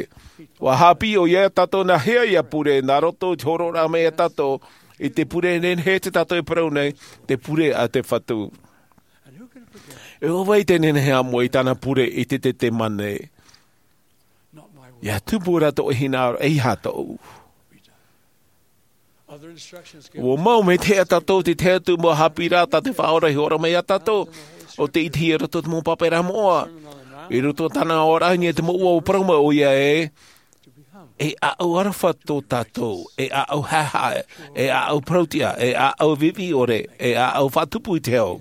ʻUa haʻapiʻi ʻoia iā tātou nā hea ia pure, nā roto i te hōroʻaraʻa mai iā tātou i te pure e nehenehe te tātou e parau nei, te pure a te Fatu. E ʻo vai te nehenehe ā moʻe i tāna pure i te Ietemane? ʻIa tupu ra tō ʻoe hinaʻaro, ʻeiaha tōʻu. ʻUa mau mai te hea tātou te tahi atu mau haʻapiʻiraʻa tā te Faʻaora i hōroʻa mai iā tātou. ʻO te ʻitehia i roto i te mau pāpaʻiraʻa moʻa. I roto i tāna aʻoraʻa i niʻa i te mau ʻua ʻua parau mai ʻoia ē. E ʻāʻau aroha tō tātou, e ʻāʻau haʻehaʻe, e ʻāʻau parauʻtiʻa, e ʻāʻau viʻiviʻi ʻore, e ʻāʻau faʻatupu i te hau.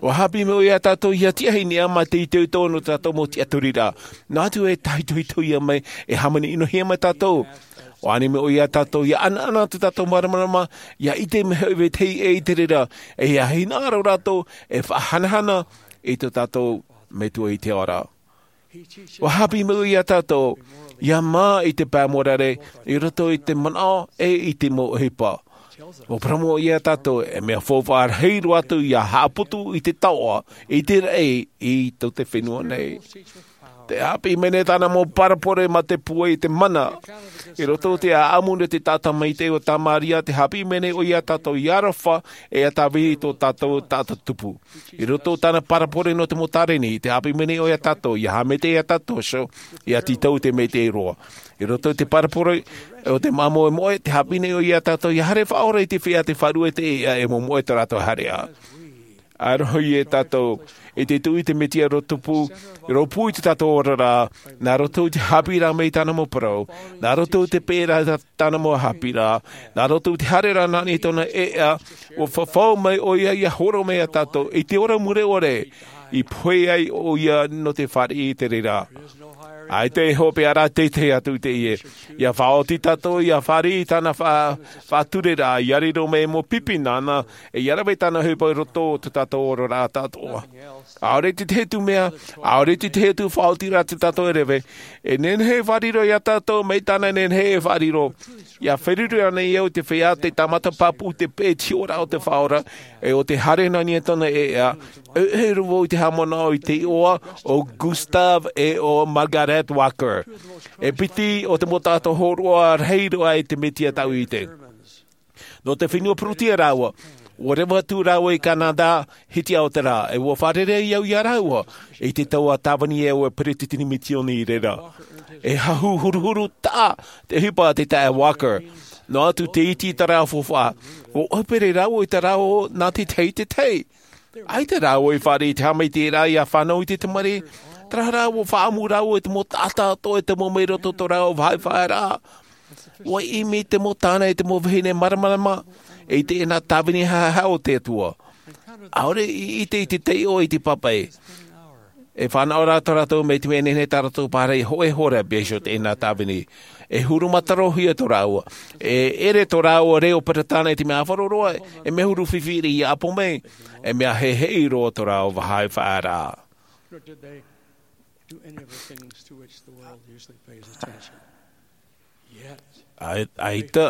ʻUa haʻapiʻi mai ʻoia iā tātou ʻia tiʻa i niʻa mā te itoito nō tātou mau tiʻaturiraʻa. Noa atu e tāhitohitohia mai, e hāmani ʻinohia mai tātou. ʻUa ani mai ʻoia iā tātou ʻia ʻanaʻana tō tātou māramarama, ʻia ʻite mai hoʻi vetahi ʻē i te reira, e ʻia hinaʻaro rātou e faʻahanahana i tō tātou Metua i te ao ra. ʻUa haʻapiʻi mai ʻoia iā tātou ʻia mā i te pae morare, i roto i te manaʻo e i te mau ʻohipa. ʻUa parau mai ʻoia iā tātou, e mea faufaʻa rahi roa atu ʻia haʻaputu i te taoʻa, i te raʻi, i tō te fenua nei. Te haʻapiʻi mai nei tāna mau parabole mā te pūai i te mana. I roto i te ʻāʻamu nō te taʻata maitaʻi o Tamaria, te haʻapiʻi mai nei ʻoia iā tātou ʻia aroha, e ʻia tāvini i tō tātou taʻata tupu. I roto i tāna parabole nō te mau tāreni, te haʻapiʻi mai nei ʻoia iā tātou, ʻia haʻamaitaʻi iā tātou, so, ʻia tītau i te maitaʻi roa. I roto i te parabole o te māmoe moʻe, te haʻapiʻi nei ʻoia iā tātou, ʻia haere faʻaora i te feiā tē faʻaruʻe i te ʻēʻa e momoʻe tō rātou haereʻa. ʻA rohi e tātou, i te tuʻu i te Mesia rōpū, rōpū i tō tātou oraraʻa, nā roto i te haʻapiʻiraʻa mai i tāna mau parau, nā roto i te peʻeraʻa i tāna mau haʻapiʻiraʻa, nā roto i te haereraʻa nā niʻa i tōna ʻēʻa, ʻua fafau mai ʻoia ʻia hōroʻa mai iā tātou, i te ora mure ʻore, i pohe ai ʻoia nō te fāriʻi i te reira. ʻAita e hopeʻa rā teitei atu i teie. ʻIa faʻaoti tātou, ʻia fāriʻi i tāna fa-, faʻatureraʻa, ʻia riro mai mau pipi nāna, e ʻia rave i tāna ʻohipa i roto i tō tātou oraraʻa tāʻātoʻa. ʻAore i te tahi atu mea, ʻaore i te tahi atu faʻaotiraʻa tō tātou e rave, e nehenehe e faʻariro iā tātou, mai tāna e nehenehe e faʻariro. ʻIa feruri ānei au i te feiā tē tāmata pāpū i te peʻe i te hiʻoraʻa o te Faʻaora, e ʻo tē haere nā niʻa i tōna ʻēʻa, e, e riro vau i te haʻamanaʻo i te iʻoa o Gustav e ʻo Margarete Walker. E piti o te mau taʻata hōroʻa rahi roa i te Mesia tāʻu i ʻite. Nō te fenua Pūrūtia rāua, ʻua reva atu rāua i Canada, hitiʻa o te rā, e ʻua fārerei au iā rāua, i te taua tāvini e au e peretiteni misiōni i reira. E hahu huruhuru taʻa te ʻohipa a te taeaʻe Walker. Noa atu te iti i tā rāua faufaʻa, ʻua ʻohipa rāua i tā rāua nā te tahi i te tahi. ʻAita rāua i fāriʻi i te haʻamaitaʻiraʻa ʻia fānau i te tamariʻi, terā rā ʻua faʻaʻamu rāua i te mau taʻata atoʻa e te mau mea i roto i tō rāua vāhi faʻaearaʻa. ʻUa ʻimi te mau tāne e te mau vahine māramarama, i teie nā tāvini haʻehaʻa o te Atua. ʻAore i ʻite i te taiʻo i te pāpaʻi. E fānaʻo rā tō rātou mea i te mea e nehenehe tā rātou pārahi e hōʻē hora e pēhea iho teie nā tāvini. E huru matarohia tō rāua. E ʻere tō rāua reo Peretāne i te mea ʻāfaro roa, e mea huru fifi ʻia ʻapo mai, e mea heheʻi roa tō rāua vāhi faʻaearaʻa. Nor did they do any of the things to which the world usually pays attention. Yet, ʻAi-, ʻaita,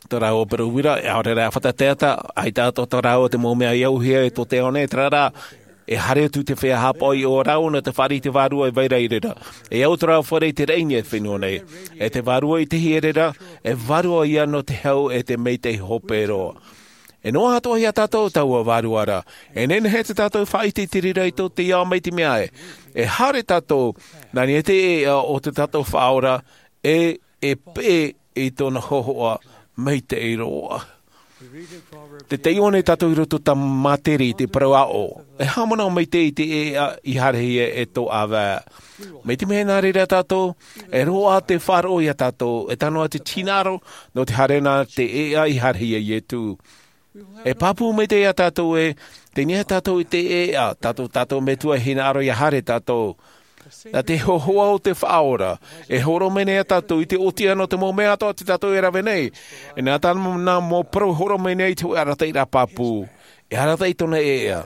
tō rāua parau uira, e ʻaore rā e fata teata, ʻaita atoʻa tō rāua te mau mea i auhia e tō te ao nei, terā rā, e haere atu te feiā haʻapaʻo iā rāua nō te fāriʻi i te vārua e vai ra i reira. E au tō rāua fare i te raʻi i niʻa i te fenua nei. E te vārua i te hia i reira, e vārua ïa nō te hau e te maitaʻi hope roa. E noa atoʻa iā tātou taua vārua ra. E nehenehe tā tātou e faʻaʻite i te reira i tō te ao mai te mea ē. E haere tātou, nā niʻa i te ʻēʻa o tō tātou Faʻaora, e, e peʻe i tōna hōhoʻa maitaʻi roa. Te taiʻo nei tātou i roto i te Mātiri, te parau aʻo. E haʻamanaʻo maitaʻi i te ʻēʻa i haerehia e tō ʻāvae. Mai te mea nā reira tātou, e roaʻa te faʻaroʻo iā tātou, e tano atu te hinaʻaro, nō te haere nā te ʻēʻa i haerehia e Iesu. E pāpū maitaʻi iā tātou ē, tei niʻa tātou i te ʻēʻa, tātou, tātou Metua e hinaʻaro ʻia haere tātou. Nā te hōhoʻa o te Faʻaora, e hōroʻa mai nei iā tātou i te ʻōtiʻa nō te mau mea atoʻa tā tātou e rave nei. E nā tāna mau parau e hōroʻa mai nei i te hōʻē arataʻiraʻa pāpū. E arataʻi tōna ʻēʻa,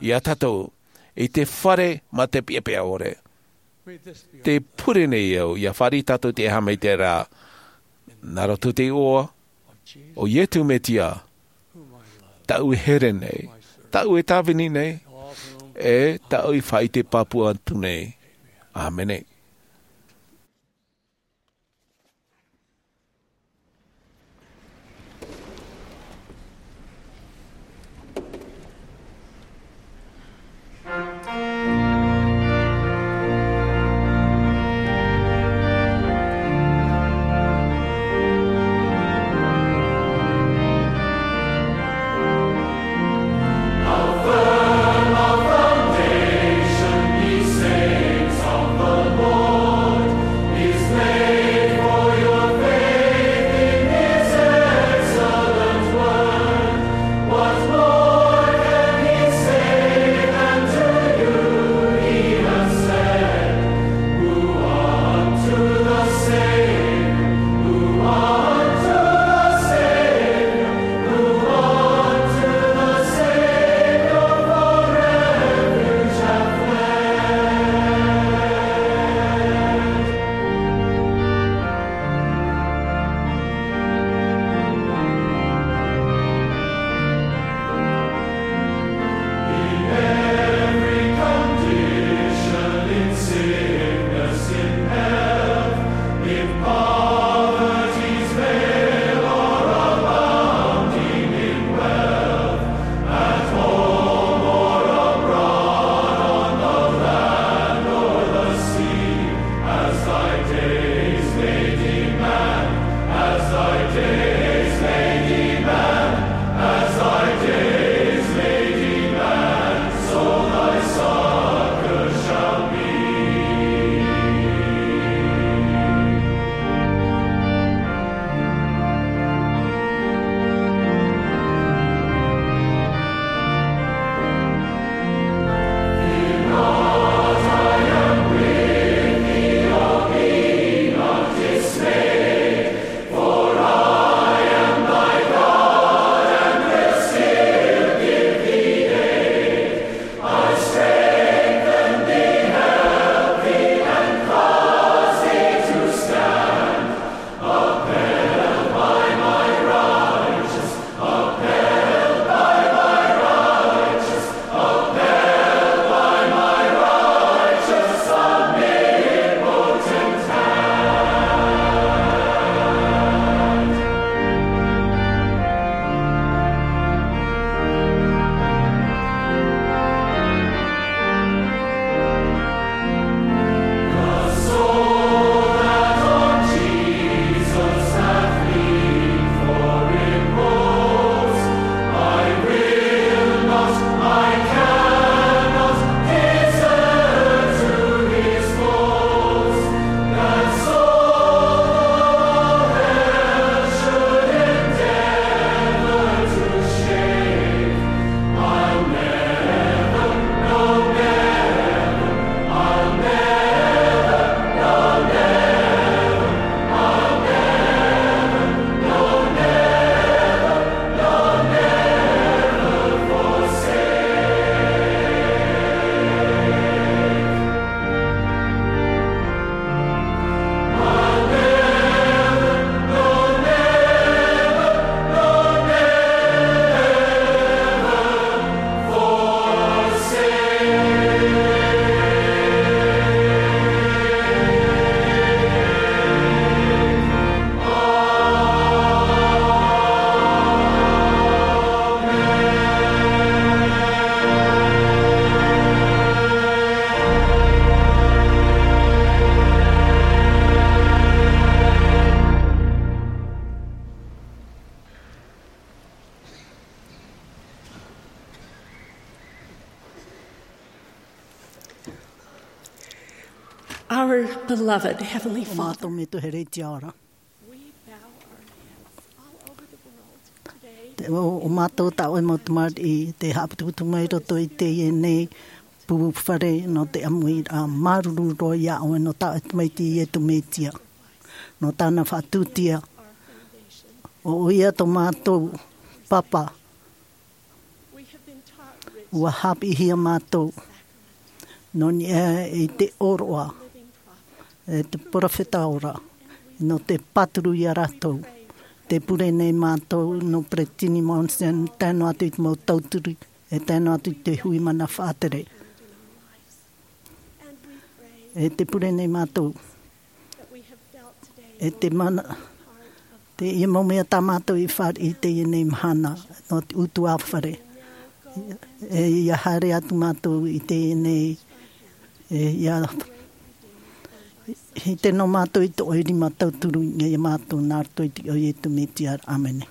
iā tātou. i te fare mā te peʻapeʻa ʻore. Te pure nei au, ʻia fāriʻi tātou te haʻamaitaʻiraʻa. Nā roto i te iʻoa o Iesu Mesia, tāʻu e here nei, tāʻu e tāvini nei, e tāʻu i faʻaʻite pāpū atu nei. ʻĀmene. Our beloved Heavenly Father. Mātou Metua Heretiā ora. Te, o, o mātou tā ʻoe mau tamariʻi, tē haʻaputuputu mai roto i teie nei pū fare nō te ʻāmuiraʻa, māuruuru roa iā ʻoe nō tā ʻoe tamaiti Iesu Mesia. Nō tāna faʻatūtia. ʻO ia tō mātou papa. ʻUa haʻapiʻihia mātou Nō niʻa i te ʻōroʻa, e te peropheta ora, nō te pāturu ia rātou. Te pure nei mātou nō Peretiteni Monson, tae noa atu i te mau tauturu, e tae noa atu i te hui mana faʻatere. E te pure nei mātou, e te mana, teie mau mea tā mātou i fāriʻi i teie nei mahana, nō te ʻutuāfare. E ia haere atu mātou i teie nei, e ia, i te nō mātou i tō ʻoe rima tauturu ia mātou nā roto i te iʻoa o Iesu Mesia. ʻĀmene.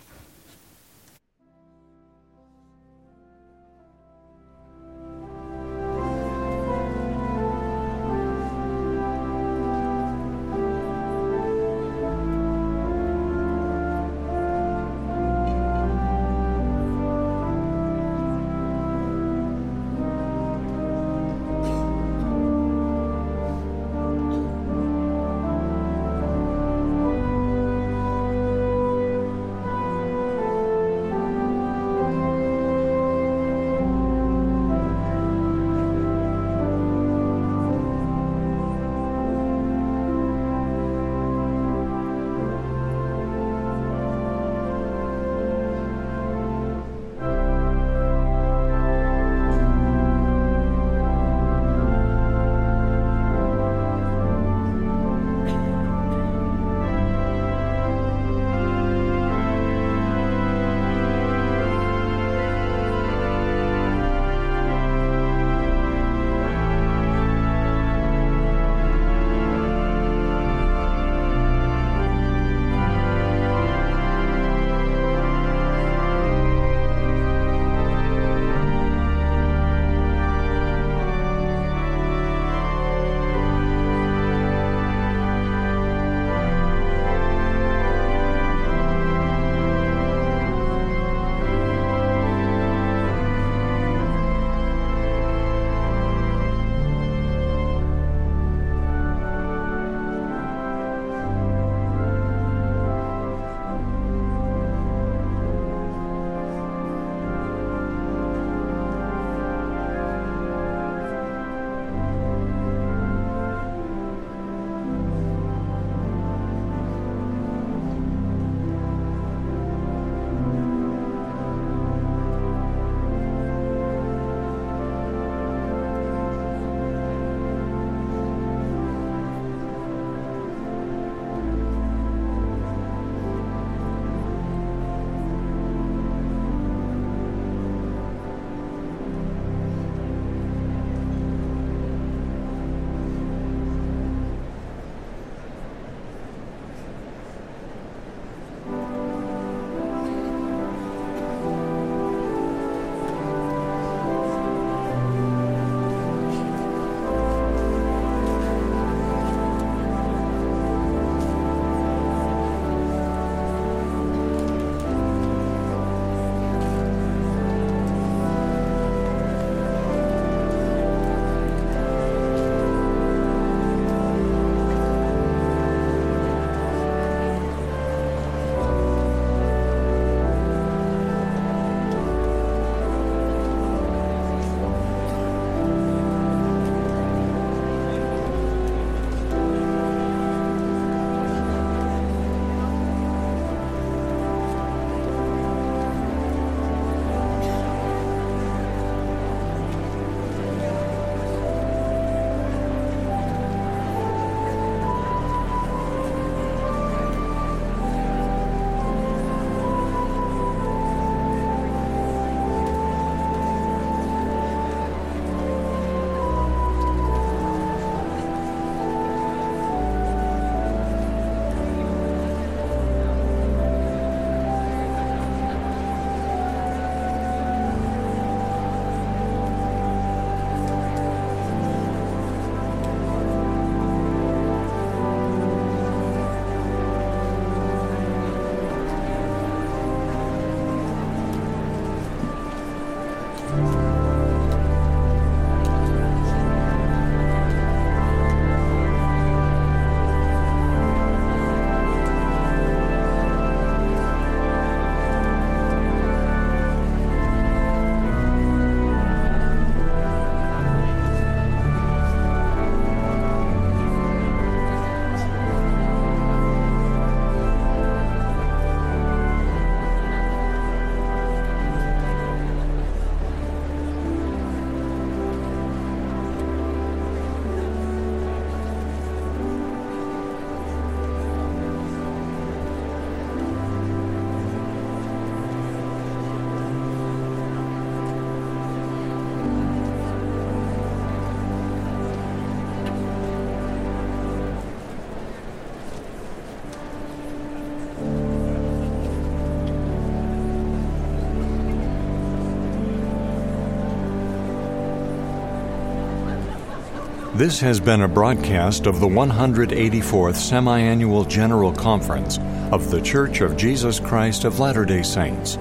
This has been a broadcast of the one hundred eighty-fourth Semi-Annual General Conference of The Church of Jesus Christ of Latter-day Saints.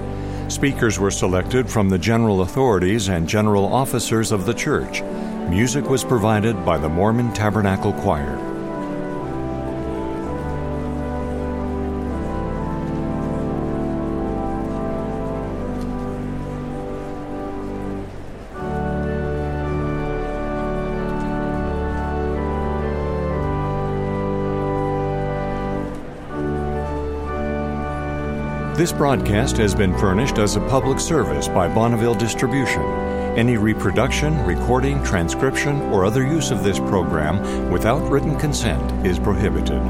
Speakers were selected from the general authorities and general officers of the church. Music was provided by the Mormon Tabernacle Choir. This broadcast has been furnished as a public service by Bonneville Distribution. Any reproduction, recording, transcription, or other use of this program without written consent is prohibited.